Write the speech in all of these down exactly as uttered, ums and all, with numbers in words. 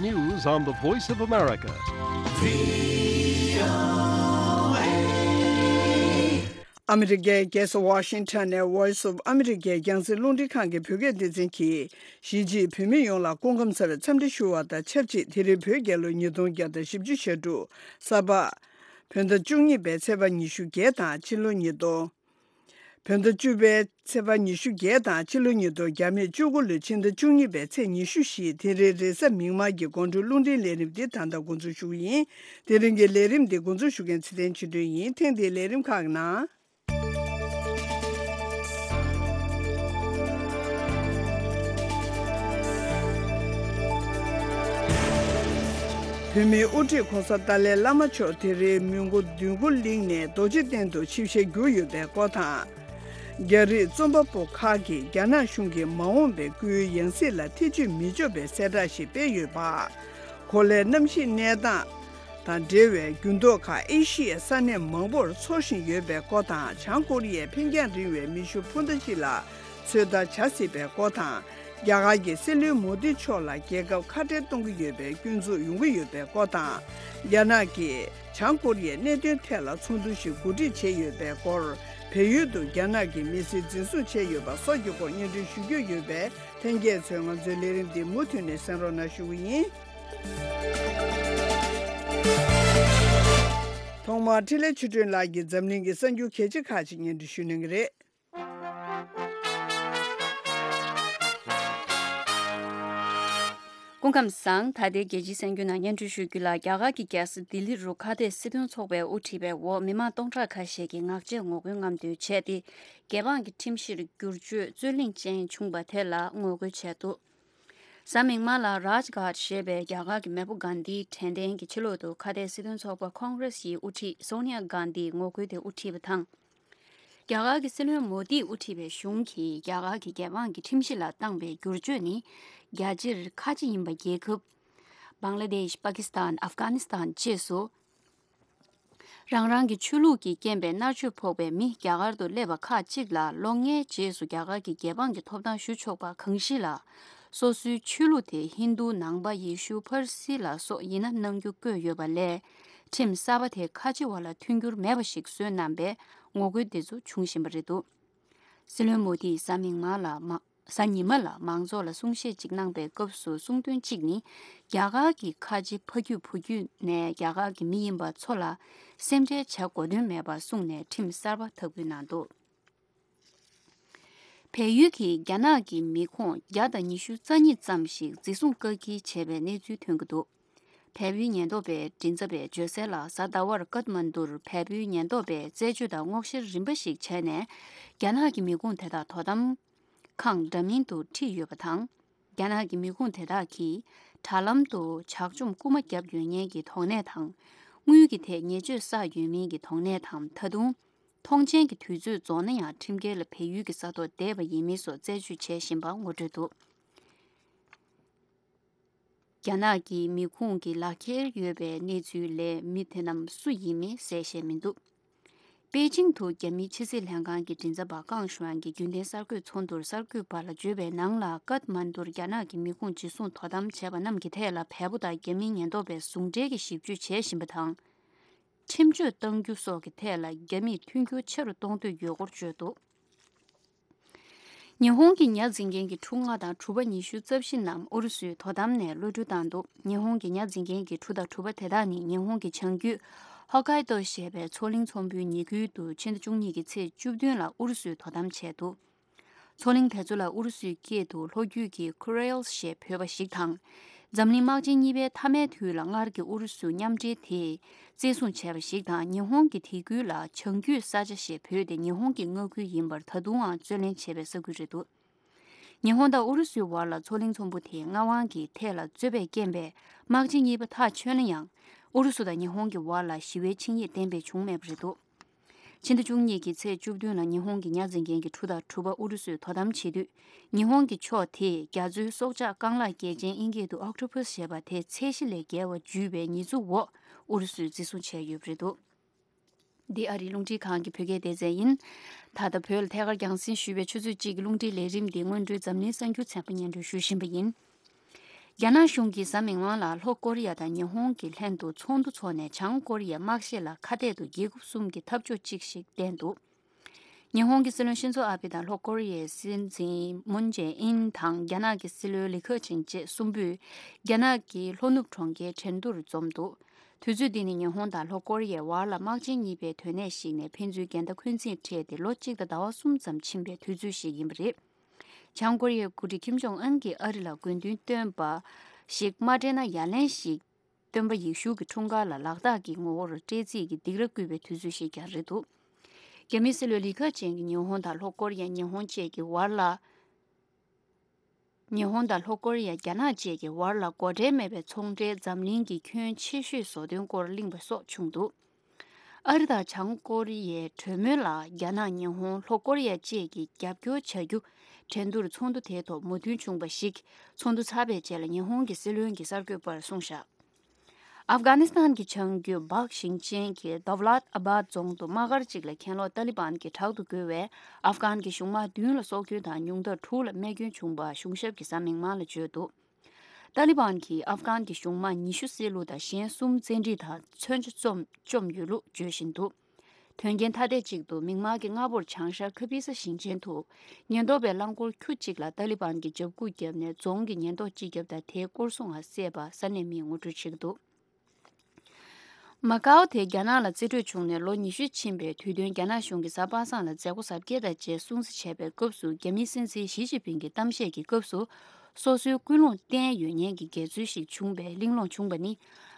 News on the Voice of America. ཨ་མི་རི་ཀའི་རྒྱལ་ས་ཝ་ཤིང་ཊོན་ནས་Voice of America་རྒྱང་སྲིང་རླུང་འཕྲིན་ཁང་གི་བོད་སྐད་སྡེ་ཚན་གྱིས་གཞིས་བྱེས་བོད་མི་ཡོངས་ལ་སྐུ་ཁམས་བཟང་བའི་འཚམས་འདྲི་ཞུ་བ་དང་ཆབས་ཅིག་དེ་རིང་བོད་རྒྱལ་ལོ་ཉིས་སྟོང་བརྒྱ་དང་བཞི་བཅུ་ཞེ་དྲུག་གཟའ་པ། བོད་ཟླ་བཅུ་གཉིས་པའི་ཚེས་པ་ཉི་ཤུ་བརྒྱད་དང་ཕྱི་ལོ་ཉིས་སྟོང་། བོད་ཟླ་བཅུ་པའི་ཚེས་པ་ཉི་ཤུ་བརྒྱད་དང་ཕྱི་ལོ་ཉིས་སྟོང་། རྒྱ་མིས་བཅུ་དགུ་ལོའི་ཕྱི་ཟླ་བཅུ་གཉིས་པའི་ཚེས་ཉི་ཤུ་བཞི། དེ་རིང་རེས་གཟའ་མིག་དམར་གྱི་དགོང་དྲོའི་རླུང་འཕྲིན་ལས་རིམ་འདི་ད་ལྟ་འགོ་འཛུགས་ཞུ་གི་ཡིན། དེ་རིང་གི་ལས་རིམ་འདི་འགོ་འཛུགས་ཞུ་མཁན་ཚེ་བརྟན་ཆོས་སྒྲོན་ཡིན། ཐེངས་འདིའི་ལས་རིམ་ཁག་གི་ནང་། བོད་མིའི་དབུ་ཁྲིད་༸གོང་ས་ཏཱ་ལའི་བླ་མ་མཆོག་དེ་རིང་མོན་གྷོ་འདོད་རྒུ་གླིང་ནས་རྡོ་རྗེ་གདན་དུ་ཆིབས་ཞལ་བསྒྱུར་ཡོད་པའི་སྐོར་དང་། རྒྱ་རིགས་རྩོམ་པ་པོ་ཁག་གིས་རྒྱ་ནག་གཞུང་གི་མ་འོངས་པའི་སྐུའི་ཡང་སྲིད་ལ་ཐེ་བྱུས་མི་འཇོག་པའི་གསལ་བསྒྲགས་ཤིག་སྤེལ་ཡོད་པ། གོ་ལའི་གནམ་གཤིས་གནས་སྟངས་དང་འབྲེལ་བའི་འགྱུར་ལྡོག་ཁག་ཨེ་ཤི་ཡའི་ས་གནས་མང་པོར་ཚོར་བཞིན་ཡོད་པའི་སྐོར་དང་། བྱང་ཀོ་རི་ཡའི་འཕེན་རྒྱང་རིང་བའི་མེ་ཤུགས་འཕུར་མདའ་ཞིག་ལ་ཚོད་ལྟ་བྱ་སྲིད་པའི་སྐོར་དང་། རྒྱ་གར་གྱི་སྲིད་བློན་མོ་དི་མཆོག་ལ་རྒྱལ་ཁབ་ཁ་བྲལ་གཏོང་གི་ཡོད་པའི་སྐྱོན་འཛུགས་ཡོང་གི་ཡོད་པའི་སྐོར་དང་། རྒྱ་ནག་གིས་བྱང་ཀོ་རི་ཡའི་གནད་དོན་ཐད་ལ་ཚོགས་འདུ་ཞིག་གོ་སྒྲིག་བྱས་ཡོད་པའི་སྐོར། བལ་ཡུལ་དུ་རྒྱ་ནག་གི་མི་སེར་འཛིན་བཟུང་བྱས་ཡོད་པ་སོགས་ཀྱི་སྐོར་སྙན་སྒྲོན་ཞུ་རྒྱུ་ཡོད་པས། ལྷན་རྒྱས་ཚོས་ང་ཚོའི་ལས་རིམ་འདི་མུ་མཐུད་ནས་གསན་རོགས་གནང་ཞུ་གི་ཡིན། ཐོག་མར་འཕྲིན་ལས་ཆོས་སྒྲོན་ལགས་ཀྱིས་འཛམ་གླིང་གི་གསར་འགྱུར་གལ་ཆེ་ཁག་ཅིག་སྙན་སྒྲོན་ཞུ་གནང་གི་རེད། སྐུ་ཁམས་བཟང་། ད་ལྟའི་རྒྱལ་སྤྱིའི་གསར་འགྱུར་ནང་སྙན་སྒྲོན་ཞུ་རྒྱུ་ལ། རྒྱ་གར་གྱི་རྒྱལ་ས་ལྡི་ལི་རུ་ཁ་གཏད་སྲིད་དོན་ཚོགས་པའི་དབུ་ཁྲིད་པའི་འོག་མི་མང་སྟོང་ཕྲག་ཁ་ཤས་ཀྱིས་ངག་བཅད་ངོ་རྒོལ་རྔམ་སྟོན་བྱས་ཏེ། རྒྱལ་འབངས་ཀྱི་ཁྲིམས་གཞིར་བསྒྱུར་བཅོས་རྩོད་གླེང་ཅན་བྱུང་བ་དེ་ལ་ངོ་རྒོལ་བྱས་འདུག་གཟའ་མིག་དམར་ལ་རཱཇ་གྷཊ་ཞེས་པའི་རྒྱ་གར་གྱི་མེས་པོ་གྷན་དྷིའི་དྲན་རྟེན་གྱི་ཕྱི་ལོགས་སུ་ཁ་གཏད་སྲིད་དོན་ཚོགས་པ་ཁོང་གྷ་རེ་སིའི་དབུ་ཁྲིད་སོ་ནི་ཡ་གྷན་དྷིས་ངོ་རྒོལ་དེ་དབུ་ཁྲིད་པ་དང་། རྒྱ་གར་གྱི་སྲིད་བློན་མོ་དིས་དབུ་ཁྲིད་པའི་གཞུང་གིས་རྒྱ་གར་གྱི་རྒྱལ་འབངས་ཀྱི་ཁྲིམས་གཞི་ལ་བཏང་པའི་བསྒྱུར་བཅོས་ནི། རྒྱལ་སྤྱིར་ཁ་ཆེ་ཡིན་པ། རྒྱལ་ཁབ་བང་ལ་དེཤ། པ་ཀི་སི་ཐན། ཨབ་གྷ་ནི་སི་ཐན་བཅས་སུ། རང་རང་གི་ཆོས་ལུགས་ཀྱི་རྐྱེན་པས་མནར་གཅོད་ཕོག་པའི་མི་རྒྱ་གར་དུ་སླེབས་པ་ཁག་ཅིག་ལ་ལོ་ལྔའི་རྗེས་སུ་རྒྱ་གར་གྱི་རྒྱལ་འབངས་ཀྱི་ཐོབ་ཐང་ཞུ་ཆོག་པ་གང་ཞིག་ལ། སོ་སོའི་ཆོས་ལུགས་དེ་ཧིན་རྡུ། ནང་པ། ཡེ་ཤུ། ཕར་སི་ལ་སོགས་ཡིན་ན་གནང་རྒྱུ་བཀོད་ཡོད་པ་ལས། ཁྲིམས་གསར་པ་དེ་ཁ་ཆེ་བ་ལ་མཐུན་འགྱུར་མེད་པ་ཞིག་བཟོས་གནང་བས་ངོ་རྒོལ་འདི་ཚོ་བྱུང་བཞིན་པ་རེད་འདུག་སྲིད་བློན་མོ་དིས་གཟའ་མིག་དམར་ལ་མ། གཟའ་ཉི་མ་ལ་མང་ཚོགས་ལ་གསུང་བཤད་ཅིག་གནང་པའི་སྐབས་སུ་གསུངས་དོན་གཅིག་ནི། རྒྱ་གར་གྱི་ཁ་ཆེ་ཕ་རྒྱུད་བུ་རྒྱུད་ནས་རྒྱ་གར་གྱི་མི་ཡིན་པ་ཚོ་ལ་སེམས་ཁྲལ་བྱ་དགོས་དོན་མེད་པར་གསུངས་ནས་ཁྲིམས་གསར་པ་འཐབ་འགོད་གནང་འདུག་བལ་ཡུལ་གྱིས་རྒྱ་ནག་གི་མི་ཁོངས་བརྒྱ་དང་ཉི་ཤུ་རྩ་གཉིས་ཙམ་ཞིག་འཛིན་བཟུང་བཀག་སྐྱིལ་བྱས་པའི་གནས་ཚུལ་ཐོན་གྱི་འདུག་བལ་པོའི་ཉེན་རྟོག་པས་མགྲིན་ཚབ་པས་བརྗོད་གསལ་ལ། གཟའ་ཟླ་བར་ཀཏ་མན་ཌུར་བལ་པོའི་ཉེན་རྟོག་པས་རྩད་གཅོད་དང་སྔོག་བཤེར་རིམ་པ་ཞིག་བྱས་ནས། རྒྱ་ནག་གི་མི་ཁུངས་དེ་དག་དོ་དམ་ཁང་འདྲ་མིན་དུ་ཁྲིད་ཡོད་པ་དང་། རྒྱ་ནག་གི་མི་ཁུངས་དེ་དག་གིས་དྲ་ལམ་དུ་ཇག་བཅོམ་རྐུ་མ་བརྒྱབ་ཡོད་ཉེན་གྱི་དོགས་གནས་དང་། དངུལ་གྱི་ཐད་ཉེས་སྤྱོད་བསགས་ཡོད་མིན་གྱི་དོགས་གནས་དང་། ད་དུང་། ཐོངས་མཆན་གྱི་དུས་ཚོད་རྫོགས་ན་ཡང་ཁྲིམས་འགལ་ལ་བལ་ཡུལ་གྱི་ས་ཐོག་བསྡད་པ་ཡིན་མིན་སོགས་རྩད་གཅོད་བྱེད་བཞིན་པ་ངོ་སྤྲོད་འདུག་རྒྱ་ནག་གི་མི་ཁུངས་ཀྱི་ལག་འཁྱེར་ཡོད་པའི་གནས་ཚུལ་ལས་མི་དེ་རྣམས་སུ་ཡིན་མིན་གསལ་བཤད་མི་འདུག་པེ་ཅིང་དུ་རྒྱ་མིའི་ཕྱི་སྲིད་ལྷན་ཁང་གི་མགྲིན་ཚབ་པ་ཀང་ཞུའན་གྱིས་རྒྱུན་ལྡན་གསར་འགོད་ཚོགས་འདུར་གསར་འགོད་པ་ལ་བརྗོད་པའི་ནང་ལ། ཀཏ་མན་ཌུར་རྒྱ་ནག་གི་མི་ཁུངས་འཇུ་བཟུང་དོ་དམ་བྱས་པ་རྣམས་ཀྱི་ཐད་ལ་བལ་པོ་དང་རྒྱ་མིའི་ཉེན་རྟོག་པས་ཟུང་འབྲེལ་གྱིས་ཞིབ་དཔྱོད་བྱེད་བཞིན་པ་དང་། ཁྲིམས་གཅོད་གཏང་རྒྱུ་སོགས་ཀྱི་ཐད་ལ་རྒྱ་མིས་མཐུན་འགྱུར་ཆེ་རུ་གཏོང་འདོད་ཡོད་སྐོར་བརྗོད་འདུག་ཉི་ཧོང་གི་ཉ་འཛིན་མཁན་གྱི་ཕྲུ་ལྔ་དང་གྲུ་པ་ཉི་ཤུ་རྩ་བཞི་རྣམས་ཨུ་རུ་སུའི་དོ་དམ་ནས་གློད་གྲོལ་བཏང་འདུག་ཉི་ཧོང་གི་ཉ་འཛིན་མཁན་གྱི་ཕྲུ་དང་གྲུ་པ་དེ་དག་ནི་ཉི་ཧོང་གི་བྱང་རྒྱུད་ཧོ་ཀའི་ཏོ་ཞེས་པའི་མཚོ་གླིང་ཚོམ་བུའི་ཉེ་ཁུལ་དུ་ཕྱི་ཟླ་བཅུ་གཉིས་ཀྱི་ཚེས་བཅུ་བདུན་ལ་ཨུ་རུ་སུས་དོ་དམ་བྱས་འདུག་མཚོ་གླིང་དེ་ཚོ་ལ་ཨུ་རུ་སུའི་སྐད་དུ་ལྷོ་རྒྱུད་ཀྱི་ཁུ་རེལ་ཞེས་འབོད་པ་ཞིག་དང་། འཛམ་གླིང་དམག་ཆེན་གཉིས་པའི་མཐའ་མའི་དུས་ལ་སྔར་གྱི་ཨུ་རུ་སུ་མཉམ་འབྲེལ་དེས་བཙན་བཟུང་བྱས་པ་ཞིག་དང་། ཉི་ཧོང་གིས་དེ་ཁུལ་ལ་བྱང་རྒྱུད་ས་ཆ་ཞེས་འབོད་དེ་ཉི་ཧོང་གི་མངའ་ཁུལ་ཡིན་པར་ད་དུང་ཡང་རྩོད་ལེན་བྱེད་པའི་ས་ཁུལ་རེད་འདུག་ཉི་ཧོང་དང་ཨུ་རུ་སུའི་བར་ལ་མཚོ་གླིང་ཚོམ་བུ་དེའི་མངའ་དབང་གི་ཐད་ལ་རྩོད་པའི་རྐྱེན་པས་དམག་ཆེན་གཉིས་པ་ཐག་ཆོད་ན་ཡང་། ཨུ་རུ་སུ་དང་ཉི་ཧོང་གི་བར་ལ་ཞི་བའི་ཆིངས་ཡིག་གཏན་འབེབས་བྱུང་མེད་པ་རེད་འདུག་ཕྱི་ཟླ་བཅུ་གཉིས་ཀྱི་ཚེས་བཅུ་བདུན་ལ་ཉི་ཧོང་གི་ཉ་འཛིན་མཁན་གྱི་ཕྲུ་དང་གྲུ་པ་ཨུ་རུ་སུས་དོ་དམ་བྱེད་དུས། ཉི་ཧོང་གི་ཕྱོགས་དེས་རྒྱ་མཚོའི་སྲོག་ཆགས་རྐང་ལག་སྐྱེས་ཆེན་དབྱིན་སྐད་དུ་ཨོག་ཊོ་པཱས་ཞེས་པ་དེ་ཚད་གཞི་ལས་བརྒལ་བ་འཇུས་པའི་ཉེས་འཛུགས་འོག་ཨུ་རུ་སུས་འཛིན་བཟུང་བྱས་ཡོད་པ་རེད་འདུག་འདི་ཨ་རིའི་རླུང་འཕྲིན་ཁང་གི་བོད་སྐད་སྡེ་ཚན་ཡིན། ད་ལྟ་བོད་ལ་ཐད་ཀར་རྒྱང་སྲིང་ཞུས་པའི་ཆུ་ཚོད་གཅིག་གི་རླུང་འཕྲིན་ལས་རིམ་འདི་སྔོན་འགྲོའི་འཛམ་གླིང་གསར་འགྱུར་ཚན་པ་སྙན་སྒྲོན་ཞུ་བཞིན་པ་ཡིན། རྒྱ་ནག་གཞུང་གིས་གཟའ་མིག་དམར་ལ་ལྷོ་ཀོ་རི་ཡ་དང་ཉི་ཧོང་གི་ལྷན་དུ་ཚོགས་འདུ་འཚོགས་ནས་བྱང་ཀོ་རི་ཡའི་དམག་བཞེས་ལ་ཁ་གཏད་དུ་རྒྱལ་ཁབ་གསུམ་གྱི་འཐབ་ཕྱོགས་གཅིག་ཞིག་བསྟན་འདུག་ཉི་ཧོང་གི་སྲིད་བློན་ཤིན་ཛོ་ཨ་བྷེ་དང་ལྷོ་ཀོ་རི་ཡའི་སྲིད་འཛིན་མུན་ཇེ་ཨིན་དང་རྒྱ་ནག་གི་སྲིད་བློན་ལི་ཁེ་ཆིང་བཅས་གསུམ་པོས་རྒྱ་ནག་གི་ལྷོ་ནུབ་གྲོང་ཁྱེར་ཁྲེང་ཏུར་འཛོམས་འདུག་དུས་ཚོད་འདི་ནི་ཉི་ཧོང་དང་ལྷོ་ཀོ་རི་ཡའི་བར་ལ་དམག་ཆེན་གཉིས་པའི་དོན་གནད་ཞིག་ནས་ཕན་ཚུན་འགལ་ཟླ་འཁོན་འཛིན་འཕྲད་དེ་ལོ་གཅིག་དང་ཟླ་བ་གསུམ་ཙམ་ཕྱིན་པའི་དུས་ཚོད་ཞིག་ཡིན་པ་རེད། བྱང་ཀོ་རི་ཡའི་འགོ་ཁྲིད་ཁིམ་ཇོང་ཨན་གྱིས་ཨ་རི་ལ་དགོས་འདུན་བཏོན་པ་ཞིག་མ་སྤྲད་ན་ཡ་ལན་ཞིག་སྟོན་པ་ཡེ་ཤུ་གི་འཁྲུངས་སྐར་ལ་ལག་རྟགས་ཀྱི་ངོ་བོར་སྤྲད་རྩིས་ཀྱི་སྡིགས་ར་བསྐུལ་བའི་དུས་ཚོད་ཞིག་ཀྱང་རེད་འདུག་རྒྱ་མིའི་སྲིད་བློན་ལི་ཁེ་ཆིང་གིས་ཉི་ཧོང་དང་ལྷོ་ཀོ་རི་ཡ། ཉི་ཧོང་བཅས་ཀྱི་བར་ལ། ཉི་ཧོང་དང་ལྷོ་ཀོ་རི་ཡ། རྒྱ་ནག་བཅས་ཀྱི་བར་ལ་སྒོ་ཁྲལ་མེད་པའི་ཚོང་འབྲེལ་འཛམ་གླིང་གི་ཁྱོན་ཆེ་ཤོས་བཟོ་དོན་སྐོར་གླེང་བ་སོགས་བྱུང་འདུག་ཨ་རི་དང་བྱང་ཀོ་རི་ཡའི་གྲོས་མོལ་ལ་རྒྱ་ནག་ཉི་ཧོང་ལྷོ་ཀོ་རི་ཡ་བཅས་ཀྱིས་རྒྱབ་སྐྱོར་བྱ་རྒྱུ་འགྲན་བསྡུར་ཚོགས་འདུ་དེའི་ཐོག་མོས་མཐུན་བྱུང་བ་ཞིག་ཚོགས་འདུ་ཚར་བའི་རྗེས་ལ་ཉི་ཧོང་གི་སྲིད་བློན་གྱིས་གསར་འགོད་པར་གསུངས་བཞག་ཨབ་གྷ་ནི་སི་ཐན་གྱི་བྱང་རྒྱུད་བག་ཞིང་ཆེན་གྱི་དོབ་ལཱད་ཨ་བཱད་རྫོང་དུ་དམག་སྒར་གཅིག་ལ་གྱེན་ལོག་ཏཱ་ལི་བན་གྱིས་དྲག་ཏུ་རྒོལ་བས་ཨབ་གྷན་གྱི་གཞུང་དམག་བདུན་ལ་སྲོག་སྐྱོན་དང་ཉུང་མཐར་དྲུག་ལ་རྨས་སྐྱོན་བྱུང་བ་གཞུང་ཞབས་ཀྱིས་གཟའ་མིག་དམར་ལ་བརྗོད་འདུག་ཏཱ་ལི་བན་གྱིས་ཨབ་གྷན་གྱི་གཞུང་དམག་ཉི་ཤུ་བསད་རློག་དང་གཞན་གསུམ་བཙན་ཁྲིད་དང་མཚོན་ཆ་བཅོམ་བཅོམ་ཡོད་ལུགས་བརྗོད་བཞིན་འདུག་དོན་རྐྱེན་ཐ་དད་ཅིག་ཏུ་མིག་དམར་གྱི་སྔ་པོར་བྱང་ཤར་ཁ་པི་ས་ཞིང་ཆེན་དུ་ཉེན་རྟོག་པས་རླངས་འཁོར་ཁྱུ་གཅིག་ལ་ཏཱ་ལི་བན་གྱི་འཇབ་རྒོལ་བརྒྱབ་ནས་རྫོང་གི་ཉེན་རྟོག་སྤྱི་ཁྱབ་དང་དེའི་སྐོར་སྲུང་བ་བསད་པ་ས་གནས་མིས་ངོ་སྤྲོད་བྱེད་ཀྱི་འདུག་མ་ཀའོ་དེ་རྒྱ་ནག་ལ་རྩིས་སྤྲོད་བྱུང་ནས་ལོ་ཉི་ཤུ་ཕྱིན་པའི་དུས་སྟོན་རྒྱ་ནག་གཞུང་གིས་གཟའ་པ་སངས་ལ་མཛད་སྒོ་གཟབ་རྒྱས་དང་བཅས་སྲུང་བརྩི་བྱས་པའི་སྐབས་སུ་རྒྱ་མིའི་སྲིད་འཛིན་ཞི་ཅིན་ཕིང་གི་གཏམ་བཤད་ཀྱི་སྐབས་སུ་སོ་སོའི་ཀུན་སློང་བསྟན་ཡོད་མཁན་གྱི་འགལ་འཛོལ་ཞིག་བྱུང་བའི་གླེང་སློང་བྱུང་བ་ནི།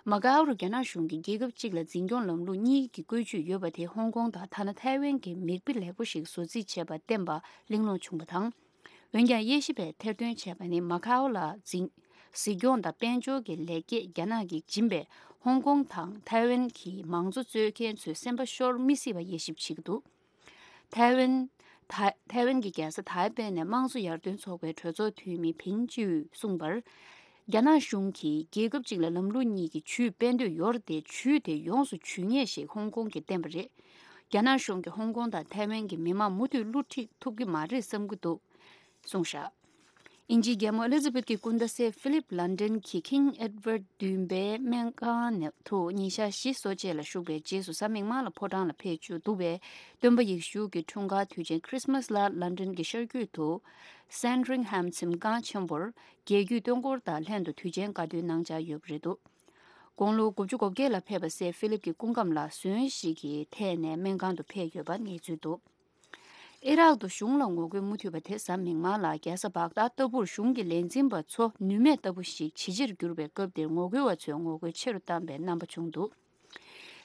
མ་ཀའོ་རུ་རྒྱ་ནག་གཞུང་གིས་རྒྱལ་ཁབ་གཅིག་ལ་འཛིན་སྐྱོང་ལམ་ལུགས་གཉིས་ཀྱི་བཀོད་ཇུས་ཡོད་པ་དེ་ཧོང་ཀོང་དང་ཐ་ན་ཐའེ་ཝན་གྱི་མིག་དཔེ་ལེགས་པོ་ཞིག་བཟོ་རྩིས་བྱས་པ་བསྟན་པ་གླེང་སློང་བྱུང་བ་དང་། འོན་ཀྱང་དབྱེ་ཞིབ་པས་ཐེར་འདོན་བྱས་པ་ནི་མ་ཁའོ་ལ་འཛིན་གཟིགས་སྐྱོང་དང་དཔལ་འབྱོར་གྱི་ལེགས་སྐྱེས་རྒྱ་ནག་གིས་སྦྱིན་པས་ཧོང་ཀོང་དང་ཐའེ་ཝན་གྱི་མང་གཙོ་རྩོད་མཁན་ཚོའི་སེམས་པ་ཤོར་མི་སྲིད་པ་དབྱེ་ཞིབ་བྱེད་ཀྱི་འདུག་ཐའེ་ཝན། ཐའེ་ཐའེ་ཝན་གྱི་རྒྱལ་ས་ཐའེ་པེ་ནས་དམངས་གཙོ་ཡར་ཐོན་ཚོགས་པའི་གྲོས་ཚོགས་འཐུས་མི་ཕིན་ཅིའུས་གསུངས་པར། རྒྱ་ནག་གཞུང་གིས་རྒྱལ་ཁབ་གཅིག་ལ་ལམ་ལུགས་གཉིས་ཀྱི་ཇུས་སྤེལ་འདོད་ཡོད་རེད་དེ་ཇུས་དེ་ཡོངས་སུ་ཇུས་ངེས་ཞེས་ཧོང་ཀོང་གིས་བསྟན་པ་རེད། རྒྱ་ནག་གཞུང་གིས་ཧོང་ཀོང་དང་ཐའེ་ཝན་གྱི་མི་མང་མུ་མཐུད་བསླུ་བྲིད་ཐུབ་ཀྱི་མ་རེད་བསམ་གྱི་འདུག་གསུངས་བཞག་དབྱིན་ཇིའི་རྒྱལ་མོ་ཨེ་ལི་ཛ་བེད་ཀྱི་སྐུ་ཟླ་སེ་ཕི་ལིབ་ལན་ཌན་གྱི་King Edward བདུན་པའི་སྨན་ཁང་ནས་དུ་ཉིན་ཞག་བཞི་གསོ་དཔྱད་ལ་ཞུགས་པའི་རྗེས་སུ་གཟའ་མིག་དམར་ལ་ཕོ་བྲང་ལ་ཕེབས་བཅུག་འདུག་པས། སྟོན་པ་ཡེ་ཤུ་གི་འཁྲུངས་སྐར་དུས་ཆེན་ཁྲིས་མས་ལ་ལན་ཌན་གྱི་ཤར་རྒྱུད་དུ་སན་ཌི་རིང་ཧམ་གཟིམ་ཁང་ཆེན་པོར་རྒྱལ་བརྒྱུད་སྟོན་འཁོར་དང་ལྷན་དུ་དུས་ཆེན་དགའ་སྟོན་གནང་འཆར་ཡོད་པ་རེད་འདུག་དགུང་ལོ་དགུ་བཅུ་གོ་བརྒྱད་ལ་ཕེབས་པ་སེ་ཕི་ལིབ་ཀྱི་སྐུ་ཁམས་ལ་ཟོན་ཞིག་གི་ཐད་ནས་སྨན་ཁང་དུ་ཕེབས་ཡོད་པ་གནས་ཚུལ་འདུག་ཨི་རག་ཏུ་གཞུང་ལ་ངོ་རྒོལ་མུ་མཐུད་པ་དེ་གཟའ་མིག་དམར་ལ་རྒྱལ་ས་བག་དཱད་ལྟ་བུར་གཞུང་གི་ལས་འཛིན་པ་ཚོ་ནུས་མེད་ལྟ་བུ་ཞིག་ཇེ་ཆེར་གྱུར་བའི་སྐབས་དེར་ངོ་རྒོལ་བ་ཚོས་ངོ་རྒོལ་ཆེ་རུ་བཏང་པའི་རྣམ་པ་བྱུང་འདུག་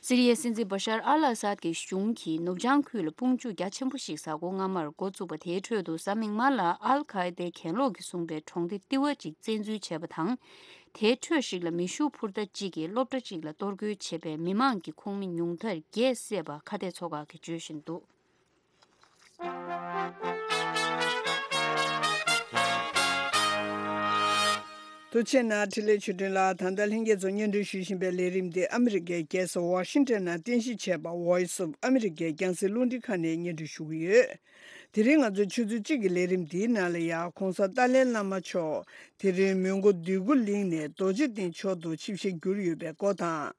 སི་རི་ཡའི་སྲིད་འཛིན་བ་ཤར་ཨལ་ཨ་སཱད་ཀྱི་གཞུང་གིས་ནུབ་བྱང་ཁུལ་ལ་དཔུང་འཇུག་རྒྱ་ཆེན་པོ་ཞིག་གཟའ་འཁོར་སྔ་མར་འགོ་བཙུགས་པ་དེའི་ཁྲོད་དུ་གཟའ་མིག་དམར་ལ་ཨལ་ཁ་ཨེ་དའི་གྱེན་ལོག་གིས་བཟུང་པའི་གྲོང་སྡེ་ཏི་ཝ་ཅིག་བཙན་འཛུལ་བྱས་པ་དང་། དེའི་ཁྲོད་ཞིག་ལ་མེ་ཤུགས་འཕུར་མདའ་གཅིག་གིས་སློབ་གྲྭ་གཅིག་ལ་གཏོར་རྒོལ་བྱས་པས་མི་མང་གི་ཁོངས་མི་ཉུང་མཐར་བརྒྱད་བསད་པ་ཁ་གཏད་མཚོ་ཁག་གིས་བརྗོད་བཞིན་འདུག་ཐུགས་རྗེ་གནང་། འཕྲིན་ལས་ཆོས་སྒྲོན་ལགས། ད་ལྟ་ལྷན་རྒྱས་ཚོ་སྙན་སྒྲོན་ཞུ་བཞིན་པའི་ལས་རིམ་འདི་ཨ་མི་རི་ཀའི་རྒྱལ་ས་ཝ་ཤིང་ཊོན་ནང་རྟེན་གཞི་བྱས་པ་Voice of America རྒྱང་སྲིང་རླུང་འཕྲིན་ཁང་ནས་སྙན་སྒྲོན་ཞུ་གི་ཡོད། དེ་རིང་ང་ཚོའི་ཆུ་ཚོད་གཅིག་གི་ལས་རིམ་འདིའི་ནང་ལ་ཡང་གོང་ས་ཏཱ་ལའི་བླ་མ་མཆོག་དེ་རིང་མོན་གྷོ་འདོད་རྒུ་གླིང་ནས་རྡོ་རྗེ་གདན་མཆོག་ཏུ་ཆིབས་ཞལ་བསྒྱུར་ཡོད་པའི་སྐོར་དང་།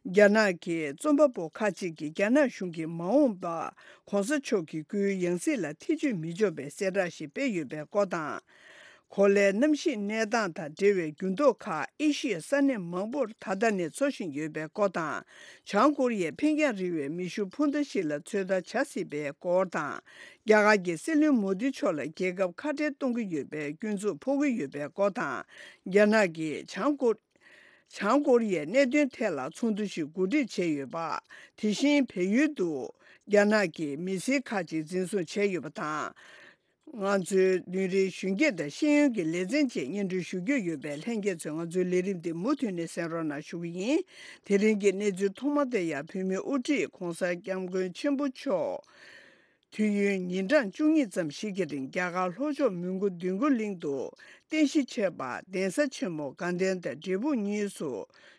རྒྱ་ནག་གི་རྩོམ་པ་པོ་ཁག་ཅིག་གིས་རྒྱ་ནག་གཞུང་གིས་མ་འོངས་པར་གོང་ས་མཆོག་གི་སྐུའི་ཡང་སྲིད་ལ་ཐེ་བྱུས་མི་འཇོག་པའི་གསལ་བསྒྲགས་ཤིག་སྤེལ་ཡོད་པའི་སྐོར་དང་། གོ་ལའི་གནམ་གཤིས་གནས་སྟངས་དང་འབྲེལ་བའི་འགྱུར་ལྡོག་ཁག་ཨེ་ཤི་ཡའི་ས་གནས་མང་པོར་ད་ལྟ་ནས་འཚོ་བཞིན་ཡོད་པའི་སྐོར་དང་། བྱང་ཀོ་རི་ཡས་འཕེན་རྒྱང་རིང་བའི་མེ་ཤུགས་འཕུར་མདའ་ཞིག་ལ་ཚོད་ལྟ་བྱ་སྲིད་པའི་སྐོར་དང་། རྒྱ་གར་གྱི་སྲིད་བློན་མོ་དི་མཆོག་ལ་རྒྱལ་ཁབ་ཁ་བྲལ་གཏོང་གི་ཡོད་པའི་སྐྱོན་འཛུགས་ཕོག་གི་ཡོད་པའི་སྐོར་དང་། རྒྱ་ནག་གིས་བྱང་ཀོ། བྱང་ཀོ་རི་ཡའི་གནད་དོན་ཐད་ལ་ཚོགས་འདུ་ཞིག་གོ་སྒྲིག་བྱས་ཡོད་པ། དེ་བཞིན་བལ་ཡུལ་དུ་རྒྱ་ནག་གིས་མི་སེར་ཁག་ཅིག་འཛིན་བཟུང་བྱས་ཡོད་པ་དང་། ང་ཚོའི་བདུན་རེའི་གཞོན་སྐྱེས་དང་ཤེས་ཡོན་གྱི་ལེ་ཚན་བཅས་སྙན་སྒྲོན་ཞུ་རྒྱུ་ཡོད་པས་ལྷན་རྒྱས་ཚོས་ང་ཚོའི་ལས་རིམ་འདི་མུ་མཐུད་ནས་གསན་རོགས་གནང་ཞུ་གི་ཡིན། དེ་རིང་གི་གནས་ཚུལ་ཐོག་མ་དེ་ཡང་བོད་མིའི་དབུ་ཁྲིད་༧གོང་ས་༧སྐྱབས་མགོན་ཆེན་པོ་མཆོག་དུས་ཡུན་ཉིན་གྲངས་བཅུ་གཉིས་ཙམ་ཞིག་གི་རིང་རྒྱ་གར་ལྷོ་ཕྱོགས་མོན་གྷོ་འདོད་རྒུ་གླིང་དུ་རྟེན་གཞི་བྱས་པ་གདན་ས་ཆེན་མོ་དགའ་ལྡན་དང་འབྲས་སྤུངས་གཉིས་སུ་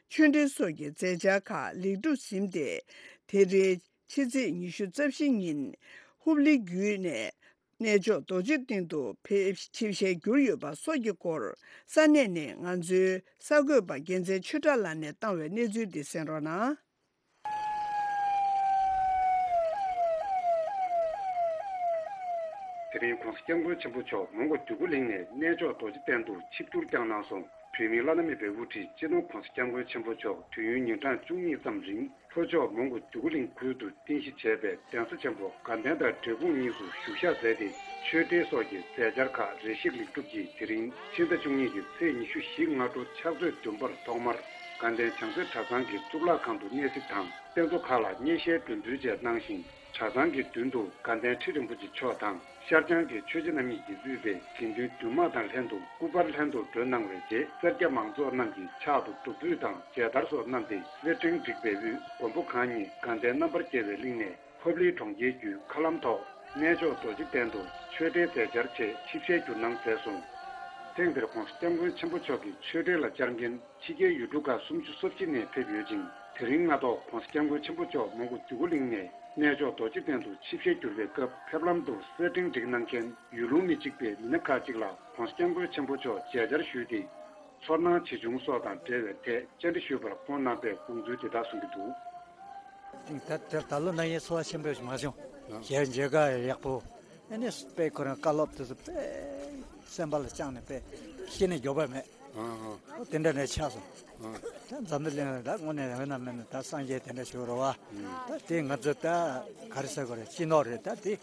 ཆོས་འབྲེལ་སོགས་ཀྱི་མཛད་འཆར་ཁག་ལེགས་གྲུབ་ཟིན་ཏེ། དེ་རིང་ཕྱི་ཚེས་ཉི་ཤུ་རྩ་བཞི་ཉིན་ཧུབ་ལི་བརྒྱུད་ནས། གནས་མཆོག་རྡོ་རྗེ་གདན་དུ་ཕེབས་ཆིབས་ཞལ་བསྒྱུར་ཡོད་པ་སོགས་ཀྱི་སྐོར་ས་གནས་ནས་ང་ཚོའི་གསར་འགོད་པ་རྒྱལ་མཚན་ཆོས་གྲགས་ལགས་ནས་བཏང་བའི་གནས་ཚུལ་འདི་གསན་རོགས་གནང་། དེ་རིང་༸གོང་ས་༸སྐྱབས་མགོན་ཆེན་པོ་མཆོག་མོན་གྷོ་འདོད་རྒུ་གླིང་ནས་གནས་མཆོག་རྡོ་རྗེ་གདན་དུ་ཆིབས་བསྒྱུར་བསྐྱངས་གནང་སོང་། བོད་མིའི་བླ་ན་མེད་པའི་དབུ་ཁྲིད་སྤྱི་ནོར་༸གོང་ས་༸སྐྱབས་མགོན་ཆེན་པོ་མཆོག་དུས་ཡུན་ཉིན་གྲངས་བཅུ་གཉིས་ཙམ་རིང་ལྷོ་ཕྱོགས་མོན་གྷོ་འདོད་རྒུ་གླིང་ཁུལ་དུ་རྟེན་གཞི་བྱས་པའི་གདན་ས་ཆེན་པོ་དགའ་ལྡན་དང་འབྲས་སྤུངས་གཉིས་སུ་བཞུགས་ཞག་མཛད་དེ། ཆོས་འབྲེལ་སོགས་ཀྱི་མཛད་འཆར་ཁག་རེ་ཞིག་ལེགས་གྲུབ་ཀྱིས། དེ་རིང་ཕྱི་ཟླ་བཅུ་གཉིས་ཀྱི་ཚེས་ཉི་ཤུ་བཞི་སྔ་དྲོ་ཕྱག་ཚོད་བདུན་པར་ཐོག་མར་དགའ་ལྡན་བྱང་རྩེ་གྲྭ་ཚང་གི་གཙུག་ལག་ཁང་དུ་གནས་གཟིགས་དང་། རྟེན་གཙོ་ཁག་ལ་མཉེས་ཞལ་སྒྲོན་འབུལ་བཅས་གནང་ཞིང་། གྲྭ་ཚང་གི་མདུན་དུ་དགའ་ལྡན་ཁྲི་རིན་པོ་ཆེ་མཆོག་དང་། ཤར་བྱང་གི་ཆོས་རྗེ་རྣམ་གཉིས་ཀྱིས་དབུས་པའི་དགེ་འདུན་འདུས་མང་དང་ལྷན་དུ་སྐུ་པར་ལྷན་དུ་སྒྲོན་གནང་བའི་རྗེས། སེར་སྐྱ་མང་ཚོགས་རྣམས་ཀྱིས་ཕྱག་ཏུ་སྒྲུབ་ཕུད་དང་མཇལ་དར་སོགས་བསྣམས་ཏེ། སེར་ཕྲེང་བསྒྲིགས་པའི་དབུས་མགོན་པོ་གང་ཉིད་དགའ་ལྡན་རྣམ་པར་རྒྱལ་བའི་གླིང་ནས་ཕབ་ལེན་གྲོང་ཁྱེར་བརྒྱུད་མཁའ་ལམ་ཐོག་གནས་མཆོག་རྡོ་རྗེ་གདན་དུ་ཆོས་འབྲེལ་མཛད་འཆར་ཆེད་ཆིབས་ཞལ་བསྒྱུར་གནང་མཛད་སོང་། ཐེངས་འདིར་༸གོང་ས་༸སྐྱབས་མགོན་ཆེན་པོ་མཆོག་གི་ཆོས་འབྲེལ་ལ་བཅར་མཁན་ཕྱི་རྒྱལ་ཡུལ་གྲུ་ཁག་སུམ་ཅུ་སོ་གཅིག་ནས་ཕེབས་ཡོད་ཅིང་། དེ་རིང་སྔ་ཐོག་༸གོང་ས་༸སྐྱབས་མགོན་ཆེན་པོ་མཆོག་མོན་གྷོ་འདོད་རྒུ་གླིང་ནས་གནས་མཆོག་རྡོ་རྗེ་གདན་དུ་ཆིབས་ཞལ་བསྒྱུར་བའི་སྐབས། ཕེབས་ལམ་དུ་སེར་ཕྲེང་སྒྲིག་གནང་མཁན་ཡུལ་ལུང་མི་གཅིག་པའི་མི་སྣ་ཁག་ཅིག་ལ་༸གོང་ས་༸སྐྱབས་མགོན་ཆེན་པོ་མཆོག་མཇལ་བཅར་ཞུས་ཏེ། ཚོར་སྣང་ཇི་བྱུང་སོགས་དང་འབྲེལ་བའི་ཐད་བཅར་འདྲི་ཞུས་པར་ཁོང་གནང་པའི་དགོངས་ཚུལ་འདི་དག་གསུང་གི་འདུག། ད་ད་ད་ལོ་ན་ཡིན་ཚོར་བ་ཆེན་པོ་ཞིག་མ་བྱུང་། ཞལ་མཇལ་ཁ་ཡག་པོ། ཨ་ནི་དཔེ་ཁོ་རང་བཀའ་སློབ་དེ་ཚོ་དཔེ་སེམས་པ་ལ་བཅངས་ནས་དཔེ་ཤེས་ནས་མགྱོགས་པ་མེད། ཨ་ཨ། ཨོ་དེ་འདྲ་ནས་ཆགས་སོང་། ཨ། ད་འཛམ་བུ་གླིང་ལ་ད་དངོས་གནས་ཡོད་ན་མེད་ན་ད་སངས་རྒྱས་དེ་འདྲ་ཞིག་རེད་བ། ཨ། ད་དེ་ང་ཚོ་ད་ག་རེ་ཟེར་དགོས་རེད། སྤྱི་ནོར་རེད། ད་དེ་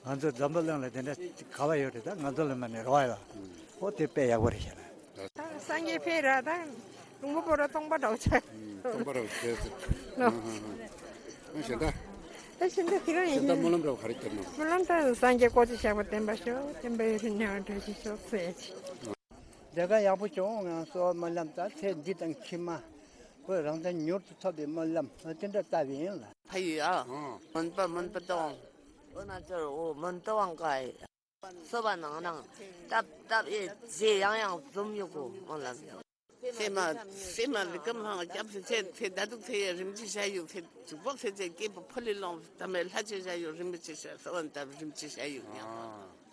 ང་ཚོ་འཛམ་བུ་གླིང་ལ་དེ་འདྲ་ག་བ་ཡོད་རེད། ད་ང་ཚོ་ལ་མ་ནས་རེ་བ་ཡོད། ཨོ་དེ་དཔེ་ཡག་པོ་རེད་ཤག་ལ། ད་སངས་རྒྱས་ཕེབས་ར་ད་ལུང་པ་པོ་ར་སྟོང་པ་འདྲ་བོ་ཆགས། སྟོང་པ་ར་བྱས་ཟེར། ལོ། ཨ་ཧ་ཧ། ཨ་གཞན་དག་ད་གཞན་དག་དེ་རང་ཡིན། གཞན་དག་སྨོན་ལམ་འདྲ་བོ་ག་རེ་བསྐྱབས་ན། སྨོན་ལམ་ད་སངས་རྒྱས་སྐུ་ཚེ་ཞབས་པད་བརྟན་པ་ཤོག། བསྟན་པ་ཡོངས་སུ་གྲོལ་བ་ཞིག་ཤོག་ཟེར་ཡ་ཅིག། ལས་ཀ་ཡག་པོ་བྱུང་ང་གསོལ་བ་སྨོན་ལམ་དང་ཚེ་འདི་དང་ཕྱི་མ་བོད་རང་བཙན་མྱུར་དུ་ཐོབ་པའི་སྨོན་ལམ་དེ་འདྲ་བཏབ་ཡིན་ལ། ཕ་ཡུལ་ཨ། ཨང་། མོན་པ་མོན་པ་ཏོང་། འོ་ན་ཅོར་འོ་མོན་ཏོ་ཝང་ཀའི། སོ་བ་ནང་ནང་ཏབ་ཏབ་ཨེ་རྗེས་ཡང་ཡང་འཛོམས་ཡོད་གོ་མོ་ལ། སེ་མ་སེ་མ་ལི་ཀམ་ཧང་སྐྱབས་སེ་ཚེ་ཚེ་ད་དུག་ཚེ་ཡ་རིམ་གྱིས་བྱ་ཡོད་ཚེ་དུག་པོ་ཚེ་ཚེ་སྐྱེས་པ་ཕོ་ལི་ལོང་ད་མེ་ལྷ་ཆེ་བྱ་ཡོད་རིམ་གྱིས་བྱ་སོ་བ་ཏབ་རིམ་གྱིས་བྱ་ཡོད་ཡང་། ཨ།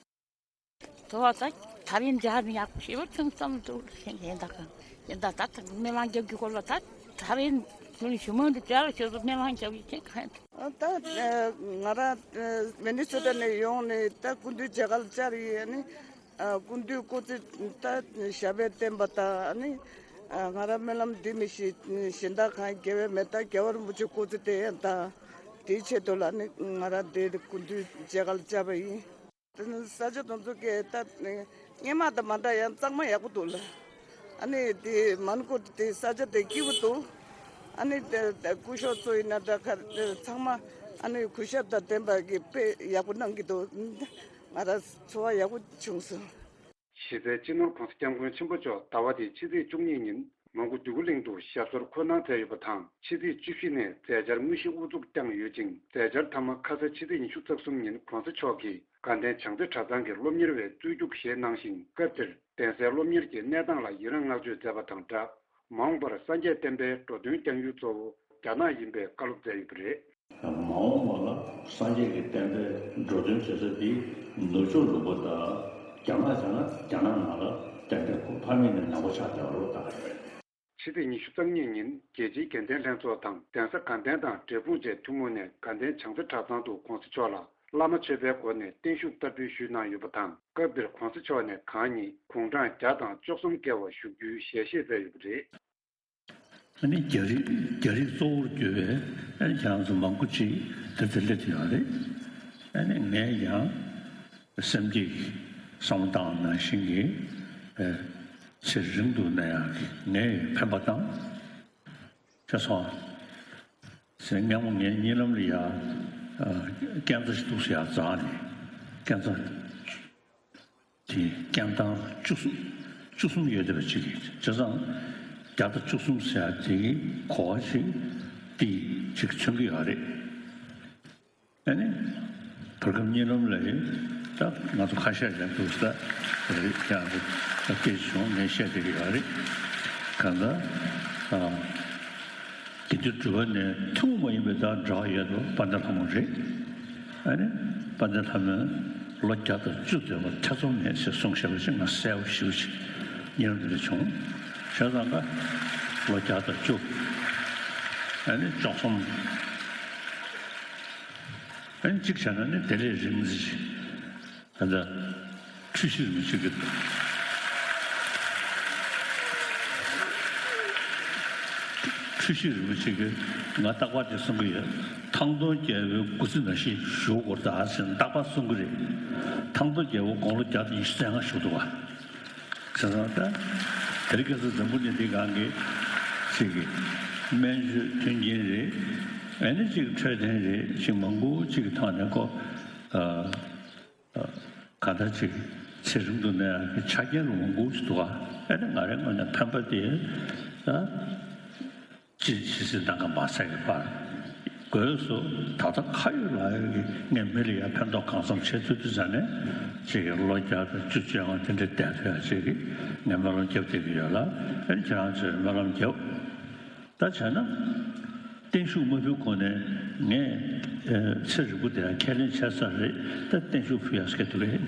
དོ་བ་ད་ཐབ་ཡིན་འདི་ཧ་མི་ཡག་པོ་ཞེ་པོ་ཐུང་ཙམ་འདུག་ཞེས་ལན་དག་གམ་ཡིན་ད་ད་ད་སྨན་བླང་རྒྱབ་ཀྱི་སྐོར་ལ་ད་ཐབ་ཡིན་ཐུང་ཞུ་མོ་འདི་བྱ་ལ་ཞེ་པོ་སྨན་བླང་རྒྱབ་ཀྱི་ཅན་གང་ཡིན། ད་ང་རང་མི་ནི་སོ་ཊ་ནས་ཡོང་ནས་ད་སྐུ་མདུན་མཇལ་ཁ་ལ་བཅར་ཡིན། ཨ་ནི་སྐུ་མདུན་སྐུ་ཚེ་ད་ཞབས་པད་བརྟན་པ་དང་ཨ་ནི་ང་རང་སྨོན་ལམ་འདི་མི་ཤེས་གཞན་དག་གང་དགེ་བའི་མེ་ད་རྒྱལ་བ་རིན་པོ་ཆེ་སྐུ་ཚེ་བརྟན་དང་དེའི་ཆེད་དུ་ལ་ནི་ང་རང་དེ་སྐུ་མདུན་མཇལ་ཁ་ལ་བཅར་བ་ཡིན། ས་ཆ་དེ་ཚོ་གས་ད་སྔོན་མ་དང་མ་འདྲ་ཡང་གཙང་མ་ཡག་པོ་འདུག་ལ། ཨ་ནི་དེ་མོན་གྷོ་དེ་ས་ཆ་དེ་སྐྱིད་པོ་འདུག། ཨ་ནི་དེ་དེ་སྐུ་ཞབས་ཚོ་ཡིན་ན་འདྲ་ཁ་ཚང་མ་ཨ་ནི་གུས་ཞབས་དང་ལྡན་པ་གི་དཔེ་ཡག་པོ་གནང་གི་འདུག། ང་རང་ཚོར་བ་ཡག་པོ་བྱུང་སོང་། གཞི་རྩའི་སྤྱི་ནོར་༸གོང་ས་༸སྐྱབས་མགོན་ཆེན་པོ་མཆོག་ཟླ་བ་འདིའི་ཕྱི་ཚེས་བཅུ་གཉིས་ཉིན་མོན་གྷོ་འདོད་རྒུ་གླིང་དུ་ཞབས་སོར་འཁོད་གནང་མཛད་ཡོད་པ་དང་། ཕྱི་ཚེས་བཅུ་བཞི་ནས་མཛད་འཆར་དངོས་གཞི་དབུ་འཛུགས་བསྐྱངས་ཡོད་ཅིང་། མཛད་འཆར་མཐའ་མ་ཁ་ས་ཕྱི་ཚེས་ཉི་ཤུ་རྩ་གསུམ་ཉིན་༸གོང་ས་མཆོག་གིས་དགའ་ལྡན་བྱང་རྩེ་གྲྭ་ཚང་གི་སློབ་གཉེར་བའི་གཙོས་རྒྱུགས་བཞེས་གནང་ཞིང་། སྐབས་དེར་གདན་སའི་སློབ་གཉེར་གྱི་གནས་སྟངས་ལ་ཡི་རངས་བསྔགས་བརྗོད་མཛད་པ་དང་སྦྲགས། མ་འོངས་པར་སངས་རྒྱས་བསྟན་པའི་འགྲོ་དོན་བསྐྱང་རྒྱུའི་གཙོ་བོ་རྒྱ་ནག་ཡིན་པའི་བཀའ་སློབ་མཛད་ཡོད་པ་རེད། མ་འོངས་པ་ལ་སངས་རྒྱས་ཀྱི་བསྟན་པའི་འགྲོ་དོན་བྱེད་ས་འདི་ནུབ་ཕྱོགས་ལུང་པ་དང་རྒྱ་ནག་བྱས་ན་རྒྱ་ནག་ནང་ལ་རྒྱ་སྐད་གོ་ཕ་མེས་ནས་ནང་པ་ཆགས་བསྡད་པ་རེད་ད། ཕྱི་ཚེས་ཉི་ཤུ་རྩ་གཉིས་ཉིན་རྒྱལ་སྤྱིའི་དགེ་ལྡན་ལྷན་ཚོགས་དང་གདན་ས་དགའ་ལྡན་དང་འབྲས་སྤུངས་བཅས་ཐུན་མོང་ནས་དགའ་ལྡན་བྱང་རྩེ་གྲྭ་ཚང་དུ་༸གོང་ས་མཆོག་ལ་བླ་མ་མཆོད་པའི་སྒོ་ནས་བརྟན་བཞུགས་བསྟར་འབུལ་ཞུས་གནང་ཡོད་པ་དང་། སྐབས་དེར་༸གོང་ས་མཆོག་ནས་གང་ཉིད་དགུང་གྲངས་བརྒྱ་དང་བཅུ་གསུམ་བརྒལ་བ་བཞུགས་རྒྱུའི་ཞལ་བཞེས་མཛད་ཡོད་པ་རེད། ཨ་ནི་རྒྱ་རིགས་རྒྱ་རིགས་གཙོ་བོར་གྱུར་པའི་ཨ་ནི་ཁྱེད་རང་ཚོ་མང་པོ་ཅིག་དེ་ཚོ་སླེབས་ཡོད་རེད། ཨ་ནི་ངས་ཀྱང་སེམས་ཀྱི་བསམ་བློ་བཏང་ནང་བཞིན་གྱི་ཨ་ཚེ་རིང་དུ་གནས་ཡག་གི་ངས་འཕེན་པ་བཏང་། ཁྱེད་ཚོ་ཚེ་སྔ་མོ་ངའི་གཉིད་ལམ་ལ་ཡ་ཨ་སྐས་འཛེག་ཞིག་འདུག་ཟེར་ཡ་འཛེགས་ནས་སྐས་འཛེག་དེ་སྐས་ཐང་བཅུ་གསུམ་བཅུ་གསུམ་ཡོད་བསྡད་པ་ཅིག་གིས་བྱས་ཙང་བརྒྱ་དང་བཅུ་གསུམ་ཟེར་ཡ་དེ་གི་གོ་བ་ཞིག་དེ་ཅིག་མཚོན་གྱི་ཡོད་རེད། ཨ་ནི་བར་སྐབས་གཉིད་ལམ་ལ་ཡིན་ད་ང་ཚོ་ཁ་ཤས་ཀྱང་འདུག་ས་རེད་ཀྱང་རེད་ད་སྐད་ཆ་བྱུང་ངས་བཤད་བསྡད་ཀྱི་ཡོད་རེད། གང་ལྟར་ཨ་དགེ་འདུན་གྲུབ་པ་ནས་ཐུན་མོང་མ་ཡིན་པའི་ད་འབྲེལ་བ་ཡོད་པ་དཔལ་ལྡན་ལྷ་མོ་རེད། ཨ་ནི་དཔལ་ལྡན་ལྷ་མོས་ ལོ་བརྒྱ་དང་བཅུ་སྡོད་པར་ཐེ་ཚོམ་མེད་ཅེས་གསུངས་བཞག་པ་ཞིག་ང་གསལ་པོ་ཞེ་པོ་ཅིག་ཉེ་རབས་འདི་འདྲ་བྱུང་། བྱས་ཙང་ཀ་ལོ་བརྒྱ་དང་བཅུ། ཨ་ནི་བཅུ་གསུམ། ཨ་ནི་གཅིག་བྱས་ན་ནི་དེ་ལས་རིང་ཙམ་ཅིག་ད་ལྟ་འཁྲུལ་ཞིག་རིན་པོ་ཆེ་གི། འཁྲུལ་ཞིག་རིན་པོ་ཆེ་གིས་ང་རྟག་པར་དེ་གསུང་གི་ཡོད། ཐང་སྟོང་རྒྱལ་པོའི་སྐུ་ཚེ་ནང་བཞིན་བཞུགས་དགོས་རེད་ད་ཟེར་ནས་རྟག་པར་གསུང་གི་རེད། ཐང་སྟོང་རྒྱལ་པོ་དགུང་ལོ་བརྒྱ་དང་ཉི་ཤུ་རྩ་ལྔ་བཞུགས་འདུག་བ། བྱས་ཙང་ད་དེ་རིང་ཁ་སང་འཛམ་བུ་གླིང་འདིའི་སྒང་གི་ཅིག་གི་སྨན་བཅོས་མཐུན་རྐྱེན་རེད། ཨ་ནི་ཅིག་འཕྲོད་བསྟེན་རེད། ཅིག་མང་པོ་ཅིག་གི་ཐོག་ནས་ཁོ། ཨ། གང་ལྟར་ཅིག་ཚེ་རིང་དུ་གནས་ཡག་གི་ཆ་རྐྱེན་རུ་མང་པོ་ཞིག་འདུག་ག་ཨ་ནི་ང་རའི་ངོས་ནས་ཕན་པ་དེ་ད་ཅི་ཇི་སྲིད་ལྟ་ག་མ་ཟེར་གི་བར་དགོས་སུ་ད་ལྟ་ཁ་ཡོད་ལག་ཡོད་ཀྱི་ངས་མི་ལ་ཡ་ཕན་ཐོགས་གང་འཚམ་བྱེད་ཐུབ་དུས་ཙ་ནས་ཅིག་གི་ལོ་བརྒྱ་དང་བཅུ་བཅོ་ལྔ་དེ་འདྲ་བསྡད་ཐུབ་ཡག་ཅིག་གི་ངས་སྨོན་ལམ་རྒྱབ་བསྡད་ཀྱི་ཡོད་ལ། ཨ་ནི་ཁྱེད་རང་ཚོས་སྨོན་ལམ་རྒྱབ། ད་བྱས་ན། བརྟན་བཞུགས་མ་ཕུལ་གོང་ནས་ངས་ཚེ་རིང་པོ་དེ་ཡང་ཁས་ལེན་བྱས་ཚར་རེད། ད་བརྟན་བཞུགས་ཕུལ་ཡག་སྐད་འདུག་གས།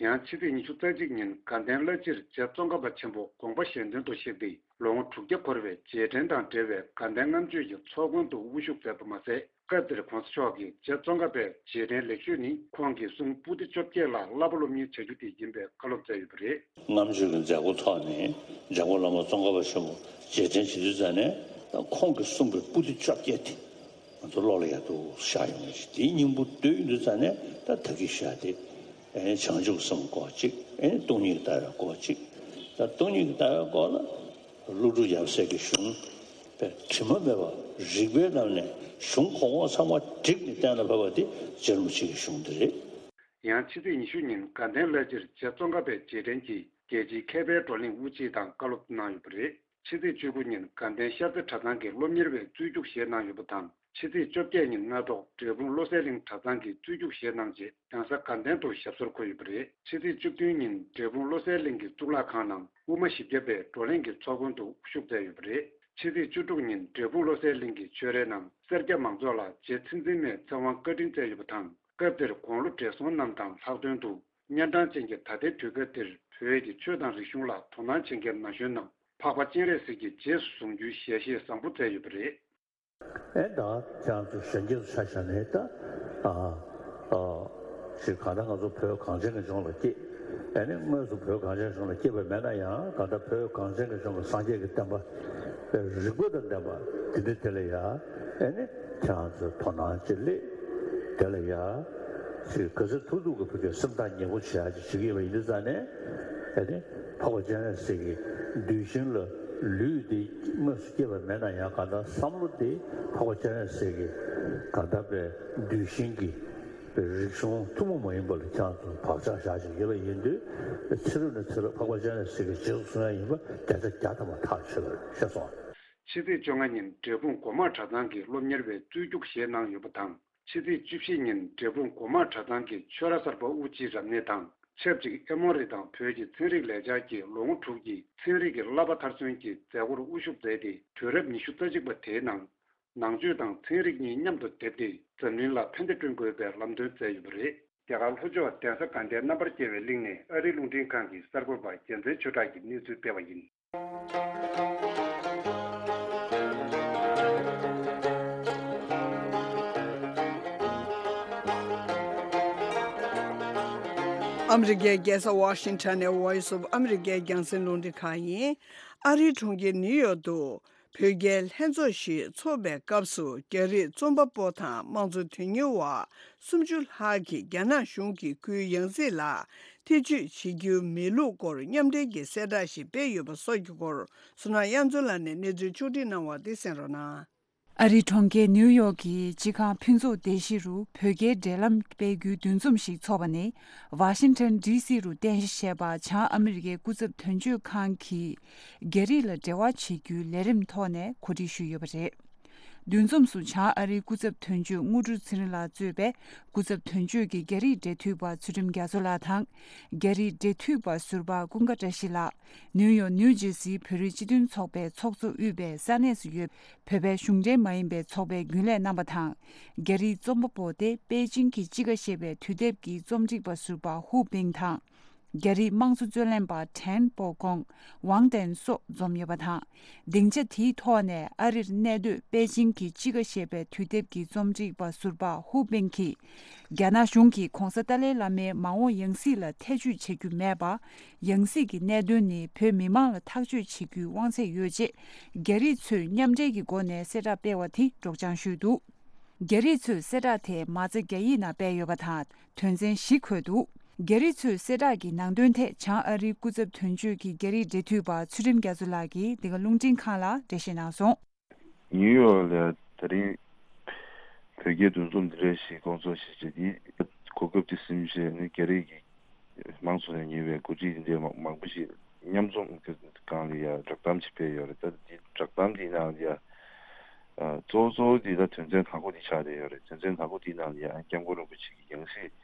ཡང་ཕྱི་ཚེས་ཉི་ཤུ་རྩ་གཅིག་ཉིན་དགའ་ལྡན་བླ་སྤྱིར་རྗེ་ཙོང་ཁ་པ་ཆེན་པོ་དགོངས་པ་གཞན་དོན་དུ་གཤེགས་ཏེ་ལོ་ངོ་དྲུག་བརྒྱ་འཁོར་བའི་རྗེས་དྲན་དང་འབྲེལ་བའི་དགའ་ལྡན་ལྔ་མཆོད་ཀྱི་ཚོགས་མགོན་དུ་དབུ་བཞུགས་མཛད་པ་མ་ཟད། སྐབས་དེར་༸གོང་ས་མཆོག་གིས་རྗེ་ཙོང་ཁ་པའི་རྗེས་དྲན་ལེགས་ཤོས་ནི་ཁོང་གི་གསུང་པོ་ཏི་བཅོ་བརྒྱད་ལ་བསླབ་པ་སློབ་གཉེར་བྱ་རྒྱུ་དེ་ཡིན་པའི་བཀའ་སློབ་སྩལ་ཡོད་པ་རེད། ལྔ་མཆོད་ཀྱི་མཛད་སྒོ་ཐོག་ནས་འཇམ་མགོན་བླ་མ་ཙོང་ཁ་པ་ཆེན་པོ་རྗེས་དྲན་བྱེད་དུས་ཙ་ནས་ཁོང་གིས་གསུངས་པའི་པོ་ཏི་བཅོ་བརྒྱད་དེ་ང་ཚོ་བློ་ལ་ཡག་ཏུ་བཞག་ཡོང་གི་རེད། དེའི་སྙིང་པོ་བསྡུས་ཡོང་དུས་ཙ་ནས་ད་ད་གིན་བཤད་དེ་བྱང་ཆུབ་སེམས་སྐོར་གཅིག་སྟོང་ཉིད་ཀྱི་ལྟ་བའི་སྐོར་གཅིག་ད་སྟོང་ཉིད་ཀྱི་ལྟ་བའི་སྐོར་ལ། ཀླུ་སྒྲུབ་ཡབ་སྲས་ཀྱི་གཞུང་དེ་དྲི་མ་མེད་པ་རིགས་པའི་ལམ་ནས་གཞུང་གོང་འོག་ཚང་མ་བསྒྲིགས་ནས་གཏན་ལ་ཕབ་པ་དེ་རྗེ་རིན་པོ་ཆེ་གི་གཞུང་དེ་རེད། ཡང་ཕྱི་ཚེས་ཉི་ཤུ་ཉིན་དགའ་ལྡན་བླ་སྤྱིར་རྗེ་ཙོང་ཁ་པའི་རྗེས་དྲན་གྱིས་རྒྱལ་སྤྱིའི་མཁས་པའི་བགྲོ་གླེང་དབུ་འབྱེད་དང་བཀའ་སློབ་གནང་ཡོད་པ་རེད། ཕྱི་ཚེས་བཅུ་དགུ་ཉིན་དགའ་ལྡན་ཤར་རྩེ་གྲྭ་ཚང་གི་སློབ་གཉེར་བའི་རྩོད་རྒྱུགས་བཞེས་གནང་ཡོད་པ་དང་། ཕྱི་ཚེས་བཅོ་བརྒྱད་ཉིན་སྔ་དྲོ་འབྲས་སྤུངས་བློ་གསལ་གླིང་གྲྭ་ཚང་གི་རྩོད་རྒྱུགས་བཞེས་གནང་རྗེས་གདན་ས་དགའ་ལྡན་དུ་ཞབས་སོར་འཁོད་ཡོད་པ་རེད། ཕྱི་ཚེས་བཅུ་བདུན་ཉིན་འབྲས་སྤུངས་བློ་གསལ་གླིང་གི་གཙུག་ལག་ཁང་ནང་དབུ་མ་བཞི་བརྒྱ་པའི་བགྲོ་གླེང་གི་ཚོགས་མགོན་དུ་དབུ་བཞུགས་མཛད་ཡོད་པ་རེད། ཕྱི་ཚེས་བཅུ་དྲུག་ཉིན་འབྲས་སྤུངས་བློ་གསལ་གླིང་གི་ཆོས་རའི་ནང་སེར་སྐྱ་མང་ཚོགས་ལ་རྗེ་ཚེ་བརྟན་མའི་ཚེ་དབང་བཀའ་དྲིན་སྩལ་ཡོད་པ་དང་། སྐབས་དེར་དགུང་ལོ་བགྲེས་སོང་རྣམས་དང་ལྷག་དོན་དུ་གཉན་འཕྲང་ཅན་གྱི་ད་ལྟའི་དུས་སྐབས་འདིར་བོད་ཀྱི་ཆོས་དང་རིག་གཞུང་ལ་དོ་སྣང་བྱེད་མཁན་ན་གཞོན་རྣམས་འཕགས་པ་སྤྱན་རས་གཟིགས་ཀྱི་རྗེས་སུ་བཟུང་རྒྱུའི་ཞལ་བཞེས་བཟང་པོ་མཛད་ཡོད་པ་རེད། ཨེ་ད་ཁྱེད་རང་ཚོ་གཞོན་སྐྱེས་ཚོ་ཆ་བཞག་ནས་ད་ཨ་ཨ་ཞིག་གང་ལྟར་ང་ཚོ་བོད་གངས་ཅན་གྱི་ལྗོངས་ལ་སྐྱེས། ཨེ་ནི་དངོས་སུ་བོད་གངས་ཅན་གཞུང་ལ་སྐྱེས་པ་མེད་ན་ཡང་གང་ལྟར་བོད་གངས་ཅན་གྱི་ལྗོངས་ཀྱི་སངས་རྒྱས་ཀྱི་བསྟན་པ་རིག་པ་དང་ལྡན་པ་འདི་འདྲ་དེ་ལ་ཡ་ཨེ་ནི་ཁྱེད་རང་ཚོས་དོ་སྣང་ཅིག་སླེབས། དེ་ལ་ཡ་ཅིག་ག་ཚོད་ཐུབ་ཐུབ་ཀྱི་བོད་ཀྱི་སེམས་ཐག་ཉེ་པོ་བྱེད་ཡ་ཅིག་བྱེད་ཀྱི་ཡོད་པ་ཡིན་དུས་ཙང་ནས་ཨེ་ནི་འཕགས་པ་སྤྱན་རས་གཟིགས་ཀྱི་གདུལ་ཞིང་ལ་ལུས་འདི་དངོས་སུ་སྐྱེས་པ་མེད་ན་ཡང་གང་ལྟར་བསམ་བློ་འདི་འཕགས་པ་སྤྱན་རས་གཟིགས་ཀྱི་གང་ལྟར་པའི་གདུལ་ཞིང་གི་རིག་གཞུང་ཐུན་མོང་མ་ཡིན་པ་ལ་ཁྱེད་རང་ཚོ་བག་ཆགས་བཞག་བཞིན་ཡོད་པ་ཡིན་དུས་ཚེ་རབས་ནས་ཚེ་རབས་འཕགས་པ་སྤྱན་རས་གཟིགས་ཀྱི་རྗེས་སུ་བཟུང་ཡ་ཡིན་པ་བརྒྱ་ཆ་བརྒྱ་ཐམ་པ་ཐག་ཆོད་པ་རེད། ཤེས་སོང་། ཕྱི་ཚེས་བཅོ་ལྔ་ཉིན་འབྲས་སྤུངས་སྒོ་མང་གྲྭ་ཚང་གི་སློབ་གཉེར་བའི་རྩོད་རྒྱུགས་བཞེས་གནང་ཡོད་པ་དང་། ཕྱི་ཚེས་བཅུ་བཞི་ཉིན་འབྲས་སྤུངས་སྒོ་མང་གྲྭ་ཚང་གི་ཆོས་ར་གསར་པ་དབུ་འབྱེད་རབ་གནས་དང་ཆབས་ཅིག་ཨེ་མོ་རི་དང་བོད་ཀྱི་ཚན་རིག་ལས་འཆར་གྱི་ལོ་ངོ་དྲུག་གི་ཚན་རིག་གི་བསླབ་པ་མཐར་སོན་གྱི་མཛད་སྒོར་དབུ་བཞུགས་མཛད་དེ། དུས་རབས་ཉི་ཤུ་རྩ་གཅིག་པ་དེའི་ནང་ནང་ཆོས་དང་ཚན་རིག་གཉིས་མཉམ་དུ་སྡེབས་ཏེ་འཛམ་གླིང་ལ་ཕན་བདེ་བསྐྲུན་དགོས་པའི་ལམ་སྟོན་མཛད་ཡོད་པ་རེད། རྒྱ་གར་ལྷོ་ཕྱོགས་གདན་ས་དགའ་ལྡན་རྣམ་པར་རྒྱལ་བའི་གླིང་ནས་ཨ་རིའི་རླུང་འཕྲིན་ཁང་གི་གསར་འགོད་པ་རྒྱལ་མཚན་ཆོས་གྲགས་ཀྱིས་གནས་ཚུལ་སྤེལ་བ་ཡིན། ཨ་མི་རི་ཀའི་རྒྱལ་ས་ཝ་ཤིང་ཊོན་ནས་Voice of America རྒྱང་སྲིང་རླུང་འཕྲིན་ཁང་ཡིན། ཨ་རིའི་གྲོང་ཁྱེར་ནིའུ་ཡོག་ཏུ་བོད་རྒྱའི་ལྷན་ཚོགས་ཤིག་འཚོགས་པའི་སྐབས་སུ། རྒྱ་རིགས་རྩོམ་པ་པོ་དང་དམངས་གཙོ་དོན་གཉེར་བ་སུམ་ཅུ་ལྷག་གིས་རྒྱ་ནག་གཞུང་གིས་ཁོའི་ཡང་སྲིད་ལ་ཐེ་ཇུས་བྱེད་རྒྱུ་མེད་ལུགས་སྐོར་མཉམ་འབྲེལ་གྱི་གསལ་བསྒྲགས་ཤིག་སྤེལ་ཡོད་པ་སོགས་ཀྱི་སྐོར། བསོད་ནམས་དབྱངས་མཚོ་ལགས་ནས་གནས་ཚུལ་ཕྱོགས་སྒྲིག་གནང་བ་དེ་གསན་རོགས་གནང་། ཨ་རིའི་གྲོང་ཁྱེར་ནིའུ་ཡོག་གི་སྤྱི་ཁང་ཕུན་ཚོགས་སྡེ་བཞི་རུ་བོད་རྒྱའི་འབྲེལ་ལམ་སྤེལ་རྒྱུའི་འདུ་འཛོམས་ཤིག་འཚོགས་པ་ནི། ཝ་ཤིང་ཊོན་ཌི་སི་རུ་རྟེན་གཞི་བྱས་པ་བྱང་ཨ་མི་རི་ཀའི་སྐུ་ཚབ་དོན་གཅོད་ཁང་གིས་རྒྱ་རིགས་ལ་འབྲེལ་བ་བྱེད་རྒྱུའི་ལས་རིམ་ཐོག་ནས་གོ་སྒྲིག་ཞུས་ཡོད་པ་རེད། འདུ་འཛོམས་སུ་བྱང་ཨ་རིའི་སྐུ་ཚབ་དོན་གཅོད་དངོས་གྲུབ་ཚེ་རིང་ལགས་གཙོས་པའི་སྐུ་ཚབ་དོན་གཅོད་ཀྱི་རྒྱ་རིགས་འབྲེལ་མཐུད་པ་ཚུལ་ཁྲིམས་རྒྱ་མཚོ་ལགས་དང་། རྒྱ་རིགས་འབྲེལ་མཐུད་པ་ཟུར་པ་ཀུན་དགའ་བཀྲ་ཤིས་ལགས། ནིའུ་ཡོག་ནིའུ་ཇེར་སིའི་བོད་རིགས་སྤྱི་མཐུན་ཚོགས་པའི་ཚོགས་གཙོ་དབུས་པའི་ས་གནས་སུ་ཡོད་བོད་པའི་གཞུང་འབྲེལ་མ་ཡིན་པའི་ཚོགས་པའི་རྒྱུན་ལས་རྣམ་པ་དང་། རྒྱ་རིགས་རྩོམ་པ་པོ་སྟེ་པེ་ཅིང་གི་དཔྱིད་ཀ་ཞེས་པའི་དུས་དེབ་ཀྱི་རྩོམ་སྒྲིག་པ་ཟུར་པ་ཧུའུ་པིང་དང་། རྒྱ་རིགས་དམངས་གཙོ་རྩོད་ལེན་པ་ཁྲེན་པོ་ཀོང་ཝང་ཏན་སོགས་འཛོམས་ཡོད་པ་དང་། སྡིངས་ཆ་དེའི་ཐོག་ནས་ཨ་རིར་གནས་སྡོད་པེ་ཅིང་གི་དཔྱིད་ཀ་ཞེས་པའི་དུས་དེབ་ཀྱི་རྩོམ་སྒྲིག་པ་ཟུར་པ་ཧུའུ་པིང་གིས། རྒྱ་ནག་གཞུང་གིས་༧གོང་ས་ཏཱ་ལའི་བླ་མའི་མ་འོངས་ཡང་སྲིད་ལ་ཐེ་བྱུས་བྱེད་རྒྱུ་མེད་པ། ཡང་སྲིད་ཀྱི་གནད་དོན་ནི་བོད་མི་མང་ལ་ཐག་གཅོད་བྱེད་རྒྱུའི་དབང་ཚད་ཡོད་ཅེས། རྒྱ་རིགས་ཚོས་མཉམ་འབྲེལ་གྱི་སྒོ་ནས་གསལ་བསྒྲགས་སྤེལ་བ་དེ་སྒྲོག་སྦྱང་ཞུས་འདུག་རྒྱ་རིགས་ཚོས་གསལ་བསྒྲགས་དེ་མ་རྩ་རྒྱ་ཡིག་ནང་སྤེལ་ཡོད་པ་དང་། དོན་ཚན་བཞི་འཁོད་འདུག་རྒྱ་རིགས་ཚོས་གསལ་བསྒྲགས་ཀྱི་ནང་དོན་ཐད་བྱང་ཨ་རིའི་སྐུ་ཚབ་དོན་གཅོད་ཀྱི་རྒྱ་རིགས་འབྲེལ་མཐུད་པ་ཚུལ་ཁྲིམས་རྒྱ་མཚོ་ལགས་ཀྱིས་འདི་ག་རླུང་འཕྲིན་ཁང་ལ་འགྲེལ་བཤད་གནང་སོང་། ནིའུ་ཡོག་ལ་ད་རིང་བོད་རྒྱའི་འདུ་འཛོམས་འདི་འདྲ་ཞིག་སྐོང་ཚོགས་ཞིག་བྱས་ཏེ། གོ་སྐབས་དེ་ཟིན་བྱས་ནས་རྒྱ་རིགས་ཀྱི་མང་ཚོགས་ནས་ཉེ་བའི་འགོ་ཁྲིད་འདི་འདྲའི་མང་པོ་ཞིག་མཉམ་འཛོམས་སྒང་ལ་ཡ་བསྒྲགས་གཏམ་ཞིག་སྤེལ་ཡོད་རེད། ད་འདི་བསྒྲགས་གཏམ་འདིའི་ནང་ལ་ཡ་གཙོ་བོ་གཙོ་བོ་འདི་ད་དོན་ཚན་དང་པོ་འདི་ཆགས་བསྡད་ཡོད་རེད། དོན་ཚན་དང་པོ་འདིའི་ནང་ལ་ཡ་སྐྱབས་མགོན་རིན་པོ་ཆེ་གི་ཡང་སྲིད།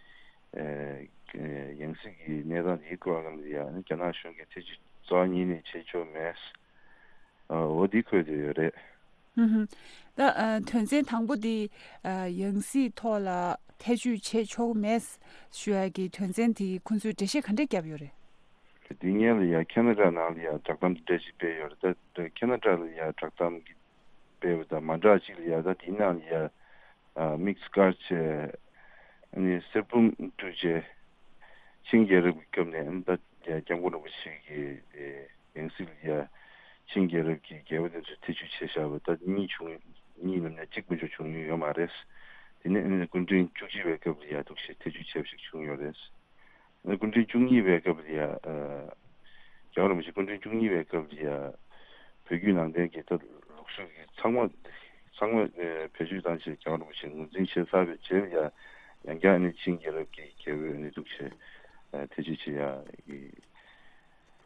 ཨེ། ཡང་སྲིད་ཀྱི་གནས་སྟངས་འདིའི་སྐོར་ལ་ཡ་རྒྱ་ནག་གཞུང་གིས་ཐེ་བྱུས་རྩ་བ་ཉིད་ནས་བྱེད་ཆོག་མེད། འོ་འདི་འཁོད་དེ་ཡོད་རེད། ཧུམ་ཧུམ། ད་ཨ་དོན་ཚན་དང་པོ་འདི་ཨ་ཡང་སྲིད་ཐོག་ལ་ཐེ་བྱུས་བྱེད་ཆོག་མེད་ཞུ་ཡ་གི་དོན་ཚན་དེ་ཁོང་ཚོས་འགྲེལ་བཤད་ག་འདྲས་བརྒྱབ་ཡོད་རེད། འདི་སྔོན་ལ་ཡ་ཁེ་ན་ཌ་ནང་ལ་ཡ་བསྒྲགས་གཏམ་འདི་འདྲ་ཞིག་སྤེལ་ཡོད་རེད། ད་ཁེ་ན་ཌ་ལ་ཡ་བསྒྲགས་གཏམ་གྱི་སྤེལ་བ་དང་མ་འདྲ་ཅིག་ལ་ཡ་ད་དེའི་ནང་ལ་ཡ་དམིགས་བཀར་བྱས་ཨ་ནི་གསེར་བུམ་དཀྲུགས་བྱས་ཆིང་རྒྱལ་རབས་ཀྱི་སྐབས་ནས་ཨ་ནི་ད་ཡ་སྐྱབས་མགོན་རིན་པོ་ཆེ་གི་ཡང་སྲིད་ལ་ཡ་ཆིང་རྒྱལ་རབས་ཀྱི་རྒྱལ་པོ་དེ་ཚོས་ཐེ་བྱུས་བྱས་བཞག་པ་ད་གཉིས་བྱུང་གཉིས་ལབ་ནས་གཅིག་མ་གཏོགས་བྱུང་མྱོང་ཡོད་མ་རེད། དེ་ནས་ཨ་ནི་སྐུ་ཕྲེང་བཅུ་གཅིག་པའི་སྐབས་ལ་ཡ་འདུག་སེ་ཐེ་བྱུས་བྱས་པ་ཞིག་བྱུང་ཡོད་རེད། སྐུ་ཕྲེང་བཅུ་གཉིས་པའི་སྐབས་ལ་ཡ། རྒྱལ་བ་རིན་པོ་ཆེ་སྐུ་ཕྲེང་བཅུ་གཉིས་པའི་སྐབས་ལ་ཡ། བོད་བརྒྱུད་ནང་བསྟན་གྱི་ད་ལུགས་སྲོལ་གྱི་ཚང་མ། ཚང་མ་བེད་སྤྱོད་བཏང་བྱས་རྒྱལ་བ་རིན་པོ་ཆེ་ངོས་འཛིན་བྱས་ཚར་བའི་རྗེས་ལ་ཡ། ཡང་བསྐྱར་ནི་ཆིང་རྒྱལ་རབས་ཀྱི་རྒྱལ་པོའི་ནི་འདུག་བྱས། ཐེ་བྱུས་བྱེད་ཡ།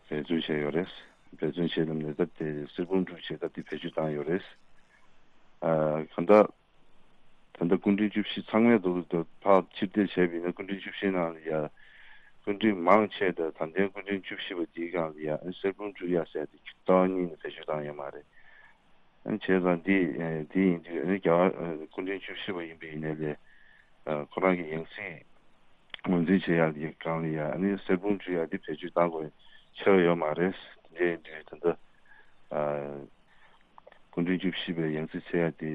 འབད་བརྩོན་བྱས་ཡོད་རེད། འབད་བརྩོན་བྱས་ལམ་ནས་ད་དེ་གསེར་བུམ་དཀྲུགས་བྱས་ད་དེ་བེད་སྤྱོད་བཏང་ཡོད་རེད། གང་ལྟར། ད་ལྟ་སྐུ་ཕྲེང་བཅུ་བཞི་ཚང་མའི་འདུག་འདུག་ཕར་ཕྱིར་བལྟས་བྱས་པ་ཡིན་ན་སྐུ་ཕྲེང་བཅུ་བཞི་ནང་ལ་ཡ། སྐུ་ཕྲེང་མང་ཆེ་དང་ད་ལྟའི་སྐུ་ཕྲེང་བཅུ་བཞི་པ་འདིའི་སྒང་ལ་ཡ་ཨ་གསེར་བུམ་དཀྲུག་ཡ་ཟེར་ཏེ་རྩ་བ་ཉིད་ནས་བེད་སྤྱོད་བཏང་ཡོད་མ་རེད། ཨ་བྱས་ཙང་འདི་འདི་ཡིན་དུས་ཨ་རྒྱ་གར་སྐུ་ཕྲེང་བཅུ་བཞི་པ་ཡིན་པ་ཡིན་ནའི་ལས། ཁོ་རང་གི་ཡང་སྲིད་ངོས་འཛིན་བྱེད་ཡ་གི་སྒང་ལ་ཡ་ཨ་ནི་གསེར་བུམ་དཀྲུག་ཡ་འདི་བེད་སྤྱོད་བཏང་དགོས་ཆེ་བ་ཡོད་མ་རེད། འདི་ཡིན་དུས་ད་ལྟ། སྐུ་ཕྲེང་བཅུ་བཞི་པའི་ཡང་སྲིད་འཚོལ་ཡ་དེ་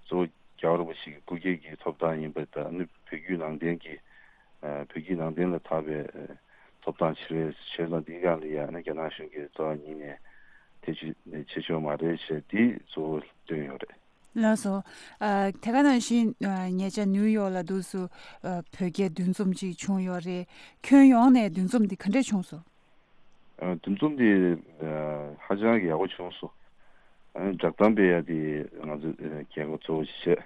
གཙོ་བོ་རྒྱལ་བ་རིན་པོ་ཆེ་གི་སྐུ་སྐྱེ་གི་ཐོབ་ཐང་ཡིན་པ་དང་ནི་བོད་བརྒྱུད་ནང་བསྟན་གྱི་བོད་བརྒྱུད་ནང་བསྟན་ལ་དག་པའི་ཐོབ་ཐང་ཆེ་བའི་ཆེད་དང་འདིའི་སྒང་ལ་ཡང་ནི་རྒྱ་ནག་གཞུང་གིས་རྩ་བ་ཉིད་ནས་ཐེ་བྱུས་བྱེད་ཆོག་མ་རེད་ཞེས་འདི་གཙོ་བོ་བཏོན་ཡོད་རེད། ལགས་སོ། དེ་ག་ནང་བཞིན་ཉེ་ཆར་ནིའུ་ཡོག་ལ་འདུག་སུ་བོད་རྒྱའི་འདུ་འཛོམས་ཅིག་བྱུང་ཡོད་རེད། ཁྱོན་ཡོངས་ནས་འདུ་འཛོམས་འདི་ག་འདྲས་བྱུང་སོང་། འདུ་འཛོམས་དེ་ཧ་ཅང་གི་ཡག་པོ་བྱུང་སོང་། བསྒྲགས་གཏམ་སྤེལ་ཡ་དེ་ང་ཚོས་གལ་གོ་གཙོ་བོ་ཞིག་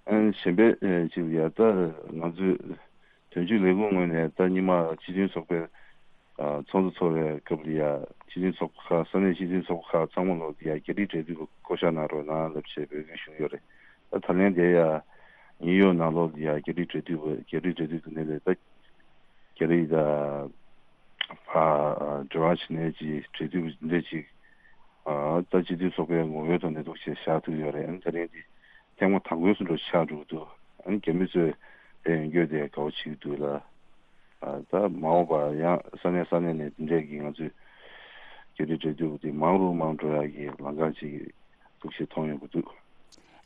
བྱས། གཞན་པའི་ཅིག་ཡ་ད་ང་ཚོས་དོན་གཅོད་ལས་ཁུངས་ངོས་ནས་ད་སྔོན་མ་སྤྱི་མཐུན་ཚོགས་པའི་ཚོགས་འདུ་ཚོགས་པའི་སྐབས་ལ་ཡ་སྤྱི་མཐུན་ཚོགས་པ་ཁག་ས་གནས་སྤྱི་མཐུན་ཚོགས་པ་ཁག་ཚང་མ་ལོག་ཡ་རྒྱ་རིགས་འབྲེལ་མཐུད་པ་བསྐོ་བཞག་གནང་རོགས་གནང་ལབ་བྱས་འབོད་སྐུལ་ཞུས་ཡོད་རེད། ད་ད་ལན་དེ་ཡ་ནིའུ་ཡོག་ནང་ལོག་ཡ་རྒྱ་རིགས་འབྲེལ་མཐུད་པ་རྒྱ་རིགས་འབྲེལ་མཐུད་ཀྱི་ནས་ལས་ད། རྒྱ་རིགས་དང་ཕར་འབྲེལ་བ་བྱེད་མཁན་གྱི་འབྲེལ་མཐུད་འདི་འདྲ་ཅིག་ད་སྤྱི་འཐུས་ཚོགས་པའི་ངོ་བོའི་ཐོག་ནས་འདུག་བྱས་བཞག་ཐུབ་ཡོད་རེད། ཨ་ནི་ད་རིང་འདི་ཐེངས་མ་དང་པོའི་སུ་འགྲོ་ཆགས་འགྲོ་གི་འདུག་ཨ་ནི་རྒྱ་མི་ཚོས་དེ་ཡོང་རྒྱུ་དེ་དགའ་བོ་བྱེད་ཀྱི་འདུག་ལ། ད་མ་འོངས་པ་ཡང་ས་གནས་ས་གནས་ནས་འདི་འདྲས་ཀྱི་ང་ཚོས་རྒྱ་རིགས་འབྲེལ་མཐུད་པ་དེ་མང་རུ་མང་འགྲོ་ཡག་གི་ལམ་ཁ་ཅིག་འདུག་ཞེས་མཐོང་ཡོང་གི་འདུག་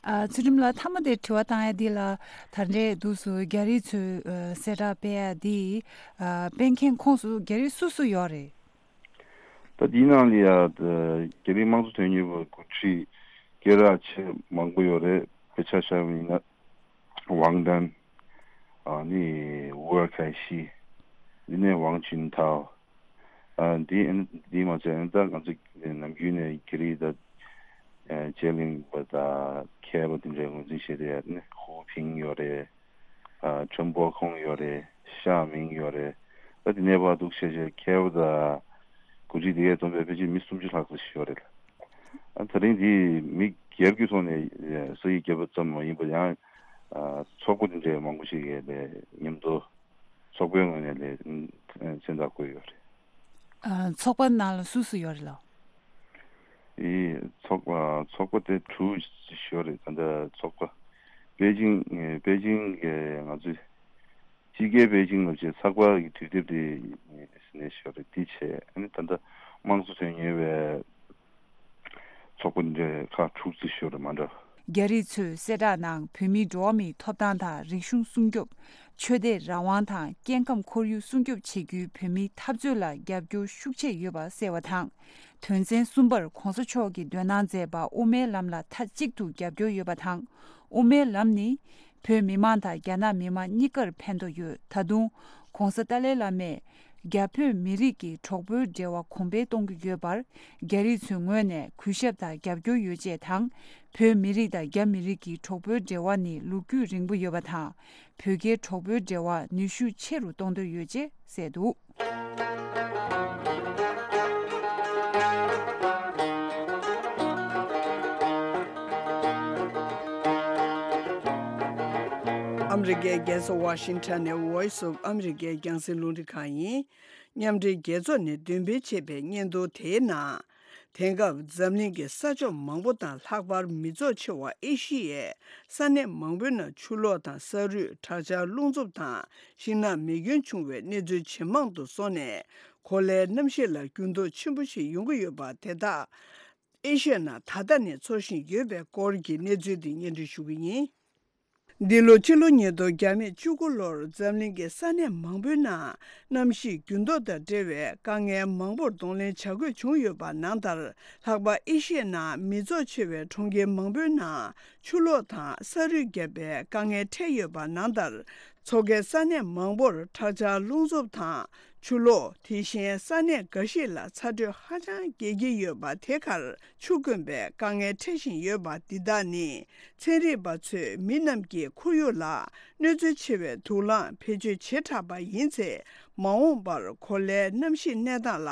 ཨ། ཚུལ་ཁྲིམས་ལགས་མཐའ་མ་དེ་དྲི་བ་བཏང་ཡ་འདི་ལ་ད་རེས་འདུག་སུ་རྒྱ་རིགས་ཚོས་གསལ་བསྒྲགས་སྤེལ་ཡ་འདི་སྤེལ་མཁན་ཁོངས་སུ་རྒྱ་རིགས་སུ་སུ་ཡོད་རེད། ད་འདིའི་ནང་ལ་ཡ་རྒྱ་རིགས་དམངས་གཙོ་དོན་གཉེར་བ་འགོ་ཁྲིད་སྐད་གྲགས་ཆེ་མང་པོ་ཡོད་རེད། དཔེ་ཆ་བཞག་པ་ཡིན་ན་ཝང་ཏན། ཨ་ནི་ཝེ་ཁའེ་ཤི། འདི་ནས་ཝང་ཅུན་ཐའོ། ཨ་འདི་འདི་མ་ཚད་ད་ང་ཚོ་ནམ་རྒྱུན་ནས་རྒྱ་རིགས་ད་ཨ་དཔྱད་གླེང་པ་ད་མཁས་པ་དེ་འདྲའི་ངོས་འཛིན་བྱས་ཏེ་ཡ་ནི་ཧུའུ་ཕིང་ཡོད་རེད། ཨ་ཁྲེན་པོ་ཁོང་ཡོད་རེད། ཤ་མིང་ཡོད་རེད། ད་དེ་ནས་ཕར་འདུག་བྱས་བྱས་མཁས་པ་ད་འགོ་ཁྲིད་དེ་གས་བསྡོམས་པས་ཕལ་ཆེར་མི་སུམ་ཅུ་ལྷག་ཙམ་ཞིག་ཡོད་རེད། ཨ་ད་རིང་འདི་མི་ སྒེར་གྱི་ཐོག་ནས་ས་ཡིག་བརྒྱབ་པ་ཙམ་མ་ཡིན་པར་ཡང་ཚོགས་པ་འདི་འདྲའི་མང་པོ་ཞིག་གིས་ལས་མཉམ་དུ་ཚོགས་པའི་ངོས་ནས་ལས་མཚན་རྟགས་བཀོད་ཡོད་རེད། ཨ། ཚོགས་པ་ནང་ལ་སུ་སུ་ཡོད་རེད་ལགས། ཨི། ཚོགས་པ་ཚོགས་པ་དེ་དྲུག་ཡོད་རེད། ད་ལྟ་ཚོགས་པ་པེ་ཅིང་པེ་ཅིང་གི་ང་ཚོའི་སྤྱི་སྒེར་པེ་ཅིང་ལ་བྱས་ཚགས་པར་གྱི་དུས་དེབ་དེ་ནས་ཤོར་རེད། དེ་བྱས་ཨ་ནི་ད་ལྟ་དམངས་གཙོ་དོན་གཉེར་བའི་ཚོགས་པ་འདི་ཁག་དྲུག་ཙམ་ཤོར་རེད་མ་འདྲ། རྒྱ་རིགས་ཚོས་གསལ་བསྒྲགས་ནང་བོད་མིའི་འགྲོ་བ་མིའི་ཐོབ་ཐང་དང་རིག་གཞུང་སྲུང་སྐྱོབ། ཆོས་དད་རང་དབང་དང་སྐྱེ་ཁམས་ཁོར་ཡུག་སྲུང་སྐྱོབ་བྱེད་རྒྱུའི་བོད་མིའི་འཐབ་རྩོད་ལ་རྒྱབ་སྐྱོར་ཤུགས་ཆེ་ཡོད་པ་གསལ་བ་དང་། དོན་ཚན་གསུམ་པར་གོང་ས་མཆོག་གིས་འདོན་གནང་མཛད་པ་དབུ་མའི་ལམ་ལ་མཐའ་གཅིག་ཏུ་རྒྱབ་སྐྱོར་ཡོད་པ་དང་། དབུ་མའི་ལམ་ནི། བོད་མི་མང་དང་རྒྱ་ནག་མི་མང་གཉིས་ཀར་ཕན་ཐོགས་ཡོད། ད་དུང་། གོང་ས་ཏཱ་ལའི་བླ་མས། རྒྱ་བོད་མི་རིགས་ཀྱི་གྲོགས་པོའི་འབྲེལ་བ་གོང་འཕེལ་གཏོང་གི་ཡོད་པར། རྒྱ་རིགས་ཚོའི་ངོས་ནས་གུས་ཞབས་དང་རྒྱབ་སྐྱོར་ཡོད་ཅེས་དང་། བོད་མི་རིགས་དང་རྒྱ་མི་རིགས་ཀྱི་གྲོགས་པོའི་འབྲེལ་བ་ནི་ལོ་རྒྱུས་རིང་པོ་ཡོད་པ་དང་། བོད་རྒྱའི་གྲོགས་པོའི་འབྲེལ་བ་ནུས་ཤུགས་ཆེ་རུ་གཏོང་འདོད་ཡོད་ཅེས་གསལ་འདུག། ཨ་མི་རི་ཀའི་རྒྱལ་ས་ཝ་ཤིང་ཊོན་ནས་Voice of America རྒྱང་སྲིང་རླུང་འཕྲིན་ཁང་ཡིན། མཉམ་འབྲེལ་རྒྱལ་ཚོགས་ནས་འདོན་སྤེལ་བྱས་པའི་སྙན་ཐོ་དེའི་ནང་། དེང་སྐབས་འཛམ་གླིང་གི་ས་ཕྱོགས་མང་པོ་དང་ལྷག་པར་མི་ཚོགས་ཆེ་བ་ཨེ་ཤི་ཡའི་ས་གནས་མང་པོའི་ནང་ཆུ་ལོག་དང་ས་རུད། དྲག་ཆར། རླུང་འཚུབ་དང་ཤིང་ནགས་མེ་སྐྱོན་བྱུང་བའི་གནས་ཚུལ་ཇེ་མང་དུ་སོང་ནས། གོ་ལའི་གནམ་གཤིས་ལ་འགྱུར་ལྡོག་ཆེན་པོ་ཞིག་ཡོང་གི་ཡོད་པ་དེ་དག་ཨེ་ཤི་ཡའི་ནང་ད་ལྟ་ནས་ཚོར་བཞིན་ཡོད་པའི་སྐོར་གྱི་གནས་ཚུལ་འདི་སྙན་སྒྲོན་ཞུ་གི་ཡིན། འདི་ལོ་སྤྱི་ལོ་ཉིས་སྟོང་བརྒྱ་མེད་བཅུ་དགུ་ལོར་འཛམ་གླིང་གི་ས་གནས་མང་པོའི་ནང་གནམ་གཤིས་འགྱུར་ལྡོག་དང་འབྲེལ་བའི་དཀའ་ངལ་མང་པོར་གདོང་ལེན་བྱ་དགོས་བྱུང་ཡོད་པ་ནང་ལྟར། ལྷག་པར་ཨེ་ཤི་ཡའི་ནང་མི་ཚོགས་ཆེ་བའི་གྲོང་ཁྱེར་མང་པོའི་ནང་ཆུ་ལོག་དང་ས་རུད་བརྒྱབ་པའི་དཀའ་ངལ་འཕྲད་ཡོད་པ་ནང་ལྟར། མཚོ་ཁའི་ས་གནས་མང་པོར་དྲག་ཆར། རླུང་འཚུབ་དང་ཆུ་ལོག་དེ་བཞིན་ས་གནས་འགའ་ཞིག་ལ་ཚ་དྲོད་ཧ་ཅང་རྒྱས་ཀྱི་ཡོད་པ། དེ་གར་ཆུ་དཀོན་པའི་དཀའ་ངལ་འཕྲད་བཞིན་ཡོད་པ། འདི་དག་ནི་ཚན་རིག་པ་ཚོས་མི་རྣམས་ཀྱི་ཁོར་ཡུག་ལ་གནོད་འཚེ་ཆེ་བའི་དུག་རླངས་བེད་སྤྱོད་བྱེ་བྲག་པ་ཡིན་ཚེ། མ་འོངས་པར་གོ་ལའི་གནམ་གཤིས་གནས་སྟངས་ལ་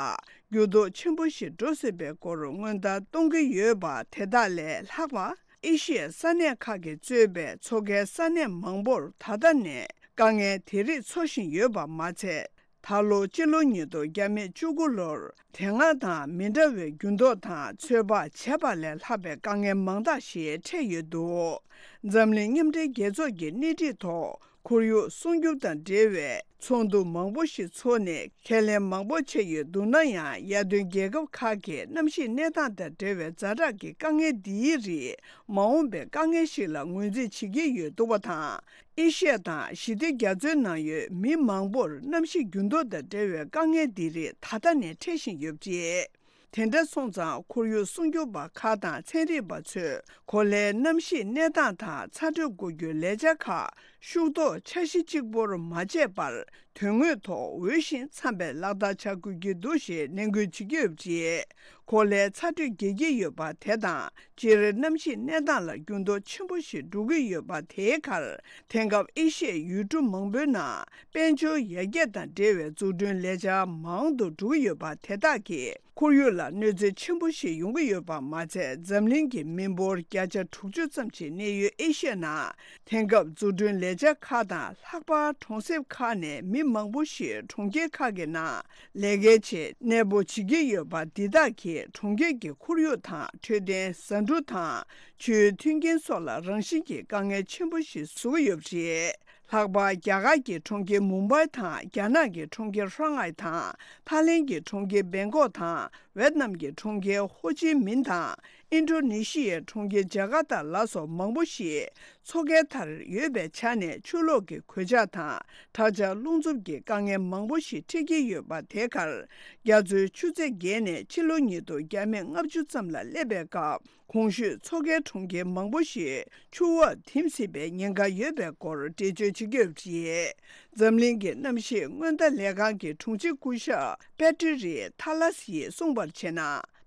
འགྱུར་ལྡོག་ཆེན་པོ་ཞིག་འགྲོ་སྲིད་པའི་སྐོར་སྔོན་བརྡ་གཏོང་གི་ཡོད་པ། དེ་དག་ལས་ལྷག་པ། ཨེ་ཤི་ཡའི་ས་གནས་ཁག་གིས་གཙོས་པའི་མཚོ་ཁའི་ས་གནས་མང་པོར་ད་ལྟ་ནས་དཀའ་ངལ་དེ་རིགས་ཚོར་བཞིན་ཡོད་པ་མ་ཚད། ད་ལོ་སྤྱི་ལོ་ཉིས་སྟོང་བརྒྱ་མེད་བཅུ་དགུ་ལོར་དེ་སྔ་དང་མི་འདྲ་བའི་འགྱུར་ལྡོག་དང་ཚོད་དཔག་བྱས་པ་ལས་ལྷག་པའི་དཀའ་ངལ་མང་དག་ཞིག་འཕྲད་ཡོད་འདུག། འཛམ་གླིང་མཉམ་འབྲེལ་རྒྱལ་ཚོགས་ཀྱི་སྣེ་ཁྲིད་ཐོག་ཁོར་ཡུག་སྲུང་སྐྱོབ་དང་འབྲེལ་བའི་ཚོགས་འདུ་མང་པོ་ཞིག་འཚོགས་ནས་ཁས་ལེན་མང་པོ་བྱས་ཡོད་འདུག་ན་ཡང་། ཡར་ཐོན་རྒྱལ་ཁབ་ཁག་གིས་གནམ་གཤིས་གནས་སྟངས་དང་འབྲེལ་བའི་ཛ་དྲག་གི་དཀའ་ངལ་འདིའི་རིགས་མ་འོངས་པའི་དཀའ་ངལ་ཞིག་ལ་ངོས་འཛིན་བྱེད་ཀྱི་ཡོད་འདུག་པ་དང་། ཨེ་ཤི་ཡ་དང་ཞི་བདེ་རྒྱ་མཚོའི་ནང་ཡོད་མི་མང་པོར་གནམ་གཤིས་འགྱུར་ལྡོག་དང་འབྲེལ་བའི་དཀའ་ངལ་འདི་རིགས་ད་ལྟ་ནས་འཕྲད་བཞིན་ཡོད་པ་རེད། དེ་འདྲ་སོང་ཙང་ཁོར་ཡུག་སྲུང་སྐྱོབ་པ་ཁག་དང་ཚན་རིག་པ་ཚོས་གོ་ལའི་གནམ་གཤིས་གནས་སྟངས་དང་ཚ་དྲོད་འགོག་རྒྱུའི་ལས་འཆར་ཁག་ཤུགས་ཐོག་འཆར་གཞི་གཅིག་པོར་མ་བྱས་པར། དོན་དངོས་ཐོག་འོས་ཤིང་འཚམ་པའི་ལག་བསྟར་བྱ་དགོས་ཀྱི་འདུག་ཞེས་ནན་སྐུལ་བྱེད་ཀྱི་ཡོད་པ་རེད། གོ་ལའི་ཚ་དྲོད་རྒྱས་ཀྱི་ཡོད་པ་དེ་དང་། སྤྱིར་གནམ་གཤིས་གནས་སྟངས་ལ་འགྱུར་ལྡོག་ཆེན་པོ་ཞིག་འགྲོ་གི་ཡོད་པ། དེའི་ཁར་དེང་སྐབས་ཨེ་ཤི་ཡའི་ཡུལ་གྲུ་མང་པོའི་ནང་དཔལ་འབྱོར་ཡར་རྒྱས་དང་འབྲེལ་བའི་འཛུགས་སྐྲུན་ལས་འཆར་མང་དུ་འགྲོ་གི་ཡོད་པ། དེ་དག་གིས་ཁོར་ཡུག་ལ་གནོད་འཚེ་ཆེན་པོ་ཞིག་ཡོང་གི་ཡོད་པ་མ་ཚད། འཛམ་གླིང་གི་མི་འབོར་བརྒྱ་ཆ་དྲུག་ཅུ་ཙམ་ཞིག་གནས་ཡུལ་ཨེ་ཤི་ཡའི་ནང་དེང་སྐབས་འཛུགས་སྐྲུན་ལས་འཆར་ཁག་དང་། ལྷག་པར་གྲོང་གསེབ་ཁག་ནས་མི་མང་པོ་ཞིག་གྲོང་ཁྱེར་ཁག་གི་ནང་ལས་ཀའི་ཆེད་གནས་སྤོ་བྱེད་ཀྱི་ཡོད་པ། འདི་དག་གིས་གྲོང་ཁྱེར་གྱི་ཁོར་ཡུག་དང་འཕྲོད་བསྟེན། ཟ་འབྲུ་དང་ཆུའི་མཐུན་རྐྱེན་སོགས་ལ་རང་བཞིན་གྱི་དཀའ་ངལ་ཆེན་པོ་ཞིག་བཟོ་གི་ཡོད་པ་རེད། ལྷག་པར་རྒྱ་གར་གྱི་གྲོང་ཁྱེར་མུམ་བྷའི་དང་། རྒྱ་ནག་གི་གྲོང་ཁྱེར་ཧྲང་ཧའེ་དང་། ཐའི་ལེན་གྱི་གྲོང་ཁྱེར་བེང་ཀོག་དང་། ཝེད་ནམ་གྱི་གྲོང་ཁྱེར་ཧོ་ཅི་མིན་དང་། ཨིན་ཌོ་ནེ་ཤི་ཡའི་གྲོང་ཁྱེར་ཇ་ཀར་ཏ་ལ་སོགས་མང་པོ་ཞིག་མཚོ་ཁའི་མཐར་ཡོད་པའི་ཆ་ནས་ཆུ་ལོག་གི་གོད་ཆག་དང་། དྲག་ཆར། རླུང་འཚུབ་ཀྱི་དཀའ་ངལ་མང་པོ་ཞིག་འཕྲད་ཀྱི་ཡོད་པ། དེ་གར་རྒྱ་མཚོའི་ཆུ་ཚད་བརྒལ་ནས་ཕྱི་ལོ་ཉིས་སྟོང་བརྒྱ་མེད་ལྔ་བཅུ་ཙམ་ལ་སླེབས་པའི་སྐབས། གོང་ཞུས་མཚོ་ཁའི་གྲོང་ཁྱེར་མང་པོ་ཞིག་ཆུ་འོག་ཐིམ་སྲིད་པའི་ཉེན་ཁ་ཡོད་པའི་སྐོར་འགྲེལ་བརྗོད་བྱེད་ཀྱི་ཡོད་པ་རེད། འཛམ་གླིང་གི་གནམ་གཤིས་སྔོན་བརྡ་ལས་ཁང་གི་དྲུང་ཆེ་སྐུ་ཞབས་པེ་ཏྲི་རི་ཐ་ལ་སི་ཡིས་གསུངས་པར་བྱས་ན།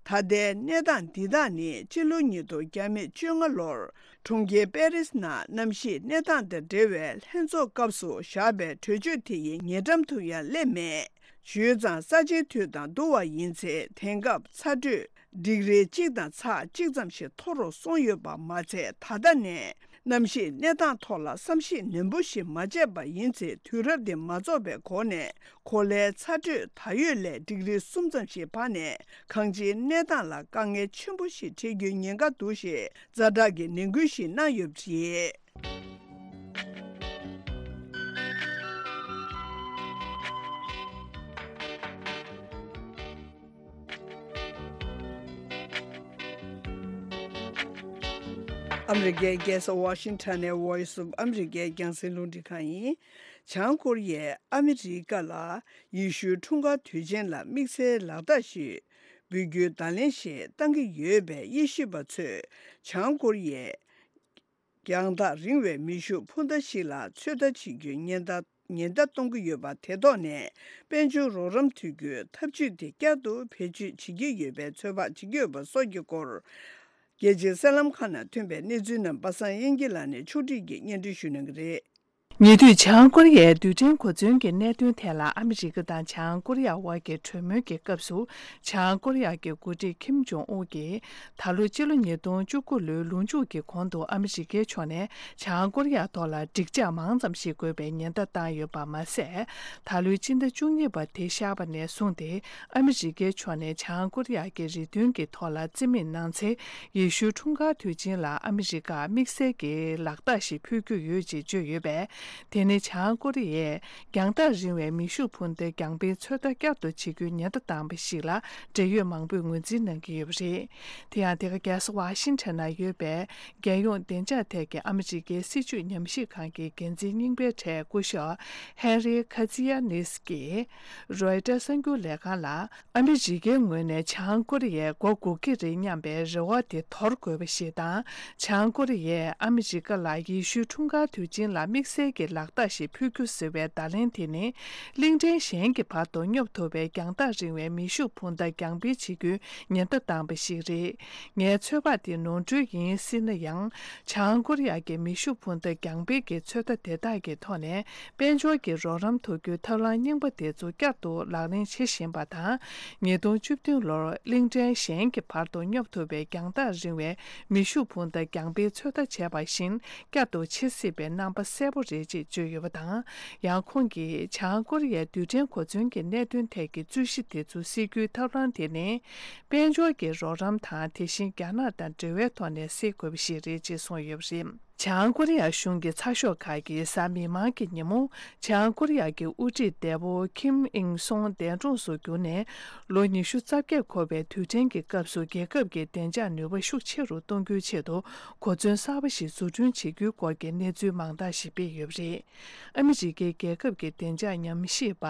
ད་ལྟའི་གནས་སྟངས་འདི་དག་ནི་ཕྱི་ལོ་ཉིས་སྟོང་བརྒྱ་མེད་བཅོ་ལྔ་ལོར་གྲོང་ཁྱེར་པེ་རིས་ནང་གནམ་གཤིས་གནས་སྟངས་དང་འབྲེལ་བའི་ལྷན་ཚོགས་སྐབས་སུ་བཞག་པའི་གྲོས་ཆོད་དེ་ཡི་ཉེ་འགྲམ་དུ་ཡང་སླེབས་མེད། ཞུས་ཙང་ས་ཆའི་དུས་དང་བསྡུར་བ་ཡིན་ཚེ། དེང་སྐབས་ཚ་དྲོད་ཌིག་རི་གཅིག་དང་ཚེག་གཅིག་ཙམ་ཞིག་མཐོ་རུ་སོང་ཡོད་པ་མ་ཚད། ད་ལྟ་ནས་གནམ་གཤིས་གནས་སྟངས་ཐོག་ལ་བསམ་གཞིག་ནན་པོ་ཞིག་མ་བྱས་པ་ཡིན་ཚེ། དུས་རབས་འདི་མ་རྫོགས་པའི་གོང་ནས་གོ་ལའི་ཚ་དྲོད་ད་ཡོད་ལས་ཌིག་རི་གསུམ་ཙམ་ཞིག་འཕར་ནས། གང་ཅིའི་གནས་སྟངས་ལ་དཀའ་ངལ་ཆེན་པོ་ཞིག་འཕྲད་རྒྱུའི་ཉེན་ཁ་འདུག་ཞེས་ཛ་དྲག་གི་ནན་སྐུལ་ཞིག་གནང་ཡོད་པ་རེད། ཨ་མི་རི་ཀའི་རྒྱལ་ས་ཝ་ཤིང་ཊོན་ནས་Voice of America རྒྱང་སྲིང་རླུང་འཕྲིན་ཁང་ཡིན། བྱང་ཀོ་རི་ཡས་ཨ་མི་རི་ཀ་ལ་ཡེ་ཤུའི་འཁྲུངས་སྐར་དུས་ཆེན་ལ་དམིགས་བསལ་ལག་རྟགས་ཤིག་འབུལ་རྒྱུའི་བརྡ་ལན་ཞིག་བཏང་གི་ཡོད་པས། དབྱེ་ཞིབ་པ་ཚོས་བྱང་ཀོ་རི་ཡས་རྒྱང་ཐག་རིང་བའི་མེ་ཤུགས་འཕུར་མདའ་ཞིག་ལ་ཚོད་ལྟ་བྱེད་རྒྱུའི་ཉེན་བརྡ་ཉེན་བརྡ་གཏོང་གི་ཡོད་པ་དེ་ཐོག་ནས། དཔལ་འབྱོར་རོགས་རམ་ཐུབ་རྒྱུའི་ཐབས་ཇུས་དེ་བསྐྱར་དུ་བེད་སྤྱོད་བྱེད་ཀྱི་ཡོད་པའི་ཚོད་དཔག་བྱེད་ཀྱི་ཡོད་པ་སོགས་ཀྱི་སྐོར། རྒྱལ་སྤྱིའི་གསར་ལམ་ཁག་ནང་ཐོན་པའི་གནས་ཚུལ་རྣམས་པ་སངས་དབྱངས་སྐྱིད་ལགས་ནས་ཕྱོགས་སྒྲིག་གིས་སྙན་སྒྲོན་ཞུ་གནང་གི་རེད། ཉེ་དུས་བྱང་ཀོ་རི་ཡའི་རྡུལ་ཕྲན་གོ་མཚོན་གྱི་གནད་དོན་ཐད་ལ་ཨ་མི་རི་ཀ་དང་བྱང་ཀོ་རི་ཡ་དབར་གྱི་གྲོས་མོལ་གྱི་སྐབས་སུ། བྱང་ཀོ་རི་ཡ་གི་འགོ་ཁྲིད་ཁིམ་ཇོང་ཨུན་གྱིས་ད་ལོ་སྤྱི་ལོ་ཉིས་སྟོང་བཅུ་དགུ་ལོའི་ལོ་མཇུག་གི་གོང་དུ་ཨ་མི་རི་ཀའི་ཕྱོགས་ནས་བྱང་ཀོ་རི་ཡ་ཐོག་ལ་འགྲིག་འཇགས་མང་ཙམ་ཞིག་དགོས་པའི་ཉེན་བརྡ་བཏང་ཡོད་པ་མ་ཟད། ད་ལོའི་སྤྱི་ཟླ་བཅུ་གཉིས་པ་དེ་ཤར་བ་ནས་བཟུང་སྟེ། ཨ་མི་རི་ཀའི་ཕྱོགས་ནས་བྱང་ཀོ་རི་ཡ་གི་རེ་འདུན་གྱི་ཐོག་ལ་རྩིས་མེད་གནང་ཚེ། ཡེ་ཤུའི་འཁྲུངས་སྐར་དུས་ཆེན་ལ་ཨ་མི་རི་ཀར་དམིགས་བསལ་གྱི་ལག་རྟགས་ཤིག་ཕུལ་རྒྱུ་ཡོད་ཅེས་བརྗོད་ཡོད་པས། དེ་ནི་བྱང་ཀོ་རི་ཡས་རྒྱང་ཐག་རིང་བའི་མེ་ཤུགས་འཕུར་མདའི་རྒྱང་འཕེན་ཚོད་ལྟ་བསྐྱར་དུ་བྱེད་རྒྱུའི་ཉེན་བརྡ་བཏང་བ་ཞིག་ལ་འབྲེལ་ཡོད་མང་པོས་ངོས་འཛིན་གནང་གི་ཡོད་པ་རེད། དེ་ཡང་དེ་ག་རྒྱལ་ས་ཝ་ཤིང་ཊོན་ན་ཡོད་པའི་རྒྱལ་ཡོངས་བདེ་འཇགས་ཐད་ཀྱི་ཨ་མི་རི་ཀའི་སྲིད་བྱུས་ཉམས་ཞིབ་ཁང་གི་འགན་འཛིན་རྙིང་པའི་གྲས་སྐུ་ཞབས་ཧེན་རི་ཁ་ཚི་ཡ་ནིས་ཀྱིས་རོའི་ཊར་གསར་འགྱུར་ལས་ཁང་ལ། ཨ་མི་རི་ཀའི་ངོས་ནས་བྱང་ཀོ་རི་ཡས་མགོ་སྒུར་གྱི་རེད་སྙམ་པའི་རེ་བ་དེ་དོར་དགོས་པ་ཞིག་དང་། བྱང་ཀོ་རི་ཡས་ཨ་མི་རི་ཀ་ལ་ཡེ་ཤུའི་འཁྲུངས་སྐར་དུས་ཆེན་ལ་དམིགས་བསལ་གྱི་ལག་རྟགས་ཤིག་ཕུལ་རྒྱུ་ཟེར་བའི་བརྡ་ལན་དེ་ནི། གླིང་ཕྲན་གཞན་གྱི་བར་དུ་སྙོབ་ཐུབ་པའི་རྒྱང་ཐག་རིང་བའི་མེ་ཤུགས་འཕུར་མདའ་རྒྱང་འཕེན་བྱེད་རྒྱུའི་ཉེན་བརྡ་བཏང་བ་ཞིག་རེད། ངའི་ཚོད་དཔག་དེ་ནོར་འཁྲུལ་ཡིན་སྲིད་ན་ཡང་། བྱང་ཀོ་རི་ཡ་གི་མེ་ཤུགས་འཕུར་མདའ་རྒྱང་འཕེན་གྱི་ཚོད་ལྟ་དེ་དག་གི་ཐོག་ནས། དཔལ་འབྱོར་གྱི་རོགས་རམ་ཐོབ་རྒྱུའི་ཐབས་ལམ་རྙིང་པ་དེ་ཚོ་བསྐྱར་དུ་ལག་ལེན་བྱེད་བཞིན་པ་དང་། ཉིས་སྟོང་བཅུ་བདུན་ལོར་གླིང་ཕྲན་གཞན་གྱི་བར་དུ་སྙོབ་ཐུབ་པའི་རྒྱང་ཐག་རིང་བའི་མེ་ཤུགས་འཕུར་མདའ་རྒྱང་འཕེན་ཚོད་ལྟ་བྱས་པ་བཞིན་བསྐྱར་དུ་བྱེད་སྲིད་པའི་རྣམ་པ་གསལ་པོ་རེད་ཅེས་བརྗོད་ཡོད་པ་དང་། ཡང་ཁོང་གིས་བྱང་ཀོ་རི་ཡའི་རྡུལ་ཕྲན་གོ་མཚོན་གྱི་གནད་དོན་ཐད་ཀྱི་རྩོད་གཞི་དེ་ཚོ་སེལ་རྒྱུའི་ཐབས་ལམ་དེ་ནི། དཔལ་འབྱོར་གྱི་རོགས་རམ་དང་། དེ་བཞིན་རྒྱ་ནག་དང་འབྲེལ་བའི་ཐོག་ནས་སེལ་དགོས་པ་ཞིག་རེད་ཅེས་གསུངས་ཡོད་པ་རེད། བྱང་ཀོ་རི་ཡ་གཞུང་གི་ཚགས་ཤོག་ཁག་གིས་གཟའ་མིག་དམར་གྱི་ཉིན་མོ། བྱང་ཀོ་རི་ཡ་གི་དབུ་ཁྲིད་འདས་པོ་ཁིམ་ཨིང་སུང་འདས་གྲོངས་སུ་གྱུར་ནས་ལོ་ཉི་ཤུ་རྩ་བརྒྱད་འཁོར་བའི་དུས་དྲན་གྱི་སྐབས་སུ། རྒྱལ་ཁབ་ཀྱི་བདེ་འཇགས་ནུས་པ་ཤུགས་ཆེ་རུ་གཏོང་རྒྱུའི་ཆེད་དུ་གོ་མཚོན་གསར་པ་ཞིག་བཟོ་སྐྲུན་བྱེད་རྒྱུའི་སྐོར་གྱི་གནས་ཚུལ་མང་དག་ཞིག་སྤེལ་ཡོད་པ་རེད། ཨ་མི་རི་ཀའི་རྒྱལ་ཁབ་ཀྱི་བདེ་འཇགས་ཉམས་ཞིབ་པ་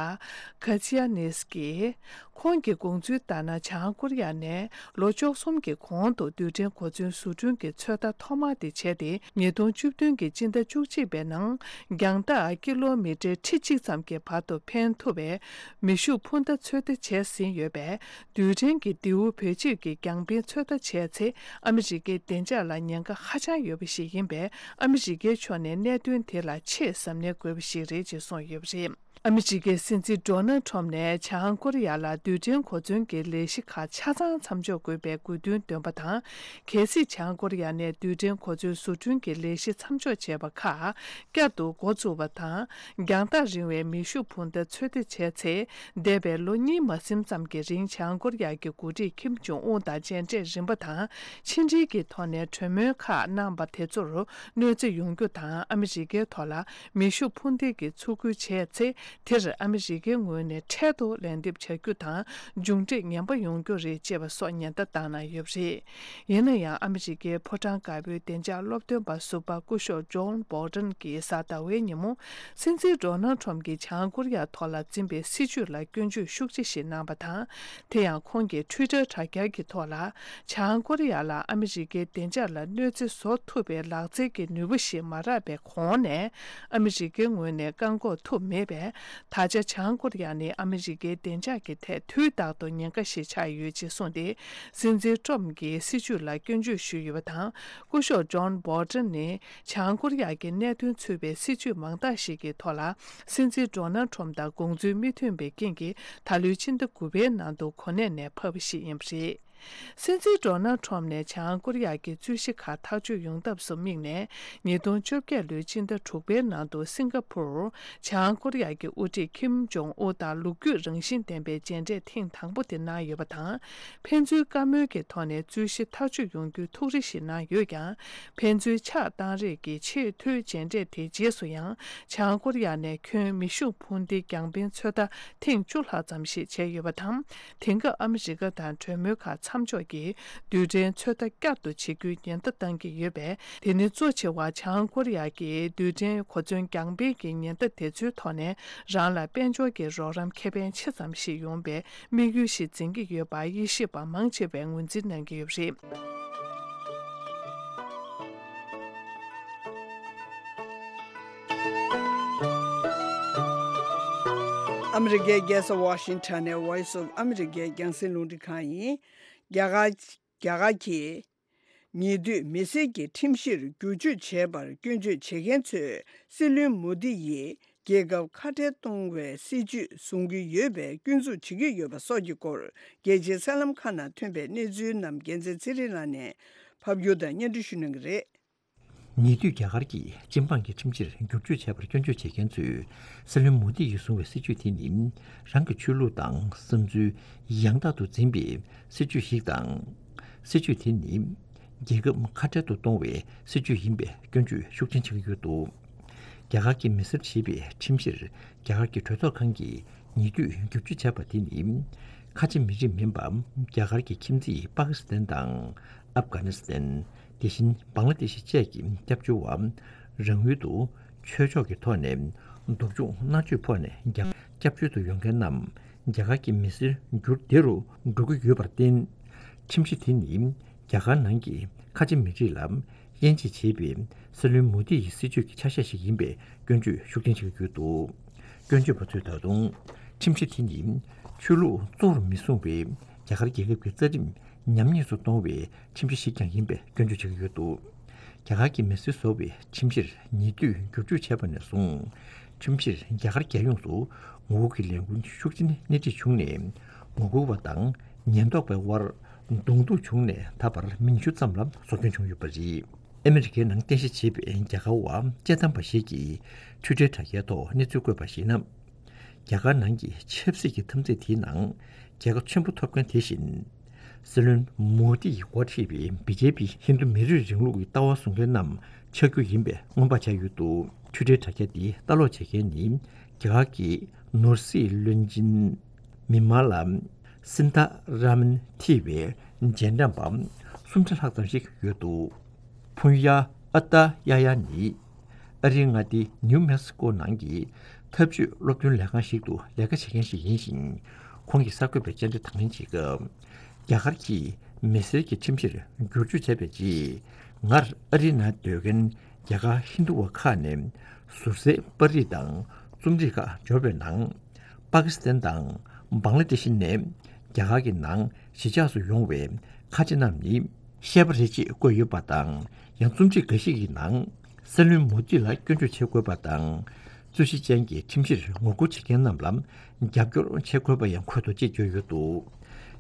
ཁ་ཚི་ཡ་ནེས་ཀྱིས། ཁོང་གི་དགོངས་ཚུལ་ལྟར་ན། བྱང་ཀོ་རི་ཡ་ནས་ལོ་བཅུ་གསུམ་གྱི་གོང་དུ་རྡུལ་ཕྲན་གོ་མཚོན་བཟོ་སྐྲུན་གྱི་ཚོད་ལྟ་ཐོག་མ་དེ་བྱས་ཏེ། ཉིས་སྟོང་བཅུ་བདུན་གྱི་སྤྱི་ཟླ་བཅུ་གཅིག་པའི་ནང་རྒྱང་ཐག་ཀི་ལོ་མི་ཊར་ཁྲི་གཅིག་ཙམ་གྱི་བར་དུ་འཕེན་ཐུབ་པའི་མེ་ཤུགས་འཕུར་མདའ་ཚོད་ལྟ་བྱས་ཟིན་ཡོད་པས། རྡུལ་ཕྲན་གྱི་མདེའུ་བེད་སྤྱོད་ཀྱིས་རྒྱང་འཕེན་ཚོད་ལྟ་བྱས་ཚེ། ཨ་མི་རི་ཀའི་བདེ་འཇགས་ལ་ཉེན་ཁ་ཧ་ཅང་ཡོད་པ་ཞིག་ཡིན་པས། ཨ་མི་རི་ཀའི་ཕྱོགས་ནས་གནད་དོན་དེ་ལ་ཆེས་གཟབ་ནན་དགོས་པ་ཞིག་རེད་ཅེས་གསུངས་ཡོད་པ་རེད། ཨ་མི་རི་ཀའི་སྲིད་འཛིན་ཌོ་ནལ་ཁྲོམ་ནས་བྱང་ཀོ་རི་ཡ་ལ་རྡུལ་ཕྲན་གོ་མཚོན་གྱི་ལས་གཞི་ཁག་ཆ་ཚང་མཚམས་འཇོག་དགོས་པའི་དགོས་འདུན་བཏོན་པ་དང་། གལ་སྲིད་བྱང་ཀོ་རི་ཡ་ནས་རྡུལ་ཕྲན་གོ་མཚོན་བཟོ་སྐྲུན་གྱི་ལས་གཞི་མཚམས་འཇོག་བྱས་པ་ཁག་བསྐྱར་དུ་འགོ་བཙུགས་པ་དང་། རྒྱང་ཐག་རིང་བའི་མེ་ཤུགས་འཕུར་མདའ་ཚོད་ལྟ་བྱས་ཚེ། འདས་པའི་ལོ་གཉིས་མ་ཟིན་ཙམ་གྱི་རིང་། བྱང་ཀོ་རི་ཡ་གི་འགོ་ཁྲིད་ཁིམ་ཇོང་ཨུན་དང་མཇལ་འཕྲད་རིམ་པ་དང་། ཕྱི་འབྲེལ་གྱི་ཐོག་ནས་གྲོས་མོལ་ཁག་གནང་པ་དེ་ཚོར་གནོད་འཚེ་ཡོང་རྒྱུ་དང་། ཨ་མི་རི་ཀའི་ཐོག་ལ་མེ་ཤུགས་འཕུར་མདེལ་གྱི་ཚུར་རྒོལ་བྱས་ཚེ། དེར་ཨ་མི་རི་ཀའི་ངོས་ནས་འཕྲལ་དུ་ལན་འདེབས་བྱ་རྒྱུ་དང་། མཇུག་འབྲས་ངན་པ་ཡོང་རྒྱུ་རེད་ཅེས་པ་སོགས་ཉེན་བརྡ་བཏང་གནང་ཡོད་པ་རེད། ཡིན་ན་ཡང་། ཨ་མི་རི་ཀའི་ཕོ་བྲང་དཀར་པོའི་བདེ་འཇགས་སློབ་སྟོན་པ་ཟུར་པ་སྐུ་ཞབས་ཇོན་བོལ་ཊོན་གྱིས་གཟའ་ཟླ་བའི་ཉིན་མོ། སྲིད་འཛིན་ཌོ་ནལ་ཁྲོམ་གྱིས་བྱང་ཀོ་རི་ཡ་ཐོག་ལ་འཛིན་པའི་སྲིད་བྱུས་ལ་སྐྱོན་བརྗོད་ཤུགས་ཆེ་ཞིག་གནང་བ་དང་། དེ་ཡང་ཁོང་གིས་ཊུའི་ཊར་དྲ་རྒྱ་གི་ཐོག་ལ། བྱང་ཀོ་རི་ཡ་ལ་ཨ་མི་རི་ཀའི་བདེ་འཇགས་ལ་གནོད་འཚེ་བཟོ་ཐུབ་པའི་ལག་རྩལ་གྱི་ནུས་པ་ཞིག་མ་རག་པའི་གོང་ནས། ཨ་མི་རི་ཀའི་ངོས་ནས་བཀག་འགོག་ཐུབ་མེད་པས། ད་ཆ་བྱང་ཀོ་རི་ཡ་ནི་ཨ་མི་རི་ཀའི་བདེ་འཇགས་ཀྱི་ཐད་དུས་རྟག་ཏུ་ཉེན་ཁ་ཞིག་ཆགས་ཡོད་ཅེས་གསུངས་ཏེ། སྲིད་འཛིན་ཀྲོམ་གྱི་སྲིད་བྱུས་ལ་སྐྱོན་བརྗོད་ཞུས་ཡོད་པ་དང་། སྐུ་ཞབས་ཇོན་བྷོ་ལྡན་ནི་བྱང་ཀོ་རི་ཡ་གི་གནད་དོན་ཚུད་པའི་སྲིད་བྱུས་མང་དག་ཞིག་གི་ཐོག་ལ། སྲིད་འཛིན་ཌོ་ནལ་ཁྲོམ་དང་དགོངས་ཚུལ་མི་མཐུན་པའི་རྐྱེན་གྱིས། ད་ལོའི་ཕྱི་ཟླ་དགུ་པའི་ནང་དུ་གོ་གནས་ནས་ཕབ་པ་ཞིག་ཡིན་པ་རེད། སྲིད་འཛིན་ཌོ་ནལ་ཁྲོམ་ནས་བྱང་ཀོ་རི་ཡ་གི་རྩོད་གཞི་ཁག་ཐག་གཅོད་ཡོང་ཐབས་སུ་དམིགས་ནས། ཉིས་སྟོང་བཅོ་བརྒྱད་ལོའི་ཕྱི་ཟླ་དྲུག་པའི་ནང་དུ་སིང་ག་ཕུར། བྱང་ཀོ་རི་ཡ་གི་དབུ་ཁྲིད་ཁིམ་ཇོང་ཨུ་དང་ལོ་རྒྱུས་རང་བཞིན་ལྡན་པའི་མཇལ་འཕྲད་ཐེངས་དང་པོ་དེ་གནང་ཡོད་པ་དང་། ཕན་ཚུན་བཀའ་མོལ་གྱི་ཐོག་ནས་རྩོད་གཞི་ཐག་གཅོད་ཡོང་རྒྱུའི་ཐུགས་རེ་ཞིག་གནང་ཡོད་ཀྱང་། ཕན་ཚུན་ཕྱག་བཏང་རེས་ཀྱི་ཆེས་མཐོའི་མཇལ་འཕྲད་དེའི་རྗེས་སུ་ཡང་། བྱང་ཀོ་རི་ཡ་ནས་ཁྱོན་མེ་ཤུགས་འཕུར་མདེལ་རྒྱང་འཕེན་ཚོད་ལྟ་ཐེངས་བཅུ་ལྷག་ཙམ་ཞིག་བྱས་ཡོད་པ་དང་། དེང་སྐབས་ཨ་མི་རི་ཀ་དང་གྲོས་མོལ་ཁག་མཚམས་འཇོག་གིས་རྡུལ་ཕྲན་ཚོད་ལྟ་བསྐྱར་དུ་བྱེད་རྒྱུའི་ཉེན་བརྡ་བཏང་གི་ཡོད་པས། དེ་ནི་གཙོ་ཆེ་བ་བྱང་ཀོ་རི་ཡ་གིས་རྡུལ་ཕྲན་གོ་མཚོན་རྒྱང་འཕེན་གྱི་ཉེན་བརྡ་དེ་ཚོའི་ཐོག་ནས་རང་ལ་དཔལ་འབྱོར་གྱི་རོགས་རམ་ཁེ་ཕན་ཆེ་ཙམ་ཞིག་ཡོང་བའི་དམིགས་ཡུལ་ཞིག་འཛིན་གྱི་ཡོད་པ་དབྱེ་ཞིབ་པ་མང་ཆེ་བས་ངོས་འཛིན་གནང་གི་ཡོད་པ་རེད། ཨ་མི་རི་ཀའི་རྒྱལ་ས་ཝ་ཤིང་ཊོན་ནས་Voice of America རྒྱང་སྲིང་རླུང་འཕྲིན་ཁང་ཡིན། རྒྱ་གར་རྒྱ་གར་གྱིས་ཉེ་དུས་མི་སེར་གྱི་ཁྲིམས་གཞིར་བསྒྱུར་བཅོས་བྱས་པར་སྐྱོན་བརྗོད་བྱེད་མཁན་ཚོས་སྲིད་བློན་མོ་དི་ཡིས་རྒྱལ་ཁབ་ཁ་བྲལ་གཏོང་བའི་སྲིད་བྱུས་བཟུང་གི་ཡོད་པའི་སྐྱོན་འཛུགས་བྱེད་ཀྱི་ཡོད་པ་སོགས་ཀྱི་སྐོར། རྒྱལ་སྤྱིའི་གསར་ལམ་ཁག་ནང་ཐོན་པའི་གནས་ཚུལ་རྣམས་རྒྱལ་མཚན་ཚེ་རིང་ལགས་ནས་ཕབ་སྒྱུར་དང་སྙན་སྒྲོན་ཞུ་གནང་གི་རེད། ཉེ་དུས་རྒྱ་གར་གྱིས་སྤྱི་འབངས་ཀྱི་ཁྲིམས་གཞིར་བསྒྱུར་བཅོས་བྱས་པར་སྐྱོན་བརྗོད་བྱེད་མཁན་ཚོས་སྲིད་བློན་མོ་དི་ཡིས་བཟུང་བའི་སྲིད་བྱུས་དེ་ནི་རང་གི་ཆོས་ལུགས་དང་བསམ་ཚུལ་ཡང་དག་ཏུ་འཛིན་པའི་སྲིད་བྱུས་ཤིག་དང་། སྲིད་བྱུས་དེ་ནི་རྒྱལ་ཁབ་ཁ་བྲལ་དུ་གཏོང་བའི་སྲིད་བྱུས་ཡིན་པའི་སྐྱོན་བརྗོད་ཤུགས་ཆེན་བྱེད་ཀྱི་ཡོད་འདུག་རྒྱ་གར་གྱི་མི་སེར་ཞེས་པའི་ཁྲིམས་གཞིར་རྒྱ་གར་གྱི་གྲོས་ཚོགས་ཁང་གིས་ཉེ་དུས་བསྒྱུར་བཅོས་བྱས་པ་དེ་ནི་ཁ་ཆེ་མི་རིགས་མིན་པ་རྒྱ་གར་གྱི་ཁྱིམ་མཚེས་པ་ཀི་སི་ཐན་དང་ཨབ་གྷ་ནི་སི་ཐན། དེ་བཞིན་བང་ལ་དེ་ཤི་བཅས་ཀྱི་སྐྱབས་བཅོལ་བ། རང་ཡུལ་དུ་ཆོས་ཕྱོགས་ཀྱི་ཐོག་ནས་སྡུག་སྦྱོང་མནར་གཅོད་ཕོག་ནས་རྒྱ་སྐྱབས་བཅོལ་དུ་ཡོང་མཁན་རྣམས་རྒྱ་གར་གྱི་མི་སེར་འགྱུར་བདེ་རུ་འགྲོ་གི་ཡོད་པར་བརྟེན། ཁྲིམས་གཞི་དེ་ནི་རྒྱ་གར་ནང་གི་ཁ་ཆེ་མི་རིགས་ལ་དབྱེ་འབྱེད་བྱེད་པའི་སྲིད་བློན་མོ་དི་ཡི་སྲིད་བྱུས་ཀྱི་ཆ་ཤས་ཤིག་ཡིན་པའི་སྐྱོན་བརྗོད་ཤུགས་ཆེན་བྱེད་ཀྱི་ཡོད་འདུག་སྐྱོན་བརྗོད་པ་ཚོས་ད་དུང་ཁྲིམས་གཞི་དེ་ནི་ཆོས་ལུགས་གཙོ་བོར་མི་བཟུང་བའི་རྒྱ་གར་རྒྱལ་ཁབ་ཀྱི་རྩ་ཁྲིམས་ཉམས་ཉེས་སུ་གཏོང་བའི་ཁྲིམས་གཞི་ཞིག་ཀྱང་ཡིན་པའི་སྐྱོན་བརྗོད་བྱེད་ཀྱི་ཡོད་འདུག་རྒྱ་གར་གྱི་མི་སེར་བཟོ་བའི་ཁྲིམས་གཞིར་ཉེ་དུས་བསྒྱུར་བཅོས་བྱས་པ་ནས་བཟུང་། ཁྲིམས་གཞིར་རྒྱ་གར་རྒྱལ་ཡོངས་སུ་ངོ་རྒོལ་གྱི་ལས་འགུལ་ཤུགས་ཆེན་སྣེ་ཁྲིད་བྱུང་ནས། ངོ་རྒོལ་བ་དང་ཉེན་རྟོག་པའི་དབར་གདོང་ཐུག་བྱུང་ནས་ད་བར་མི་ཉི་ཤུ་ཙམ་ལ་སྲོག་སྐྱོན་བྱུང་ཡོད་པ་རེད། ཨ་མི་རི་ཀའི་ནང་རྟེན་གཞི་བྱས་པའི་རྒྱ་གར་བ་སྤྱི་བཏང་པ་ཞིག་གིས་ཊུའི་ཊར་དྲ་རྒྱའི་ཐོག་གནས་ཚུལ་བཀོད་པར་གཞིགས་ན། རྒྱ་གར་ནང་གི་ཆབ་སྲིད་ཀྱི་འཐབ་འཛིང་དེའི་ནང་རྒྱལ་ཁ་ཆེན་པོ་ཐོབ་མཁན་དེ་བཞིན། སྲིད་བློན་མོ་དི་ཡིས་འགོ་ཁྲིད་པའི་བི་ཇེ་པི་ཧིན་རྡུ་མི་རིགས་རིང་ལུགས་ཀྱི་ལྟ་བ་བཟུང་མཁན་རྣམས་ཆགས་རྒྱུ་ཡིན་པའི་སྔོན་དཔག་བྱས་ཡོད་འདུག་ཊུའི་ཊར་དྲ་རྒྱ་འདི་ལྟ་ཀློག་བྱེད་མཁན་ནི་རྒྱ་གར་གྱི་ནོར་སྲིད་བློན་ཆེན་མི་མ་ལ་སིན་ཐ་ར་མན་ཐི་བའི་རྗེས་འབྲང་པ་སུམ་བརྒྱ་ལྷག་ཙམ་ཞིག་ཡོད་འདུག་ཕུན་ཡ་ཨ་ཏ་ཡ་ཡ་ནི་ཨ་རིའི་མངའ་སྡེ་ནིའུ་མེག་སི་ཀོ་ནང་གི་འཐབ་ཇུས་སློབ་སྟོན་ལས་ཁང་ཞིག་ཏུ་ལས་ཀ་བྱེད་མཁན་ཞིག་ཡིན་ཞིང་། ཁོང་གིས་གསར་འགོད་པར་བཅར་འདྲི་དང་ལེན་བྱེད་སྐབས། རྒྱ་གར་གྱིས་མི་སེར་གྱི་ཁྲིམས་གཞིར་བསྒྱུར་བཅོས་བྱས་པའི་རྗེས། སྔར་ཨ་རིའི་ནང་སྡོད་མཁན་རྒྱ་གར་ཧིན་རྡུ་བ་ཁག་ནས་ཟུར་སའི་པར་རིས་དང་རྩོམ་རིག་ཁག་འབྱོར་བའི་ནང་། པ་ཀི་སི་ཐན་དང་བང་ལ་དེ་ཤི་ནས་རྒྱ་གར་གྱི་ནང་གཞིས་ཆགས་སུ་ཡོང་བའི་ཁ་ཆེ་རྣམས་ནི་ཤེས་པ་རེད་ཅེས་བཀོད་ཡོད་པ་དང་། ཡང་རྩོམ་སྒྲིག་འགའ་ཞིག་གི་ནང་། སྲིད་བློན་མོ་དི་ལ་སྐྱོན་བརྗོད་བྱེད་དགོས་པ་དང་། རྩོད་གཞི་ཅན་གྱི་ཁྲིམས་གཞིར་ངོ་རྒོལ་བྱེད་མཁན་རྣམས་ལ་རྒྱབ་སྐྱོར་བྱེད་དགོས་པ་ཡང་འཁོད་འདུག་ཅེས་བརྗོད་ཡོད་འདུག་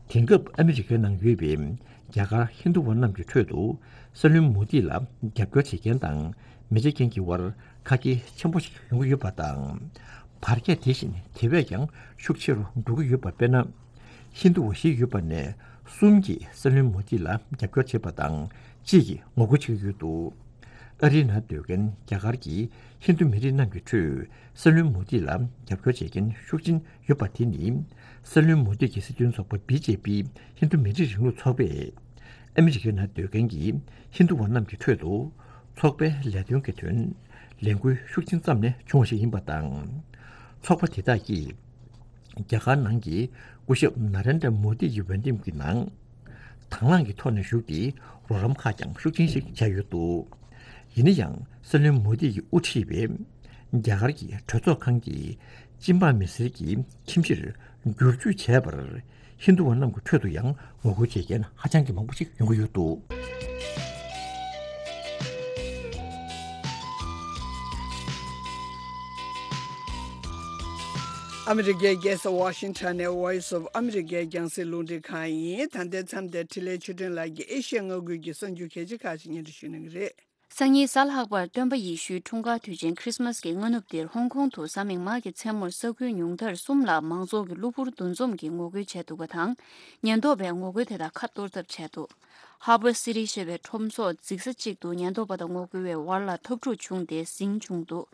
དེང་སྐབས་ཨ་མི་རི་ཀའི་ནང་ཡོད་པའི་རྒྱ་གར་ཧིན་རྡུ་བ་རྣམས་ཀྱི་ཁྲོད་དུ་སྲིད་བློན་མོ་དི་ལ་རྒྱབ་སྐྱོར་བྱེད་མཁན་དང་མི་བྱེད་མཁན་གྱི་དབར་ཁ་གྱེས་ཆེན་པོ་ཞིག་ཡོང་གི་ཡོད་པ་དང་། བར་ཁྱད་དེ་བཞིན་དེ་བས་ཀྱང་ཤུགས་ཆེ་རུ་འགྲོ་གི་ཡོད་པ། དཔེར་ན། ཧིན་རྡུ་བ་བཞི་ཡོད་པ་ནས་གསུམ་གྱིས་སྲིད་བློན་མོ་དི་ལ་རྒྱབ་སྐྱོར་བྱེད་པ་དང་གཅིག་གིས་ངོ་རྒོལ་བྱེད་ཀྱི་ཡོད་འདུག་ཨ་རིའི་ནང་སྡོད་མཁན་རྒྱ་གར་གྱི་ཧིན་རྡུ་མི་རིགས་རྣམས་ཀྱི་ཁྲོད་སྲིད་བློན་མོ་དི་ལ་རྒྱབ་སྐྱོར་བྱེད་མཁན་ཤུགས་ཆེན་ཡོད་པ་དེ་ནི། སྲིད་བློན་མོ་དི་གི་སྲིད་དོན་ཚོགས་པ་བི་ཇེ་པི་ཧིན་རྡུ་མི་རིགས་རིང་ལུགས་ཚོགས་པས། ཨ་མི་རི་ཀའི་ནང་སྡོད་མཁན་གྱི་ཧིན་རྡུ་བ་རྣམས་ཀྱི་ཁྲོད་དུ་ཚོགས་པའི་ལས་དོན་གྱི་དོན་ལས་འགུལ་ཤུགས་ཆེན་བརྩམས་ནས་བྱུང་བ་ཞིག་ཡིན་པ་དང་། ཚོགས་པ་དེ་དག་གིས། རྒྱ་གར་ནང་གི་སྐུ་ཞབས་ན་རེན་དྲ་མོ་དི་ཡི་འོས་འདེམས་ཀྱི་ནང་། དང་བླངས་ཀྱི་ཐོག་ནས་ཞུགས་ཏེ་རོགས་རམ་ཁག་ཀྱང་ཤུགས་ཆེན་ཞིག་བྱས་ཡོད་འདུག་ཡིན་ན་ཡང་སྲིད་བློན་མོ་དི་ཡིས་དབུ་ཁྲིད་པའི་རྒྱ་གར་གྱི་གྲོས་ཚོགས་ཁང་གི་ གཅིན་པ་མི་སེར་གྱི་ཁྱིམ་གཞིས་བསྒྱུར་བཅོས་བྱས་པར་ཧིན་རྡུ་བ་རྣམས་ཀྱི་ཁྲོད་དུ་ཡང་ངོ་རྒོལ་བྱེད་མཁན་ཧ་ཅང་གི་མང་པོ་ཞིག་ཡོང་གི་ཡོད་འདུག། ཨ་མི་རི་ཀའི་རྒྱལ་ས་ཝ་ཤིང་ཊོན་ནས་Voice of America རྒྱང་སྲིང་རླུང་འཕྲིན་ཁང་ཡིན། ད་ལྟའི་མཚམས་དེར་འཕྲིན་ལས་ཆོས་སྒྲོན་ལགས་ཀྱིས་ཨེ་ཤི་ཡ་མངའ་ཁུལ་གྱི་གསར་འགྱུར་གལ་ཆེ་ཁག་ཅིག་སྙན་སྒྲོན་ཞུ་གནང་གི་རེད། སང་ཉིན་གཟའ་ལྷག་པར་སྟོན་པ་ཡེ་ཤུའི་འཁྲུངས་སྐར་དུས་ཆེན་ཁྲིས་མས་ཀྱི་སྔ་ནུབ་འདིར་ཧོང་ཀོང་དུ་གཟའ་མིག་དམར་གྱི་མཚན་མོར་ས་ཁུལ་ཉུང་མཐར་གསུམ་ལ་མང་ཚོགས་ཀྱིས་གློ་བུར་འདུ་འཛོམས་ཀྱིས་ངོ་རྒོལ་བྱས་འདུག་པ་དང་། ཉེན་རྟོག་པས་ངོ་རྒོལ་དེ་དག་ཁ་གཏོར་ཐབས་བྱས་འདུག། ཧར་བར་སི་ཊི་ཞེས་པའི་ཁྲོམ་ཚོགས་འཛིན་ས་གཅིག་ཏུ་ཉེན་རྟོག་པ་དང་ངོ་རྒོལ་བའི་བར་ལ་འཐབ་འཁྲུག་བྱུང་སྟེ་ཟིང་བྱུང་འདུག།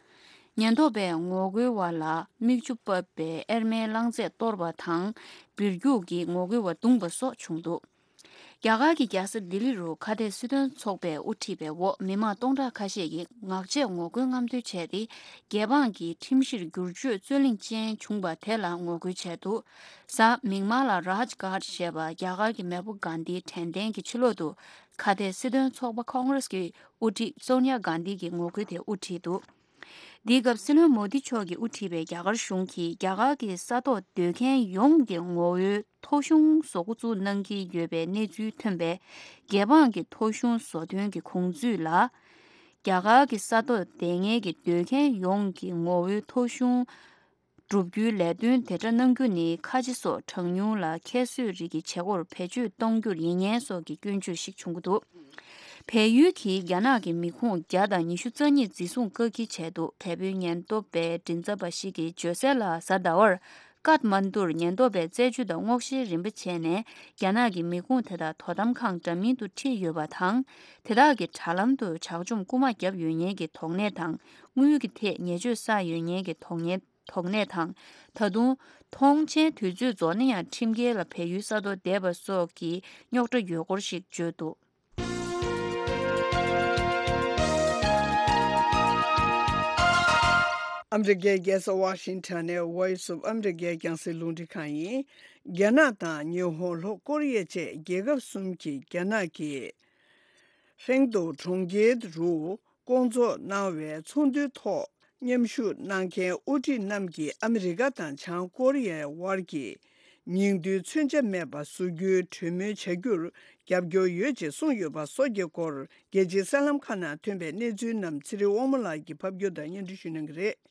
ཉེན་རྟོག་པས་ངོ་རྒོལ་བ་ལ་མིག་ཆུ་ཕབ་པའི་ཨེར་མའི་རླངས་རྫས་གཏོར་བ་དང་། སྦིར་རྒྱུག་གིས་ངོ་རྒོལ་བ་བརྡུངས་པ་སོགས་བྱུང་འདུག། རྒྱ་གར་གྱི་རྒྱལ་ས་ལྡི་ལི་རུ་ཁ་གཏད་སྲིད་དོན་ཚོགས་པས་དབུ་ཁྲིད་པའི་འོག་མི་མང་སྟོང་ཕྲག་ཁ་ཤས་ཀྱིས་ངག་བཅད་ངོ་རྒོལ་རྔམ་སྟོན་བྱས་ཏེ། རྒྱལ་འབངས་ཀྱི་ཁྲིམས་གཞིར་བསྒྱུར་བཅོས་རྩོད་གླེང་ཅན་བྱུང་བ་དེ་ལ་ངོ་རྒོལ་བྱས་འདུག། གཟའ་མིག་དམར་ལ་རཱཇ་གྷཊ་ཞེས་པ་རྒྱ་གར་གྱི་མེས་པོ་གྷན་དྷིའི་དྲན་རྟེན་གྱི་ཕྱི་ལོགས་དུ་ཁ་གཏད་སྲིད་དོན་ཚོགས་པ་ཁོང་རེས་ཀྱི་དབུ་ཁྲིད་སོ་ནྱ་གྷན་དྷི་གིས་ངོ་རྒོལ་དེ་དབུ་ཁྲིད་འདུག། འདིའི་སྐབས་སྲིད་བློན་མོ་དི་མཆོག་གིས་དབུ་ཁྲིད་པའི་རྒྱ་གར་གཞུང་གིས་རྒྱ་གར་གྱི་ས་ཐོག་སྡོད་མཁན་ཡོངས་ཀྱི་ངོ་བོའི་ཐོ་གཞུང་བཟོ་འགོ་བཙུགས་གནང་གི་ཡོད་པའི་གནས་ཚུལ་ཐོན་པས། རྒྱལ་འབངས་ཀྱི་ཐོ་གཞུང་བཟོ་དོན་གྱི་དགོངས་ཚུལ་ལ། རྒྱ་གར་གྱི་ས་ཐོག་བསྡད་མཁན་གྱི་སྡོད་མཁན་ཡོངས་ཀྱི་ངོ་བོའི་ཐོ་གཞུང་སྒྲུབ་རྒྱུའི་ལས་དོན་དེ་འདྲ་གནང་རྒྱུ་ནི་ཁ་ཆེ་སོགས་གྲངས་ཉུང་ལ་ཁྱད་གསོད་རིགས་ཀྱི་བྱེད་སྒོར་བེད་སྤྱོད་གཏོང་རྒྱུ་ཡིན་ངེས་སོགས་ཀྱི་སྐྱོན་བརྗོད་ཞིག་བྱུང་གི་འདུག། བལ་ཡུལ་གྱིས་རྒྱ་ནག་གི་མི་ཁུངས་བརྒྱ་དང་ཉི་ཤུ་རྩ་གཉིས་འཛིན་བཟུང་བཀག་སྐྱིལ་བྱས་འདུག། བལ་པོའི་ཉེན་རྟོག་པའི་མགྲིན་ཚབ་པ་ཞིག་གིས་བརྗོད་གསལ་ལ། གཟའ་ཟླ་བར་ཀཏ་མན་དུར་ཉེན་རྟོག་པས་རྩད་གཅོད་དང་སྔོག་བཤེར་རིམ་པ་བྱས་ནས། རྒྱ་ནག་གི་མི་ཁུངས་དེ་དག་དོ་དམ་ཁང་འདྲ་མིན་དུ་ཁྲིད་ཡོད་པ་དང་། དེ་དག་གི་དྲ་ལམ་དུ་དྲག་སྦྱོང་རྐུན་མ་བརྒྱབ་ཡོད་ཉེན་གྱི་དོགས་གནས་དང་། དངུལ་གྱི་ཐད་ཉེས་སྤྱོད་བསགས་ཡོད་ཉེན་གྱི་དོགས་གནས། དོགས་གནས་དང་། ད་དུང་། ཐོངས་མཆན་དུས་ཚོད་རྫོགས་ན་ཡང་ཁྲིམས་འགལ་ལ་བལ་ཡུལ་ས་ཐོག་བསྡད་པ་སོགས་ཀྱི་རྙོག་དྲ་ཡོད་སྐོར་ཞིག་བརྗོད་འདུག། ཨ་མི་རི་ཀའི་རྒྱལ་ས་ཝ་ཤིང་ཊོན་ནས་Voice of America རྒྱང་སྲིང་རླུང་འཕྲིན་ཁང་ཡིན། རྒྱ་ནག་དང་ཉི་ཧོང་ལྷོ་ཀོ་རི་ཡ་བཅས་རྒྱལ་ཁབ་གསུམ་གྱིས་རྒྱ་ནག་གི་ཧྲེང་ཏུའུ་གྲོང་ཁྱེར་རུ་བསྐོང་ཚོགས་གནང་བའི་ཚོགས་འདུའི་ཐོག་མཉམ་ཞུགས་གནང་མཁན་དབུ་ཁྲིད་རྣམས་ཀྱིས་ཨ་མི་རི་ཀ་དང་བྱང་ཀོ་རི་ཡའི་དབར་གྱི་ཉིང་རྡུལ་མཚོན་ཆ་མེད་པ་བཟོ་རྒྱུའི་གྲོས་མོལ་བྱ་རྒྱུར་རྒྱབ་སྐྱོར་ཡོད་ཅེས་གསུངས་ཡོད་པ་སོགས་ཀྱི་སྐོར། རྒྱལ་སྤྱིའི་གསར་ལམ་ཁག་ནང་ཐོན་པའི་གནས་ཚུལ་རྣམས་ཚེ་རིང་དབང་མོ་ལགས་ཀྱིས་ཕབ་སྒྱུར་དང་སྙན་སྒྲོན་ཞུ་གནང་གི་རེད།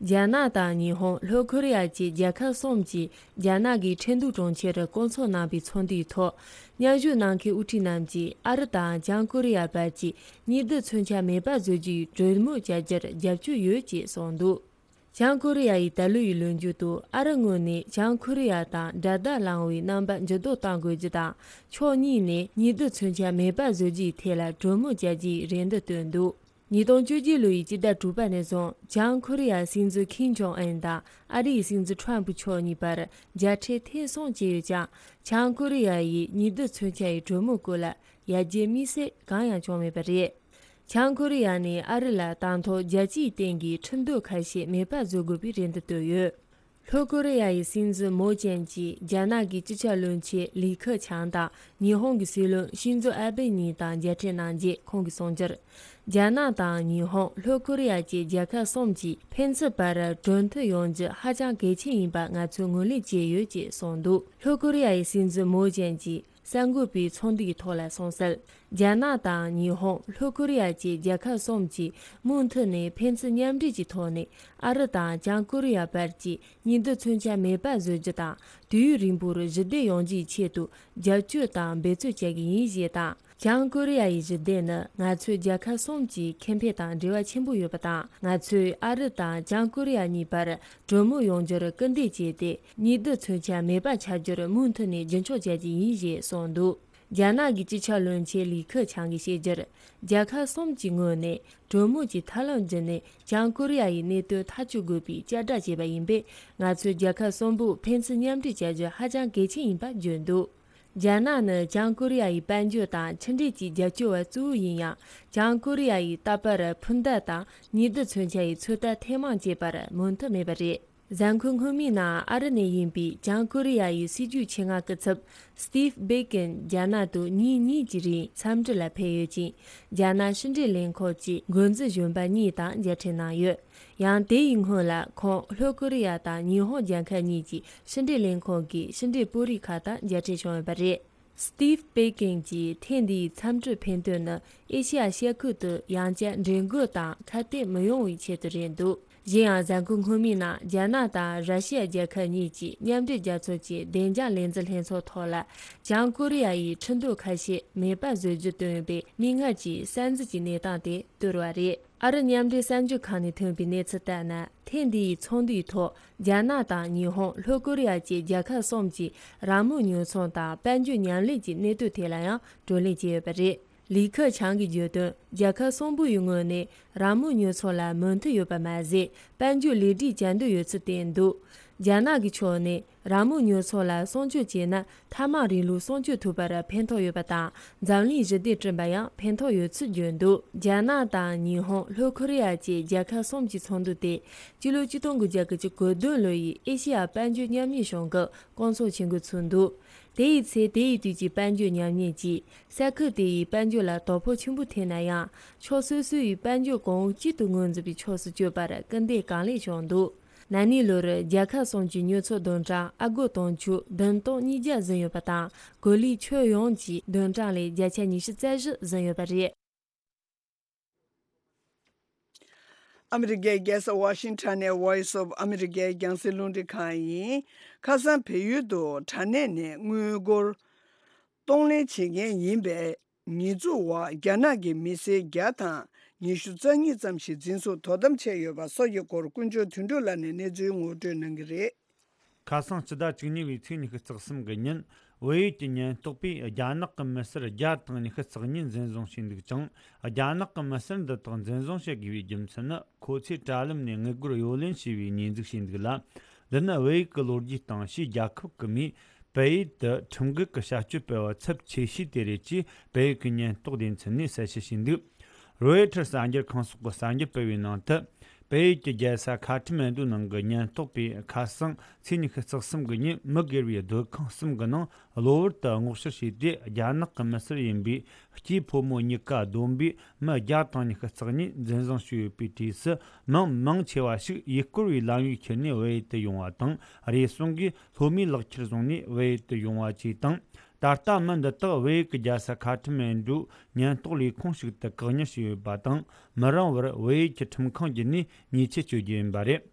རྒྱ་ནག་དང་ཉི་ཧོང་། ལྷོ་ཀོ་རི་ཡ་བཅས་རྒྱལ་ཁབ་གསུམ་གྱིས་རྒྱ་ནག་གི་ཁྲིན་ཏུའུ་གྲོང་ཁྱེར་དུ་བསྐོང་ཚོགས་གནང་པའི་ཚོགས་འདུའི་ཐོག་མཉམ་ཞུགས་གནང་མཁན་དབུ་ཁྲིད་རྣམས་ཀྱིས་ཨ་རི་དང་བྱང་ཀོ་རི་ཡ་བར་གྱི་ཉི་རྡུལ་མཚོན་ཆ་མེད་པ་བཟོ་རྒྱུའི་གྲོས་མོལ་བྱ་རྒྱུར་རྒྱབ་སྐྱོར་ཡོད་ཅེས་གསུངས་འདུག། བྱང་ཀོ་རི་ཡ་ཡི་ད་ལོ་ཡི་ལོ་མཇུག་ཏུ་ཨ་རི་ངོས་ནས་བྱང་ཀོ་རི་ཡ་དང་དགྲ་ཟླ་ལངས་པའི་རྣམ་པ་འགྱུར་ལྡོག་གཏང་དགོས་རྒྱུ་དང་། ཕྱོགས་གཉིས་ནས་ཉི་རྡུལ་མཚོན་ཆ་མེད་པ་བཟོ་རྒྱུའི་ཐད་ལ་གྲོས་མོལ་བྱ་རྒྱུའི་རེ་འདུན་བཏོན་འདུག། ཉིས་སྟོང་བཅོ་བརྒྱད་ལོ་ཡི་སྤྱི་ཟླ་དྲུག་པ་ནས་བཟུང་བྱང་ཀོ་རི་ཡའི་སྲིད་འཛིན་ཁིམ་ཇོང་ཨན་དང་ཨ་རིའི་སྲིད་འཛིན་ཁྲོམ་ཕུ་མཆོག་གཉིས་བར་མཇལ་འཕྲད་ཐེངས་གསུམ་བྱས་ཡོད་ཀྱང་། བྱང་ཀོ་རི་ཡ་ཡིས་ཉི་རྡུལ་མཚོན་ཆ་ཡི་གྲོས་མོལ་སྐོར་ལ་ཡར་རྒྱས་དམིགས་བསལ་གང་ཡང་བྱུང་མེད་པ་རེད། བྱང་ཀོ་རི་ཡ་ནས་ཨ་རི་ལ་དང་ཐོག་རྒྱལ་སྤྱིའི་སྟེང་གི་ཁྲིམས་གཏུག་ཁ་ཤས་མེད་པ་བཟོ་དགོས་པའི་རེ་འདུན་བཏོན་ཡོད། ལྷོ་ཀོ་རི་ཡ་ཡི་སྲིད་འཛིན་མོ་ཅན་གྱིས་རྒྱ་ནག་གི་སྤྱི་ཁྱབ་བློན་ཆེན་ལི་ཁེ་ཆང་དང་ཉི་ཧོང་གི་སྲིད་བློན་ཤིན་ཛོ་ཨ་བྷེ་གཉིས་དང་མཇལ་འཕྲད་གནང་རྗེས་ཁོང་གིས་གསུངས་རྒྱུར། རྒྱ་ནག་དང་ཉི་ཧོང་། ལྷོ་ཀོ་རི་ཡ་བཅས་རྒྱལ་ཁབ་གསུམ་གྱིས་ཕན་ཚུན་བར་གྲོས་མཐུན་ཡོང་རྒྱུ་ཧ་ཅང་གལ་ཆེན་ཡིན་པ་ང་ཚོས་ངོས་ལེན་བྱས་ཡོད་ཅེས་གསུངས་འདུག། ལྷོ་ཀོ་རི་ཡ་ཡི་སྲིད་འཛིན་མོ་ཅན་གྱིས། གསར་འགོད་པའི་ཚོགས་འདུའི་ཐོག་ལ་གསུངས་གསལ། རྒྱ་ནག་དང་ཉི་ཧོང་། ལྷོ་ཀོ་རི་ཡ་བཅས་རྒྱལ་ཁབ་གསུམ་གྱིས་མུ་མཐུད་ནས་ཕན་ཚུན་མཉམ་འབྲེལ་གྱི་ཐོག་ནས་ཨ་རི་དང་བྱང་ཀོ་རི་ཡ་བར་གྱི་ཉི་རྡུལ་མཚོན་ཆ་མེད་པ་བཟོ་རྒྱུ་དང་། དུས་ཡུན་རིང་པོར་ཞི་བདེ་ཡོང་རྒྱུའི་ཆེད་དུ་རྒྱབ་སྐྱོར་དང་འབད་རྩོལ་བྱ་གི་ཡིན་ཞེས་དང་། བྱང་ཀོ་རི་ཡ་ཡི་ཞི་བདེ་ནི་ང་ཚོའི་རྒྱལ་ཁབ་གསུམ་གྱི་ཁེ་ཕན་དང་འབྲེལ་བ་ཆེན་པོ་ཡོད་པ་དང་། ང་ཚོས་ཨ་རི་དང་བྱང་ཀོ་རི་ཡ་གཉིས་བར་གྲོས་མོལ་ཡོང་རྒྱུར་སྐུལ་འདེད་བྱས་ཏེ། ཉི་རྡུལ་མཚོན་ཆ་མེད་པ་ཆགས་རྒྱུར་མུ་མཐུད་ནས་རྒྱུན་འཁྱོངས་བྱ་རྒྱུ་ཡིན་ཞེས་གསུངས་འདུག། རྒྱ་ནག་གི་སྤྱི་ཁྱབ་བློན་ཆེན་ལི་ཁེ་ཆང་གིས་བཤད་རྒྱུར། རྒྱལ་ཁབ་གསུམ་གྱི་ངོས་ནས་གྲོས་མོལ་གྱི་ཐབས་ལམ་བརྒྱུད་ནས་བྱང་ཀོ་རི་ཡ་ཡི་གནད་དོན་ཐག་གཅོད་དགོས་པའི་བསྐྱར་བསྒྲགས་བྱས་པ་ཡིན་པས། ང་ཚོས་རྒྱལ་ཁབ་གསུམ་པོས་ཕན་ཚུན་མཉམ་འབྲེལ་བྱ་རྒྱུ་ཧ་ཅང་གལ་ཆེན་ཡིན་པ་བརྗོད་འདུག། རྒྱ་ནག་ནི་བྱང་ཀོ་རི་ཡ་ཡི་དཔལ་འབྱོར་དང་ཕྱི་འབྲེལ་གྱི་རྒྱབ་སྐྱོར་བ་གཙོ་བོ་ཡིན་ཡང་། བྱང་ཀོ་རི་ཡ་ཡིས་རྟག་པར་འཕུར་མདའ་དང་ཉི་རྡུལ་མཚོན་ཆ་ཡི་ཚོད་ལྟ་ཐེངས་མང་བྱས་པར་མོས་མཐུན་མེད་པ་རེད། གཟའ་འཁོར་སྔོན་མའི་ནང་ཨ་རི་ནས་ཡིན་པའི་བྱང་ཀོ་རི་ཡ་ཡི་སྲིད་ཇུས་ཆེད་མངགས་སྐུ་ཚབ་Steve Bacon རྒྱ་ནག་ཏུ་ཉིན་གཉིས་ཀྱི་རིང་འཚམས་འདྲི་ལ་ཕེབས་ཡོད་ཅིང་། རྒྱ་ནག་ཕྱི་འབྲེལ་ལས་ཁུངས་ཀྱི་འགོ་འཛིན་གཞོན་པ་གཉིས་དང་མཇལ་འཕྲད་གནང་ཡོད། ཡང་དེ་ཡི་སྔོན་ལ་ཁོང་ལྷོ་ཀོ་རི་ཡ་དང་ཉི་ཧོང་རྒྱལ་ཁབ་གཉིས་ཀྱི་ཕྱི་འབྲེལ་ལས་ཁུངས་ཀྱི་ཕྱི་འབྲེལ་དཔོན་རིགས་ཁག་དང་མཇལ་འཕྲད་བྱུང་ཡོད་པ་རེད། Steve Bacon གྱིས་ཐེངས་འདིའི་འཚམས་འདྲིའི་ཕན་དོན་ནི་ཨེ་ཤེ་ཡ་ཤར་ཁུལ་དུ་ཡང་བསྐྱར་འགྲན་རྒོལ་དང་ཁ་གཏད་མི་ཡོང་བའི་ཆེད་དུ་རེད་འདུག་གཞན་ཡང་གཟའ་འཁོར་སྔོན་མའི་ནང་རྒྱ་ནག་དང་ར་ཤི་ཡ་རྒྱལ་ཁབ་གཉིས་ཀྱི་མཉམ་འབྲེལ་རྒྱལ་ཚོགས་ཀྱི་བདེ་འཇགས་ལས་འཛིན་ལྷན་ཚོགས་ཐོག་ལ་བྱང་ཀོ་རི་ཡ་ཡི་ཁྲིམས་དོན་ཁ་ཤས་མེད་པར་བཟོ་རྒྱུ་བཏོན་པའི་མིག་སྔར་གྱི་གསར་འཛུགས་ཀྱི་གནས་སྟངས་དེ་བསྡུར་བ་རེད། ཨ་རི་མཉམ་འབྲེལ་གསར་འགྱུར་ཁང་ནས་ཐོན་པའི་གནས་ཚུལ་ལྟར་ན། ཐེངས་འདིའི་ཚོགས་འདུའི་ཐོག་རྒྱ་ནག་དང་ཉི་ཧོང་། ལྷོ་ཀོ་རི་ཡ་བཅས་རྒྱལ་ཁབ་གསུམ་གྱི་རང་མོས་ཉོ་ཚོང་དང་དཔལ་འབྱོར་མཉམ་ལས་ཀྱི་གནད་དོན་ཐད་ལ་ཡང་བགྲོ་གླེང་བྱས་ཡོད་པ་རེད། ལི་ཁེ་ཆང་གིས་བརྗོད་དོན། རྒྱལ་ཁབ་གསུམ་པོ་ཡི་ངོས་ནས་རང་མོས་ཉོ་ཚོང་ལ་མོས་མཐུན་ཡོད་པ་མ་ཟད། དཔལ་འབྱོར་ལེགས་སྒྲིག་བྱ་འདོད་ཡོད་ཚུལ་བསྟན་འདུག་རྒྱ་ནག་གི་ཕྱོགས་ནས། རང་མོས་ཉོ་ཚོང་ལ་སྲུང་སྐྱོབ་བྱས་ན། ཐབས་མང་རིང་ལུགས་སྲུང་སྐྱོབ་ཐུབ་པར་ཕན་ཐོགས་ཡོད་པ་དང་། འཛམ་གླིང་ཞི་བདེ་བསྐྲུན་པར་ཡང་ཕན་ཐོགས་ཡོད་ཚུལ་བརྗོད་འདུག་རྒྱ་ནག་དང་ཉི་ཧོང་། ལྷོ་ཁོ་རེ་ཡ་བཅས་རྒྱལ་ཁབ་གསུམ་གྱི་ཚོགས་འདུ་དེ། སྤྱི་ལོ་ཆིག་སྟོང་དགུ་བརྒྱ་གྱ་གོ་བདུན་ལོ་ཡི་ཨེ་ཤེ་ཡ་དཔལ་འབྱོར་མཉམ་གནས་གཞུང་གི་སྐོང་ཚོགས་བྱེད་འགོ་ཚུགས་འདུག་དེ་ཡི་ཚེ། དེ་ཡི་དུས་ཀྱི་དཔལ་འབྱོར་ཉམས་ཉེས་ཀྱིས། ས་ཁུལ་དེ་ཡི་དཔལ་འབྱོར་ལ་དོ་ཕོག་ཆེན་པོ་ཐེབས་ན་ཡང་། ཕྱོགས་སོ་སོ་ཡི་དཔལ་འབྱོར་གོང་བུ་གཅིག་ཏུ་ངོས་འཛིན་པའི་ཕྱོགས་སུ་བསྐྱོད་པར་སྐུལ་འདེད་གང་ལེགས་བྱུང་འདུག་ན་ནིང་ལོར་རྒྱལ་ཁབ་གསུམ་གྱི་ཉོ་ཚོང་བདུན་ཕྲག་ཨ་སྒོར་དུང་ཕྱུར་བདུན་སྟོང་ཉིས་བརྒྱ་ཟིན་ཡོད་པ་དང་། གོ་ལའི་ཁྱོན་ཡོངས་ཀྱི་བདུན་ཕྲག་ལས་བརྒྱ་ཆ་ཉི་ཤུ་རྩ་བཞི་ཟིན་ཡོད་པ་རེད། ཨ་མི་རི་ཀའི་རྒྱལ་ས་ཝ་ཤིང་ཊོན་ནས་Voice of America རྒྱང་སྲིང་རླུང་འཕྲིན་ཁང་ཡིན། ཁ་སང་བལ་ཡུལ་དུ་དྲ་གནས་ནས་དངུལ་སྒོར་གཏོང་ལེན་བྱེད་མཁན་ཡིན་པའི་ཉེས་འཛུགས་འོག་རྒྱ་ནག་གི་མི་སེར་བརྒྱ་དང་ཉི་ཤུ་རྩ་གཉིས་ཙམ་ཞིག་འཛིན་བཟུང་དོ་དམ་བྱས་ཡོད་པ་སོགས་ཀྱི་སྐོར་ཀུན་སྤྱོད་དོན་གྲུབ་ལགས་ནས་གནས་ཚུལ་ངོ་སྤྲོད་གནང་གི་རེད། ཁ་སང་སྤྱི་ཟླ་བཅུ་གཉིས་པའི་ཚེས་ཉི་ཤུ་རྩ་གསུམ་གི་ཉིན། བལ་ཡུལ་གྱི་ཉེན་རྟོག་པས་རྒྱ་ནག་གི་མི་སེར་བརྒྱ་དང་ཉི་ཤུ་རྩ་གཉིས་འཛིན་བཟུང་བྱས་འདུག་ཅིང་། རྒྱ་ནག་གི་མི་སེར་འདི་དག་འཛིན་བཟུང་བྱེད་དགོས་པའི་རྒྱུ་མཚན་ནི། ཁོ་ཚོས་དྲ་ལམ་ནས་དངུལ་སྒོར་གཡོ་ལེན་བྱས་པའི་ཉེས་འཛུགས་བྱས་འདུག་ལ། འདི་ནི་བལ་ཡུལ་གྱི་ལོ་རྒྱུས་སྟེང་ཕྱིའི་རྒྱལ་ཁབ་ཀྱི་མིས་བལ་ཡུལ་དུ་ཁྲིམས་འགལ་གྱི་བྱ་སྤྱོད་སྤེལ་བ་ཚབས་ཆེ་ཤོས་དེ་རེད་ཅེས་བལ་ཡུལ་གྱི་ཉེན་རྟོག་སྡེ་ཚན་ནས་གསལ་བཤད་བྱས་འདུག་རོའི་ཊར་གསར་འགྱུར་ཁང་སོགས་ཀྱིས་གསར་འགྱུར་སྤེལ་བའི་ནང་དུ། བལ་ཡུལ་གྱི་རྒྱལ་ས་ཁ་ཐ་མན་ཌུ་ནང་གི་ཉེན་རྟོག་པས་ཁ་སང་ཚེས་ཉི་ཤུ་རྩ་གསུམ་གྱི་ཉིན། མི་སྒེར་བའི་སྡོད་ཁང་གསུམ་གྱི་ནང་གློ་བུར་དུ་སྔོག་བཤེར་བྱས་ཏེ། རྒྱ་ནག་གི་མི་སེར་ཡིན་པའི་སྐྱེས་ཕོ་མོ་གཉིས་ཀ་བསྡོམས་པས་མི་བརྒྱ་དང་ཉི་ཤུ་རྩ་གཉིས་འཛིན་བཟུང་བྱས་ཡོད་པའི་གྲས་སུ། མི་མང་ཆེ་བ་ཞིག་ཡུལ་སྐོར་བའི་ལམ་ཡིག་ཁྱེར་ནས་བལ་ཡུལ་དུ་ཡོང་བ་དང་། རེ་ཟུང་གིས་ལྷོད་མེད་ལག་ཁྱེར་བཟུང་ནས་བལ་ཡུལ་དུ་ཡོང་བ་བཅས་དང་། ད་ལྟ་མི་འདི་དག་བལ་ཡུལ་གྱི་རྒྱལ་ས་ཁ་ཐ་མན་ཌུ་ཉེན་རྟོག་ལས་ཁུངས་ཤིག་ཏུ་བཀག་ཉར་བྱས་ཡོད་པ་དང་། མི་རིང་བར་བལ་ཡུལ་གྱི་ཁྲིམས་ཁང་བརྒྱུད་ནས་ཉེས་ཆད་གཅོད་རྒྱུ་ཡིན་པ་རེད།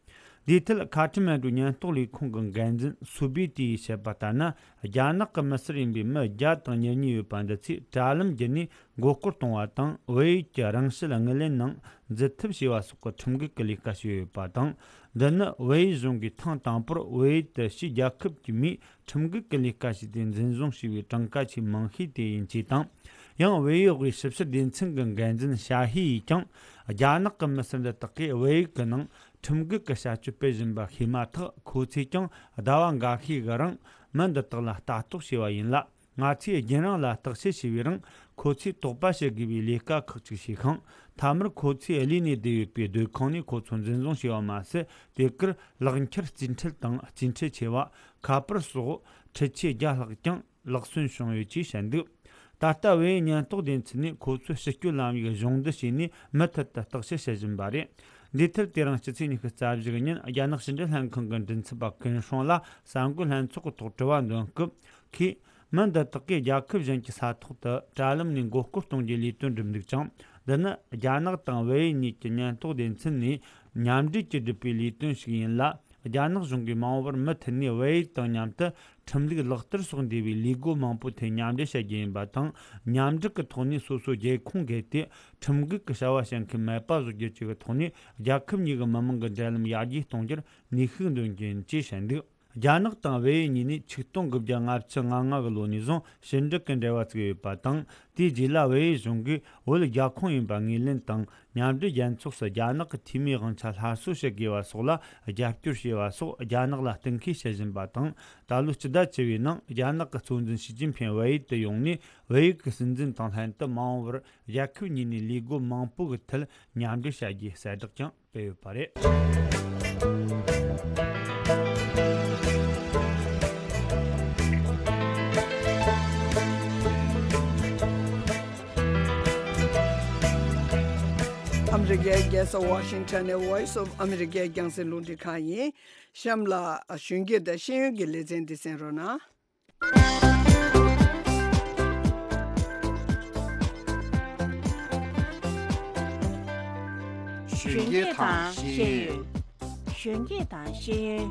འདིའི་ཐད་ཁ་ཐ་མན་ཌུ་ཉེན་རྟོག་ལས་ཁུངས་ཀྱི་འགན་འཛིན་སུ་བི་ཏི་ཡིས་བཤད་པ་ལྟར་ན། རྒྱ་ནག་གི་མི་སེར་ཡིན་པའི་མི་བརྒྱ་དང་ཉེར་གཉིས་ཡོད་པ་འདི་ཚོས་དྲ་ལམ་བརྒྱུད་ནས་མགོ་སྐོར་གཏོང་བ་དང་། བལ་ཡུལ་གྱི་རང་ཕྱིར་དངུལ་ལེན་ནང་འཛུལ་ཐབས་བྱས་པ་སོགས་ཀྱི་ཁྲིམས་འགལ་གྱི་ལས་ཀ་བྱས་ཡོད་པ་དང་། འདི་ནི་བལ་ཡུལ་གཞུང་གིས་ཐེངས་དང་པོར་བལ་ཡུལ་དུ་ཕྱིའི་རྒྱལ་ཁབ་ཀྱི་མིས་ཁྲིམས་འགལ་གྱི་ལས་ཀ་བྱས་ཏེ་འཛིན་བཟུང་བྱས་པའི་གྲངས་ཀ་ཆེས་མང་ཤོས་དེ་ཡིན་ཅེས་དང་། ཡང་། བལ་ཡུལ་དབུས་ཞིབ་བཤེར་སྡེ་ཚན་གྱི་འགན་འཛིན་ཞ་ཧི་ཡིས་ཀྱང་། རྒྱ་ནག་གི་མི་སེར་འདི་དག་གིས་བལ་ཡུལ་གྱི་ནང་ཁྲིམས་འགལ་གྱི་བྱ་སྤྱོད་སྤེལ་བཞིན་པ་ཤེས་མ་ཐག་ཁོ་ཚོས་ཀྱང་ཟླ་བ་འགའ་ཤས་ཀྱི་རིང་མི་འདི་དག་ལ་ལྟ་རྟོག་བྱས་པ་ཡིན་ལ། ང་ཚོས་རྒྱུན་རིང་ལ་བརྟག་དཔྱད་བྱས་པའི་རིང་། ཁོ་ཚོས་དོགས་པ་བྱེད་དགོས་པའི་ལས་ཀ་ཁག་ཅིག་བྱས་ཤིང་། མཐའ་མར་ཁོ་ཚོས་གླས་ནས་བསྡད་ཡོད་པའི་སྡོད་ཁང་ནས་ཁོ་ཚོ་འཛིན་བཟུང་བྱས་པ་མ་ཟད། དེ་གར་ལག་འཁྱེར་རྩིས་ཁྲལ་དང་རྩིས་ཁྲལ་ཆེ་བ། ཁ་པར་སོགས་འཕྲུལ་ཆས་བརྒྱ་ལྷག་ཀྱང་ལག་སོན་བྱུང་ཡོད་ཅེས་བཤད་འདུག་ད་ལྟ་བལ་ཡུལ་ཉེན་རྟོག་སྡེ་ཚན་ནས་ཁོ་ཚོའི་ཕྱིར་སྐྱོད་ལམ་ཡིག་གཞུང་བསྡུ་བྱས་ནས་མུ་མཐུད་དུ་བརྟག་དཔྱད་བྱེད་བཞིན་པ་རེད། འདིའི་ཐད། དེ་རིང་སྤྱི་ཚེས་ཉི་ཤུ་རྩ་བཞི་གི་ཉིན། རྒྱ་ནག་ཕྱི་འབྲེལ་ལྷན་ཁང་གི་མགྲིན་ཚབ་པ་ཀུན་ཧྲོང་ལ་གསར་འགོད་ལྷན་ཚོགས་ཀྱི་ཐོག་དྲི་བ་འདོན་སྐབས། ཁོས། མི་འདི་དག་གིས་རྒྱལ་ཁབ་གཞན་གྱི་ས་ཐོག་ཏུ་དྲ་ལམ་ནས་མགོ་སྐོར་གཏོང་རྒྱུའི་ལས་དོན་བསྒྲུབས་འདུག་ཅིང་། འདི་ནི་རྒྱ་ནག་དང་བལ་ཡུལ་གཉིས་ཀྱི་ཉེན་རྟོག་སྡེ་ཚན་ནས་མཉམ་འབྲེལ་གྱིས་བསྒྲུབས་པའི་ལས་དོན་ཞིག་ཡིན་ལ། རྒྱ་ནག་གཞུང་གིས་མ་འོངས་པར་མུ་མཐུད་ནས་བལ་ཡུལ་དང་མཉམ་དུ་ཁྲིམས་ལུགས་ལག་བསྟར་སོགས་འདུས་པའི་ལས་སྒོ་མང་པོའི་ཐད་མཉམ་འབྲེལ་བྱ་རྒྱུ་ཡིན་པ་དང་། མཉམ་འབྲེལ་གྱི་ཐོག་ནས་སོ་སོའི་རྒྱལ་ཁོངས་བརྒལ་ཏེ་ཁྲིམས་འགལ་གྱི་བྱ་བ་བྱེད་མཁན་མེད་པ་བཟོ་རྒྱུ་བཅས་ཀྱི་ཐོག་ནས། རྒྱལ་ཁབ་གཉིས་ཀྱི་མི་དམངས་ཀྱི་འབྲེལ་ལམ་ཡར་རྒྱས་གཏོང་རྒྱུར་ནུས་ཤུགས་འདོན་རྒྱུ་ཡིན་ཅེས་བཤད་འདུག་རྒྱ་ནག་དང་བལ་ཡུལ་གཉིས་ནས་ཆིག་སྟོང་དགུ་བརྒྱ་ལྔ་བཅུ་ང་ལྔ་གི་ལོ་ནས་བཟུང་ཕྱི་འབྲེལ་གྱི་འབྲེལ་བ་བཙུགས་ཡོད་པ་དང་། དེའི་རྗེས་ལ་བལ་ཡུལ་གཞུང་གིས་བོད་རྒྱལ་ཁོངས་ཡིན་པ་ངོས་ལེན་དང་། མཉམ་འབྲེལ་རྒྱལ་ཚོགས་སུ་རྒྱ་ནག་གི་འཐུས་མིའི་དབང་ཆ་སླར་གསོ་བྱེད་དགོས་པ་སོགས་ལ་རྒྱབ་སྐྱོར་བྱས་པ་སོགས་རྒྱ་ནག་ལ་གཏན་འཁེལ་བྱེད་བཞིན་པ་དང་། ད་ལོའི་སྤྱི་ཟླ་བཅུ་པའི་ནང་རྒྱ་ནག་གི་གཙོ་འཛིན་ཞི་ཅིན་ཕིང་བལ་ཡུལ་དུ་ཡོང་ནས། བལ་ཡུལ་གྱི་སྲིད་འཛིན་དང་ལྷན་དུ་མ་འོངས་པར་རྒྱལ་ཁབ་གཉིས་ནས་ལས་སྒོ་མང་པོ་གི་ཐད་མཉམ་འབྲེལ་བྱ་རྒྱུའི་གསལ་བསྒྲགས་ཀྱང་སྤེལ་ཡོད་པ་རེད། ཨ་མི་རི་ཀའི་རྒྱལ་ས་ཝ་ཤིང་ཊོན་ནས་Voice of America་རྒྱང་སྲིང་རླུང་འཕྲིན་ཁང་ཡིན། གཤམ་ལ་གཞོན་སྐྱེས་དང་ཤེས་ཡོན་གྱི་ལེ་ཚན་འདི་གསན་རོགས་གནང་། གཞོན་སྐྱེས་དང་ཤེས་ཡོན། གཞོན་སྐྱེས་དང་ཤེས་ཡོན།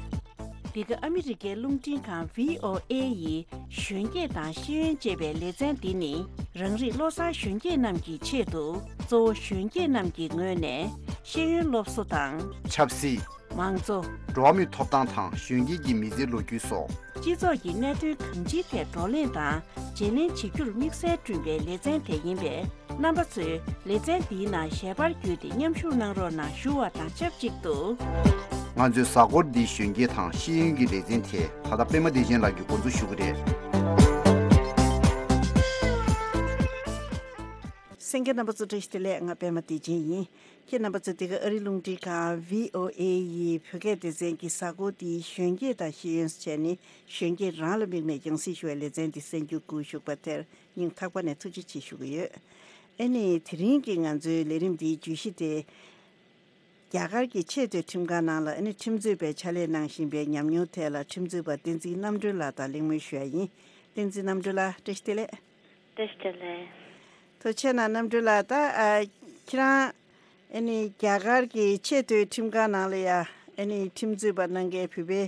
འདི་ག་ཨ་མི་རི་ཀའི་རླུང་འཕྲིན་ཁང་V O A་ཡི་གཞོན་སྐྱེས་དང་ཤེས་ཡོན་ཅེས་པའི་ལེ་ཚན་འདི་ནི། རང་རིགས་བློ་བཟང་གཞོན་སྐྱེས་རྣམས་ཀྱི་ཆེད་དུ། གཙོ་བོ་གཞོན་སྐྱེས་རྣམས་ཀྱི་ངོས་ནས་ཤེས་ཡོན་སློབ་གསོ་དང་། ཆབ་སྲིད། མང་གཙོ། འགྲོ་བ་མིའི་ཐོབ་ཐང་དང་གཞོན་སྐྱེས་ཀྱི་མི་ཚེའི་ལོ་རྒྱུས་སོགས། སྤྱི་ཚོགས་ཀྱི་གནད་དོན་གང་ཅིའི་ཐད་བགྲོ་གླེང་དང་བརྗེ་ལེན་བྱེད་རྒྱུར་དམིགས་བསལ་བསྐྲུན་པའི་ལེ་ཚན་དེ་ཡིན་པས། རྣམ་པ་ཚོས་ལེ་ཚན་འདིའི་ནང་ཞལ་པར་བརྒྱུད་དེ་མཉམ་ཞུགས་གནང་རོགས་གནང་ཞུ་བ་དང་ཆབས་ཅིག་ཏུ། ང་ཚོའི་གཟའ་འཁོར་འདིའི་གཞོན་སྐྱེས་དང་ཤེས་ཡོན་གྱི་ལེ་ཚན་དེ་ད་ལྟ་པད་མ་བདེ་ཆེན་ལགས་ཀྱིས་འགོ་འཛུགས་ཞུ་གི་རེད། གསན་མཁན་རྣམ་པ་ཚོ་བཀྲ་ཤིས་བདེ་ལེགས། ང་པད་མ་བདེ་ཆེན་ཡིན། ཁྱེད་རྣམ་པ་ཚོ་འདི་ག་ཨ་རིའི་རླུང་འཕྲིན་ཁང་V O A་ཡི་བོད་སྐད་སྡེ་ཚན་གྱི་གཟའ་འཁོར་འདིའི་གཞོན་སྐྱེས་དང་ཤེས་ཡོན་ཟེར་བྱས་ནས་གཞོན་སྐྱེས་རང་ལ་དམིགས་ནས་རྒྱང་སྲིང་ཞུ་བའི་ལེ་ཚན་འདི་གསན་རྒྱུ་བསྐུལ་ཞུས་པ་དེར་སྙིང་ཐག་པ་ནས་ཐུགས་རྗེ་ཆེ་ཞུ་གི་ཡོད། ཨ་ནི་དེ་རིང་གི་ང་ཚོའི་ལས་རིམ་འདིའི་བརྗོད་གཞི་དེ། རྒྱ་གར་གྱི་ཆེས་མཐོའི་ཁྲིམས་ཁང་ནང་ལ་ཨ་ནི་ཁྲིམས་རྩོད་པའི་ཕྱག་ལས་གནང་བཞིན་པའི་ཉམས་མྱོང་ཐད་ལ་ཁྲིམས་རྩོད་པ་བསྟན་འཛིན་རྣམ་གྲོལ་ལགས་དང་གླེང་མོལ་ཞུ་ཡ་ཡིན། བསྟན་འཛིན་རྣམ་གྲོལ་ལགས་བཀྲ་ཤིས་བདེ་ལེགས། བཀྲ་ཤིས་བདེ་ལེགས། ཐུགས་རྗེ་གནང་རྣམ་གྲོལ་ལགས། ད་ཨ་ཁྱེད་རང་ཨ་ནི་རྒྱ་གར་གྱི་ཆེས་མཐོའི་ཁྲིམས་ཁང་ནང་ལ་ཡ་ཨ་ནི་ཁྲིམས་རྩོད་པ་གནང་མཁན་བོད་པའི་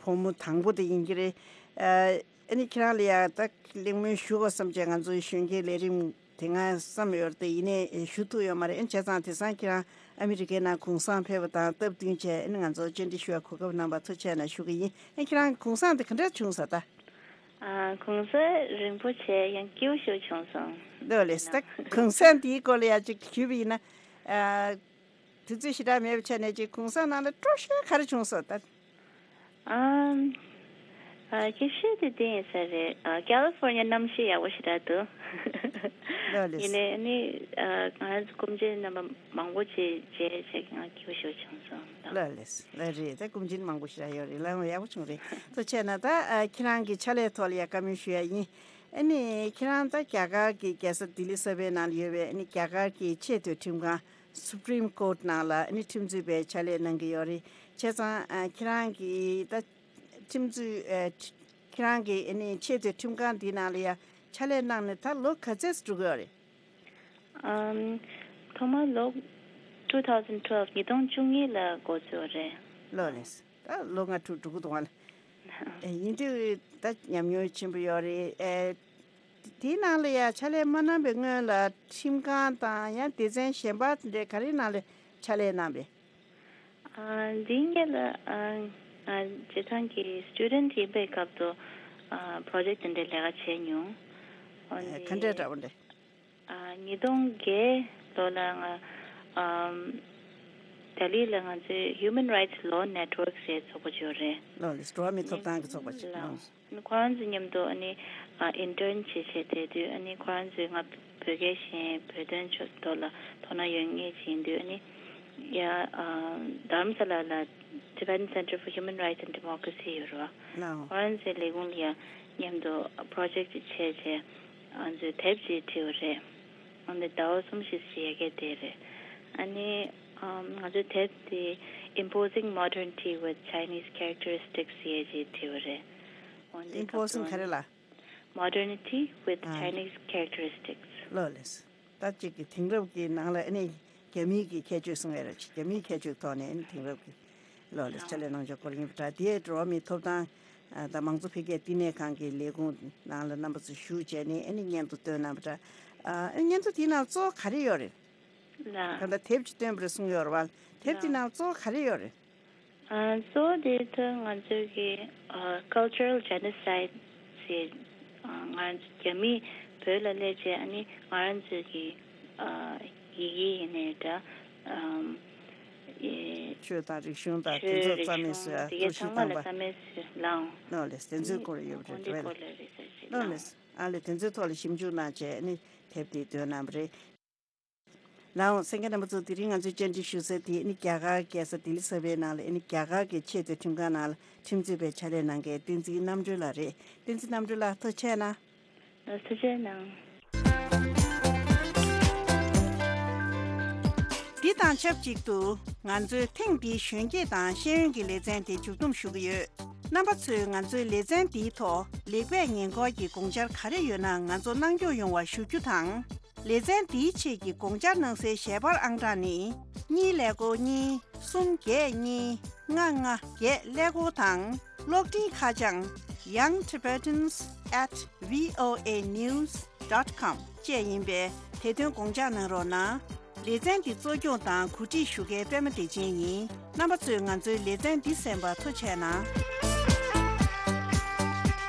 བུ་མོ་དང་པོ་དེ་ཡིན་གྱི་རེད། ཨ་ཨ་ནི་ཁྱེད་རང་ལ་ཡ་ད་གླེང་མོལ་ཞུ་དགོས་བསམ་བྱས་ང་ཚོའི་གཞོན་སྐྱེས་ལས་རིམ་དེ་སྔ་བསམ་ཡོད་རེད་དེ་ཡིན་ནའི་ཞུ་ཐུབ་ཡོད་མ་རེད། ཨ་ནི་བྱས་ཙང་དེང་སང་ཁྱེད་རང་ཨ་མི་རི་ཀའི་ནང་གུང་སེང་ཕེབས་པ་དང་སྟབས་བསྟུན་བྱས་ཨ་ནི་ང་ཚོ་བཅར་འདྲི་ཞུ་བའི་གོ་སྐབས་གནང་བར་ཐུགས་རྗེ་གནང་ཞུ་གི་ཡིན། ཨ་ཁྱེད་རང་གུང་སེང་དེ་ག་འདྲ་བྱུང་སོང་ད། ཨ་གུང་སེང་རིང་པོ་བྱས་ཡང་སྐྱིད་པོ་ཞིག་བྱུང་སོང་། ལགས་ལགས། ད་གུང་སེང་དེའི་སྐོར་ལ་ཡ་ཅིག་ཞུས་པ་ཡིན་ན། ཨ་དུས་ཚོད་ཞེ་དྲག་མེད་པའི་ཆ་ནས་ཅིག་གུང་སེང་ནང་ལ་སྤྲོ་ཤོས་ག་རེ་བྱུང་སོང་ད། ཨམ། ཨ་སྐྱིད་ཤོས་དེ་དེ་ཡིན་ས་རེད། ཨ་ཀ་ལི་ཧྥོར་ནི་ཡ་གནམ་གཤིས་ཡག་པོ་ཞེ་དྲག་འདུག་ལགས་ལགས། ཡིན་ནའི་ཨ་ནི་ཨ་ང་རང་ཚོ་སྐུ་མཁྱེན་རྣམ་པ་མང་པོ་ཅིག་མཇལ་བྱས་ང་སྐྱིད་པོ་ཞིག་བྱུང་སོང་། ལགས་ལགས་ལགས་རེད། ད་སྐུ་མཁྱེན་མང་པོ་ཞེ་དྲག་ཡོད་རེད། ལགས་འོང་ཡག་པོ་བྱུང་རེད། ཐུགས་རྗེ་གནང་། ད་ཨ་ཁྱེད་རང་གི་ཕྱག་ལས་ཐོག་ལ་ཡ་བཀའ་མོལ་ཞུ་ཡ་ཡིན། ཨ་ནི་ཁྱེད་རང་ད་རྒྱ་གར་གྱི་རྒྱལ་ས་ལྡི་ལི་གསར་པའི་ནང་ལ་ཡོད་པའི་ཨ་ནི་རྒྱ་གར་གྱི་ཆེས་མཐོའི་ཁྲིམས་ཁང་Supreme Court་ནང་ལ་ཨ་ནི་ཁྲིམས་རྩོད་པའི་ཕྱག་ལས་གནང་གི་ཡོད་རེད། བྱས་ཙང་ཨ་ཁྱེད་རང་གི་ད་ཁྲིམས་རྩོད་ཨ་ཁྱེད་རང་གི་ཨ་ནི་ཆེས་མཐོའི་ཁྲིམས་ཁང་འདི་ནང་ལ་ཡ་ཕྱག་ལས་གནང་ནས་ད་ལོ་ག་ཚོད་འགྲོ་གི་ཡོད་རེད། ཨམ། ཐོག་མར་ལོ་two thousand twelve་ཉིས་སྟོང་བཅུ་གཉིས་ལ་འགོ་བཙུགས་རེད། ལགས་ལགས། ད་ལོ་ལྔ་དྲུག་འགྲོ་གི་འདུག་ཨ་ལ། ཨེ་ཡིན་དུས་ད་ཉམས་མྱོང་ཆེན་པོ་ཡོད་རེད། ཨེ་དེའི་ནང་ལ་ཡ་ཕྱག་ལས་མ་གནང་བའི་སྔོན་ལ་ཁྲིམས་ཁང་དང་ཡང་སྡེ་ཚན་གཞན་པ་དེ་འདྲའི་ག་རེའི་ནང་ལ་ཕྱག་ལས་གནང་བས། ཨ་འདིའི་སྔོན་ལ་ཨ་ང་སྤྱིར་བཏང་གི་སི་ཊུ་ཌེན་ཊི་ཡིན་པའི་སྐབས་སུ་ཨ་པྲོ་ཇེག་ཊི་དེ་འདྲའི་ལས་ཀ་བྱས་མྱོང་། འོན་ཏེ་ག་འདྲའི་འདྲ་བོ་འདྲ། ཨ་ཉིས་སྟོང་བརྒྱད་ལོ་ལ་ང་ཨམ་ལྡི་ལི་ལ་ང་ཚོའི་Human Rights Law Network་ཟེར་ཚོགས་པ་ཅིག་ཡོད་རེད། ལགས་ལགས། འགྲོ་བ་མིའི་ཐོབ་ཐང་གི་ཚོགས་པ་ཅིག་ལགས། ལགས། ཁོ་རང་ཚོ་མཉམ་དུ་ཨ་ནི་ཨ་ཨིན་ཊརན་བྱེད་བྱེད་བསྡད་དུས་ཨ་ནི་ཁོ་རང་ཚོས་ང་བོད་སྐད་ཤེས་བོད་དོན་ཕྱོགས་ཐོག་ལ་དོ་སྣང་ཡོད་མཁན་ཅིག་ཡིན་དུས་ཨ་ནི་ཡ་ཨ་དྷ་རམ་ས་ལ་ལ་Tibetan Center for Human Rights and Democracy་ཡོད་རེད་བ། ལགས། ཁོ་རང་ཚོའི་ལས་ཁུངས་ལ་ཡ་མཉམ་དུ་པྲོ་ཇེག་ཊི་ཅིག་བྱས་བྱས་ང་ཚོས་དེབ་ཅིག་བྲིས་པ་རེད། ཨ་ནི་ཟླ་བ་གསུམ་བཞི་ཙམ་ཡ་གི་བསྡད་རེད། ཨ་ནི་ཨམ་ང་ཚོའི་དེབ་དེ་Imposing Modernity with Chinese Characteristics་ཟེར་ཅིག་བྲིས་པ་རེད། འོན་ཏེ་Imposing་ག་རེ་ལ། Modernity with ཨ་Chinese Characteristics། ལགས་ལགས། ད་ཅིག་གི་དེང་རབས་ཀྱི་ནང་ལ་ཨ་ནི་རྒྱ་མིའི་གི་ཁྱད་ཆོས་གསུང་ཡ་རེད། རྒྱ་མིའི་ཁྱད་ཆོས་ཐོག་ནས་ཨ་ནི་དེང་རབས་ཀྱི་ལགས་ལགས་ཕྱག་ལས་གནང་ཕྱོགས་སྐོར་ཡིན་པ་འདྲ། དེའི་འགྲོ་བ་མིའི་ཐོབ་ཐང་ཨ་དང་མང་གཙོ་འཕེལ་རྒྱས་བསྟི་གནས་ཁང་གི་ལས་ཁུངས་ནང་ལ་རྣམ་པ་ཚོ་ཞུགས་བྱས་ནས་ཨ་ནི་སྙན་ཐོ་བཏོན་གནང་བ་འདྲ། ཨ་ཨ་ནི་སྙན་ཐོ་དེའི་ནང་གཙོ་བོ་ག་རེ་ཡོད་རེད། ལགས། ད་ལྟ་དེབ་ཅིག་བཏོན་པ་རེད་གསུངས་ཡོད་རེད་བ། དེབ་དེའི་ནང་གཙོ་བོ་ག་རེ་ཡོད་རེད། ཨ་གཙོ་བོ་དེ་ད་ང་ཚོའི་གི་ཨ་Cultural Genocide་ཟེར་ཨ་ང་རྒྱ་མིས་བོད་ལ་སླེབས་རྗེས་ཨ་ནི་ང་རང་ཚོའི་གི་ཨ་ཡི་གེ་ཡིན་ནའི་འདྲ་ཨམ་ཨེ་ཆོས་དང་རིག་གཞུང་དང་དེ་ཆོས་ཚོ་རིག་རྩ་མེད་གཞུང་བཟོས་དེ་གའི་གཏོར་བཤིག་ཚང་མ་བཏང་ལ་པ། རྩ་མེད་བཟོས་ལའང་། ལགས་ལགས། དེ་ཚོའི་སྐོར་ཡོད་པ་འོན་ཏེ་རེད་བས། སྐོར་ལ་རེ་ས་ཞིག་ལགས་ལའང་། ལགས། ཨ་ལས་དེ་ཚོའི་ཐོག་ལ་ཞིབ་འཇུག་གནང་བྱས་ནི་དེབ་དེ་བཏོན་གནང་བ་རེད། ལའང་གསན་མཁན་རྣམ་པ་ཚོ་དེ་རིང་ང་ཚོའི་བཅར་འདྲི་ཞུ་ས་དེ་ནི་རྒྱ་གར་རྒྱལ་ས་ལྡི་ལི་གསར་པའི་ནང་ལ་ཨ་ནི་རྒྱ་གར་གྱི་ཆེས་མཐོའི་ཁྲིམས་ཁང་ནང་ལ་ཁྲིམས་རྩོད་པའི་ཕྱག་ལས་གནང་མཁན་བསྟན་འཛིན་རྣམ་གྲོལ་ལགས་རེད། བསྟན་འཛིན་རྣམ་གྲོལ་ལགས་ཐུགས་རྗེ་གནང་། ལགས་ཐུགས་རྗེ་གནང་། དེ་དང་ཆབས་ཅིག་ཏུ་ང་ཚོས་ཐེངས་འདིའི་གཞོན་སྐྱེས་དང་ཤེས་ཡོན་གྱི་ལེ་ཚན་དེ་མཇུག་བསྡོམས་ཞུ་གི་ཡོད། རྣམ་པ་ཚོས་ང་ཚོའི་ལེ་ཚན་འདིའི་ཐོག་ལེགས་སྤེལ་ཉེས་འཁོར་གྱི་དགོངས་འཆར་ག་རེ་ཡོད་ན་ང་ཚོ་གནང་སྐྱོང་ཡོང་བ་ཞུ་རྒྱུ་དང་། ལེ་ཚན་འདིའི་ཆེད་ཀྱི་དགོངས་འཆར་གནང་སའི་ཞལ་པར་ཨང་གྲངས་ནི། གཉིས་ཀླད་ཀོར་གཉིས། གསུམ་བརྒྱད་གཉིས། ལྔ་ལྔ་བརྒྱད་ཀླད་ཀོར་དང་། གློག་འཕྲིན་ཁ་བྱང་young tibetans at voa news dot com བཅས་ཡིན་པས། དེ་དོན་དགོངས་འཇགས་གནང་རོགས་གནང་། ལེ་ཚན་འདི་གཙོ་སྐྱོང་དང་གོ་སྒྲིག་ཞུ་མཁན་པད་མ་བདེ་ཆེན་ཡིན། རྣམ་པ་ཚོས་ང་ཚོའི་ལེ་ཚན་འདི་གསན་པར་ཐུགས་རྗེ་གནང་།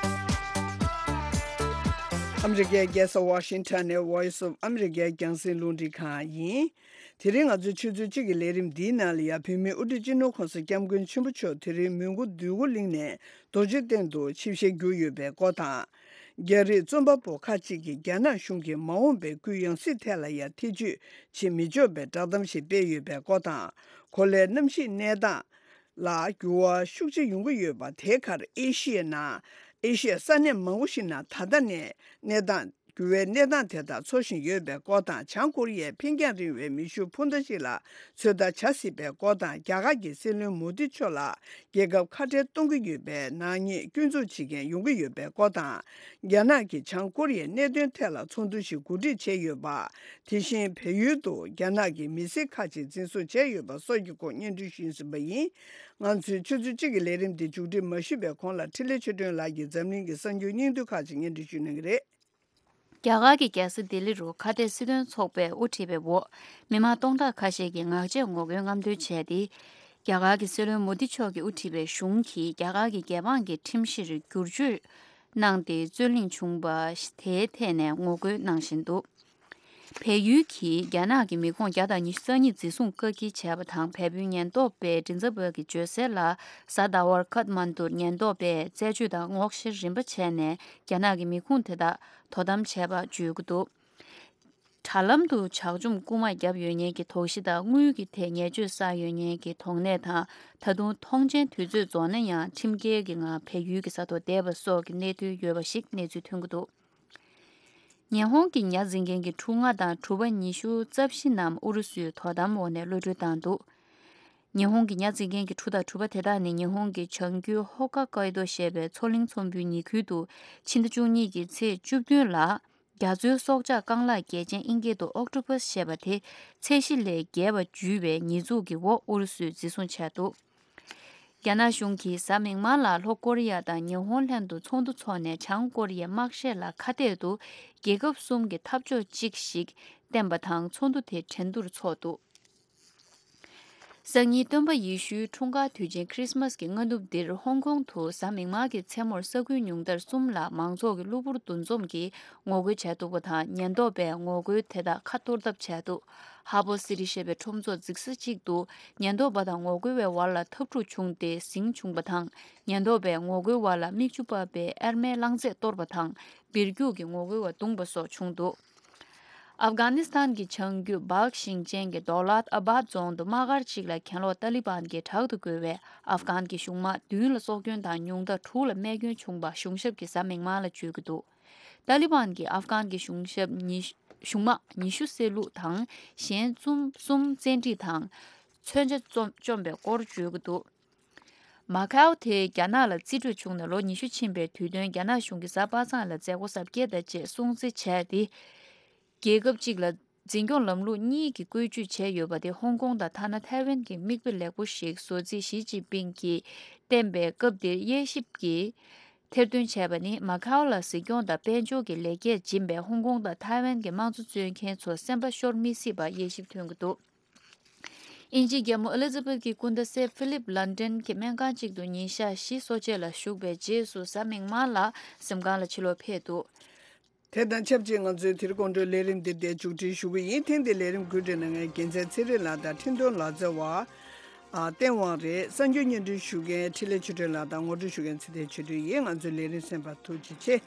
ཨ་མི་རི་ཀའི་རྒྱལ་ས་ཝ་ཤིང་ཊོན་ནས་Voice of America རྒྱང་སྲིང་རླུང་འཕྲིན་ཁང་ཡིན། དེ་རིང་ང་ཚོའི་ཆུ་ཚོད་གཅིག་གི་ལས་རིམ་འདིའི་ནང་ལ་ཡང་བོད་མིའི་དབུ་ཁྲིད་སྤྱི་ནོར་གོང་ས་སྐྱབས་མགོན་ཆེན་པོ་མཆོག་དེ་རིང་མོན་གྷོ་འདོད་རྒུ་གླིང་ནས་རྡོ་རྗེ་གདན་དུ་ཆིབས་ཞལ་བསྒྱུར་ཡོད་པའི་སྐོར་དང་། རྒྱ་རིགས་རྩོམ་པ་པོ་ཁག་ཅིག་གིས་རྒྱ་ནག་གཞུང་གིས་མ་འོངས་པའི་སྐུའི་ཡང་སྲིད་ཐད་ལ་ཡང་ཐེ་བྱུས་བྱེད་མི་ཆོག་པའི་བསྒྲགས་གཏམ་ཞིག་སྤེལ་ཡོད་པའི་སྐོར་དང་། གོ་ལའི་གནམ་གཤིས་གནས་སྟངས་ལ་འགྱུར་བ་ཤུགས་ཆེ་ཡོང་གི་ཡོད་པ་དེའི་ཁར་ཨེ་ཤི་ཡའི་ནང་ཨེ་ཤི་ཡའི་ས་གནས་མང་པོ་ཞིག་ནང་ད་ལྟ་ནས་གནས་སྟངས། འགྱུར་བའི་གནས་སྟངས་དེ་དག་འཚོ་བཞིན་ཡོད་པའི་སྐོར་དང་། བྱང་ཀོ་རི་ཡས་འཕེན་རྒྱང་རིང་བའི་མེ་ཤུགས་འཕུར་མདའ་ཞིག་ལ་ཚོད་ལྟ་བྱ་སྲིད་པའི་སྐོར་དང་། རྒྱ་གར་གྱི་སྲིད་བློན་མོ་དི་མཆོག་ལ་རྒྱལ་ཁབ་ཁ་བྲལ་གཏོང་གི་ཡོད་པའི་ནག་ཉེས་སྐྱོན་འཛུགས་བྱེད་མཁན་ཡོང་གི་ཡོད་པའི་སྐོར་དང་། རྒྱ་ནག་གིས་བྱང་ཀོ་རི་ཡའི་གནད་དོན་ཐད་ལ་ཚོགས་འདུ་ཞིག་གོ་སྒྲིག་བྱས་ཡོད་པ། དེ་བཞིན་བལ་ཡུལ་དུ་རྒྱ་ནག་གི་མི་སེར་ཁག་ཅིག་འཛིན་བཟུང་བྱས་ཡོད་པ་སོགས་ཀྱི་སྐོར་སྙན་སྒྲོན་ཞུས་ཟིན་པ་ཡིན། ང་ཚོའི་ཆུ་ཚོད་གཅིག་གི་ལས་རིམ་འདི་མཇུག་སྒྲིལ་མ་ཞུས་པའི་གོང་ལ་འཕྲིན་ལས་ཆོས་སྒྲོན་ལགས་ཀྱིས་འཛམ་གླིང་གི་གསར་འགྱུར་སྙིང་བསྡུས་ཁག་ཅིག་སྙན་སྒྲོན་ཞུ་གནང་གི་རེད། རྒྱ་གར་གྱི་རྒྱལ་ས་ལྡི་ལི་རུ་ཁ་གཏད་སྲིད་དོན་ཚོགས་པས་དབུ་ཁྲིད་པའི་འོག་མི་མང་སྟོང་ཕྲག་ཁ་ཤས་ཀྱིས་ངག་བཅད་ངོ་རྒོལ་རྔམ་སྟོན་བྱས་ཏེ། རྒྱ་གར་གྱི་སྲིད་བློན་མོ་དི་མཆོག་གིས་དབུ་ཁྲིད་པའི་གཞུང་གིས་རྒྱ་གར་གྱི་རྒྱལ་འབངས་ཀྱི་ཁྲིམས་གཞིར་བསྒྱུར་བཅོས་གནང་སྟེ་རྩོད་གླེང་བྱུང་བ་དེའི་ཐད་ནས་ངོ་རྒོལ་གནང་བཞིན་འདུག་བལ་ཡུལ་གྱིས་རྒྱ་ནག་གི་མི་ཁོངས་བརྒྱ་དང་ཉི་ཤུ་རྩ་གཉིས་འཛིན་བཟུང་བཀག་སྐྱིལ་བྱས་པ་དང་། བལ་པོའི་ཉེན་རྟོག་པས་མགྲིན་ཚབ་པ་གི་བརྗོད་གསལ་ལ། གཟའ་ཟླ་བར་ཁཐ་མན་དུར་ཉེན་རྟོག་པས་རྩད་གཅོད་དང་སྔོག་བཤེར་རིམ་པ་བྱས་ནས། རྒྱ་ནག་གི་མི་ཁུངས་དེ་དག་དོ་དམ་བྱས་པ་བརྗོད་ཀྱི་འདུག་དྲ་ལམ་དུ་ཇག་བཅོམ་རྐུ་མ་བརྒྱབ་ཡོད་མཁན་གྱི་དོགས་གཞི་དང་། དངུལ་གྱི་ཐད་ཉེས་སྤྱོད་བསགས་ཡོད་མཁན་གྱི་དོགས་གནད་དང་། ད་དུང་ཐོངས་མཆན་དུས་ཚོད་རྫོགས་ན་ཡང་ཁྲིམས་འགལ་གྱི་ངང་བལ་ཡུལ་གྱི་ས་ཐོག་བསྡད་པ་སོགས་ཀྱི་གནད་དོན་ཡོད་པ་ཞིག་གནས་ཚུལ་ཐོན་གྱི་འདུག་ཉི་ཧོང་གི་ཉ་འཛིན་མཁན་གྱི་ཕྲུ་ལྔ་དང་གྲུ་པ་ཉི་ཤུ་རྩ་བཞི་རྣམས་ཨུ་རུ་སུའི་དོ་དམ་འོག་ནས་གློད་གྲོལ་བཏང་འདུག་ཉི་ཧོང་གི་ཉ་འཛིན་མཁན་གྱི་ཕྲུ་དང་གྲུ་པ་དེ་དག་ནི་ཉི་ཧོང་གི་བྱང་རྒྱུད་ཧོ་ཀ་ཀའི་ཏོ་ཞེས་པའི་མཚོ་གླིང་ཚོང་དཔོན་ཉེ་ཁུལ་དུ་ཕྱི་ཟླ་བཅུ་གཉིས་ཀྱི་ཚེས་བཅུ་བདུན་ལ། རྒྱ་མཚོའི་སྲོག་ཆགས་རྐང་ལག་རྒྱལ་ཅན་དབྱིན་སྐད་དུ་ཨོག་ཊོ་པཱས་ཞེས་པ་དེ་ཚད་གཞི་ལས་བརྒལ་བ་འཇུས་པའི་ཉེས་འཛུགས་ཀྱི་འོག་ཨུ་རུ་སུས་འཛིན་བཟུང་བྱས་འདུག་རྒྱ་ནག་གཞུང་གིས་གཟའ་མིག་དམར་ལ་ལྷོ་ཀོ་རི་ཡ་དང་ཉི་ཧོང་ལྷན་དུ་ཚོགས་འདུ་འཚོགས་ནས། བྱང་ཀོ་རི་ཡའི་དམག་བཤད་ལ་ཁ་གཏད་དུ་རྒྱལ་ཁབ་གསུམ་གྱི་འཐབ་ཕྱོགས་གཅིག་ཞིག་བསྟན་པ་དང་། ཚོགས་འདུ་དེ་ཁྲེང་ཏུར་འཚོགས་འདུག་སང་ཉིན་སྟོན་པ་ཡེ་ཤུའི་འཁྲུངས་སྐར་དུས་ཆེན་ཁྲི་སི་མཱས་ཀྱི་སྔ་ནུབ་འདིར། ཧོང་ཀོང་དུ་གཟའ་མིག་དམར་གྱི་མཚན་མོར་ས་ཁུལ་ཉུང་མཐར་གསུམ་ལ་མང་ཚོགས་ཀྱི་གློ་བུར་འདུ་འཛོམས་ཀྱིས་ངོ་རྒོལ་བྱས་འདུག་པ་དང་། ཉེན་རྟོག་པས་ངོ་རྒོལ་དེ་དག་ཁ་གཏོར་ཐབས་བྱས་འདུག་ཧ་ཕོ་སི་ཊི་ཞེས་པའི་ཁྲོམ་ཚོགས་འཛུགས་ས་གཅིག་ཏུ་ཉེན་རྟོག་པ་དང་ངོ་རྒོལ་བའི་བར་ལ་འཐབ་འཁྲུག་བྱུང་སྟེ་ཟིང་བྱུང་བ་དང་། ཉེན་རྟོག་པས་ངོ་རྒོལ་བ་ལ་མིག་ཆུ་ཕབ་པའི་ཨེར་མའི་རླངས་རྫས་གཏོར་བ་དང་། སྦིར་རྒྱུག་གིས་ངོ་རྒོལ་བ་བརྡུངས་པ་སོགས་བྱུང་འདུག་ཨབ་གྷ་ནི་སི་ཐན་གྱི་བྱང་རྒྱུད་སྦག་ཞིང་ཆེན་གྱི་དོ་ལཱད་ཨ་བཱད་རྫོང་དུ་དམག་སྒར་གཅིག་ལ་གྱེན་ལོག་ཏཱ་ལི་བན་གྱིས་དྲག་ཏུ་རྒོལ་བས། ཨབ་གྷན་གྱི་གཞུང་དམག་བདུན་ལ་སྲོག་སྐྱོན་དང་ཉུང་མཐར་དྲུག་ལ་རྨས་སྐྱོན་བྱུང་བ་གཞུང་ཞབས་ཀྱིས་གཟའ་མིག་དམར་ལ་བརྗོད་ཀྱི་འདུག་ཏཱ་ལི་བན་གྱིས་ཨབ་གྷན་གྱི་གཞུང་ཞབས་ཉི་གཞུང་དམག་ཉི་ཤུ་བསད་རློག་དང་། གཞན་གསུམ་གསུམ་བཙན་ཁྲིད་དང་། མཚོན་ཆ་བཅོམ་བཅོམ་པའི་སྐོར་བརྗོད་ཀྱི་འདུག་མ་ཁའོ་དེ་རྒྱ་ནག་ལ་རྩིས་སྤྲོད་བྱུང་ནས་ལོ་ཉི་ཤུ་ཕྱིན་པའི་དུས་སྟོན། རྒྱ་ནག་གཞུང་གིས་གཟའ་པ་སངས་ལ་མཛད་སྒོ་གཟབ་རྒྱས་དང་བཅས་སྲུང་བརྩི་བྱས་ཏེ། རྒྱལ་ཁབ་གཅིག་ལ་འཛིན་སྐྱོང་ལམ་ལུགས་གཉིས་ཀྱི་བཀོལ་སྤྱོད་བྱས་ཡོད་པ་དེ་ཧོང་ཀོང་དང་ཐ་ན་ཐའེ་ཝན་གྱི་མིག་དཔེ་ལེགས་པོ་ཞིག་བཟོ་རྩིས་ཞི་ཅིན་ཕིང་གིས་བསྟན་པའི་སྐབས་འདིར་དབྱེ་ཞིབ་ཀྱིས་ཐེར་འདོན་བྱས་པ་ནི། མ་ཁའོ་ལ་གཟིགས་སྐྱོང་དང་དཔལ་འབྱོར་གྱི་ལེགས་སྐྱེས་སྦྱིན་པས་ཧོང་ཀོང་དང་ཐའེ་ཝན་གྱི་དམངས་གཙོ་རྩོད་མཁན་ཚོ་སེམས་པ་ཤོར་མི་སྲིད་པ་དབྱེ་ཞིབ་ཐོན་གྱི་འདུག་དབྱིན་ཇིའི་རྒྱལ་མོ་ཨེ་ལི་ཛ་བེད་ཀྱི་སྐུ་ཟླ་སེ་ཕི་ལིབ་ལན་ཏན་གྱི་སྨན་ཁང་གཅིག་ཏུ་ཉིན་ཞག་བཞི་གསོ་དཔྱད་ལ་བཞུགས་པའི་རྗེས་སུ་གཟའ་མིག་དམར་ལ་གཟིམ་ཁང་ལ་ཕྱིར་ལོག་ཕེབས་འདུག་དེ་དང་ཆབས་ཅིག་ང་ཚོའི་དེ་རིང་དགོང་དྲོའི་ལས་རིམ་འདི་འདིར་མཇུག་སྒྲིལ་ཞུ་གི་ཡིན། ཐེངས་འདིའི་ལས་རིམ་བཀོད་སྒྲིག་གནང་མཁན་རྒྱལ་མཚན་ཚེ་རིང་ལགས་དང་འཕྲིན་གཏོང་ལག་རྩལ་བ། ཨ། བསྟན་དབང་རེད། གསར་འགྱུར་སྙན་སྒྲོན་ཞུ་མཁན་འཕྲིན་ལས་ཆོས་སྒྲོན་ལགས་དང་ངོ་སྤྲོད་ཞུ་མཁན་ཚེ་བརྟན་ཆོས་སྒྲོན་ཡིན། ང་ཚོའི་ལས་རིམ་གསན་པར་ཐུགས་རྗེ་ཆེ།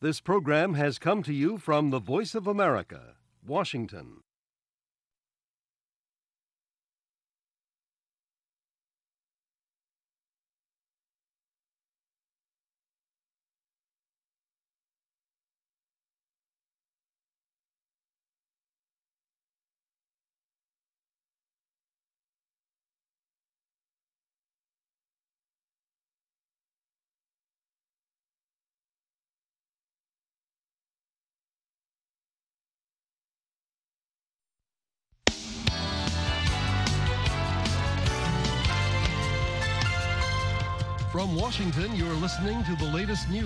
This program has come to you from the Voice of America, Washington. From Washington, you're listening to the latest news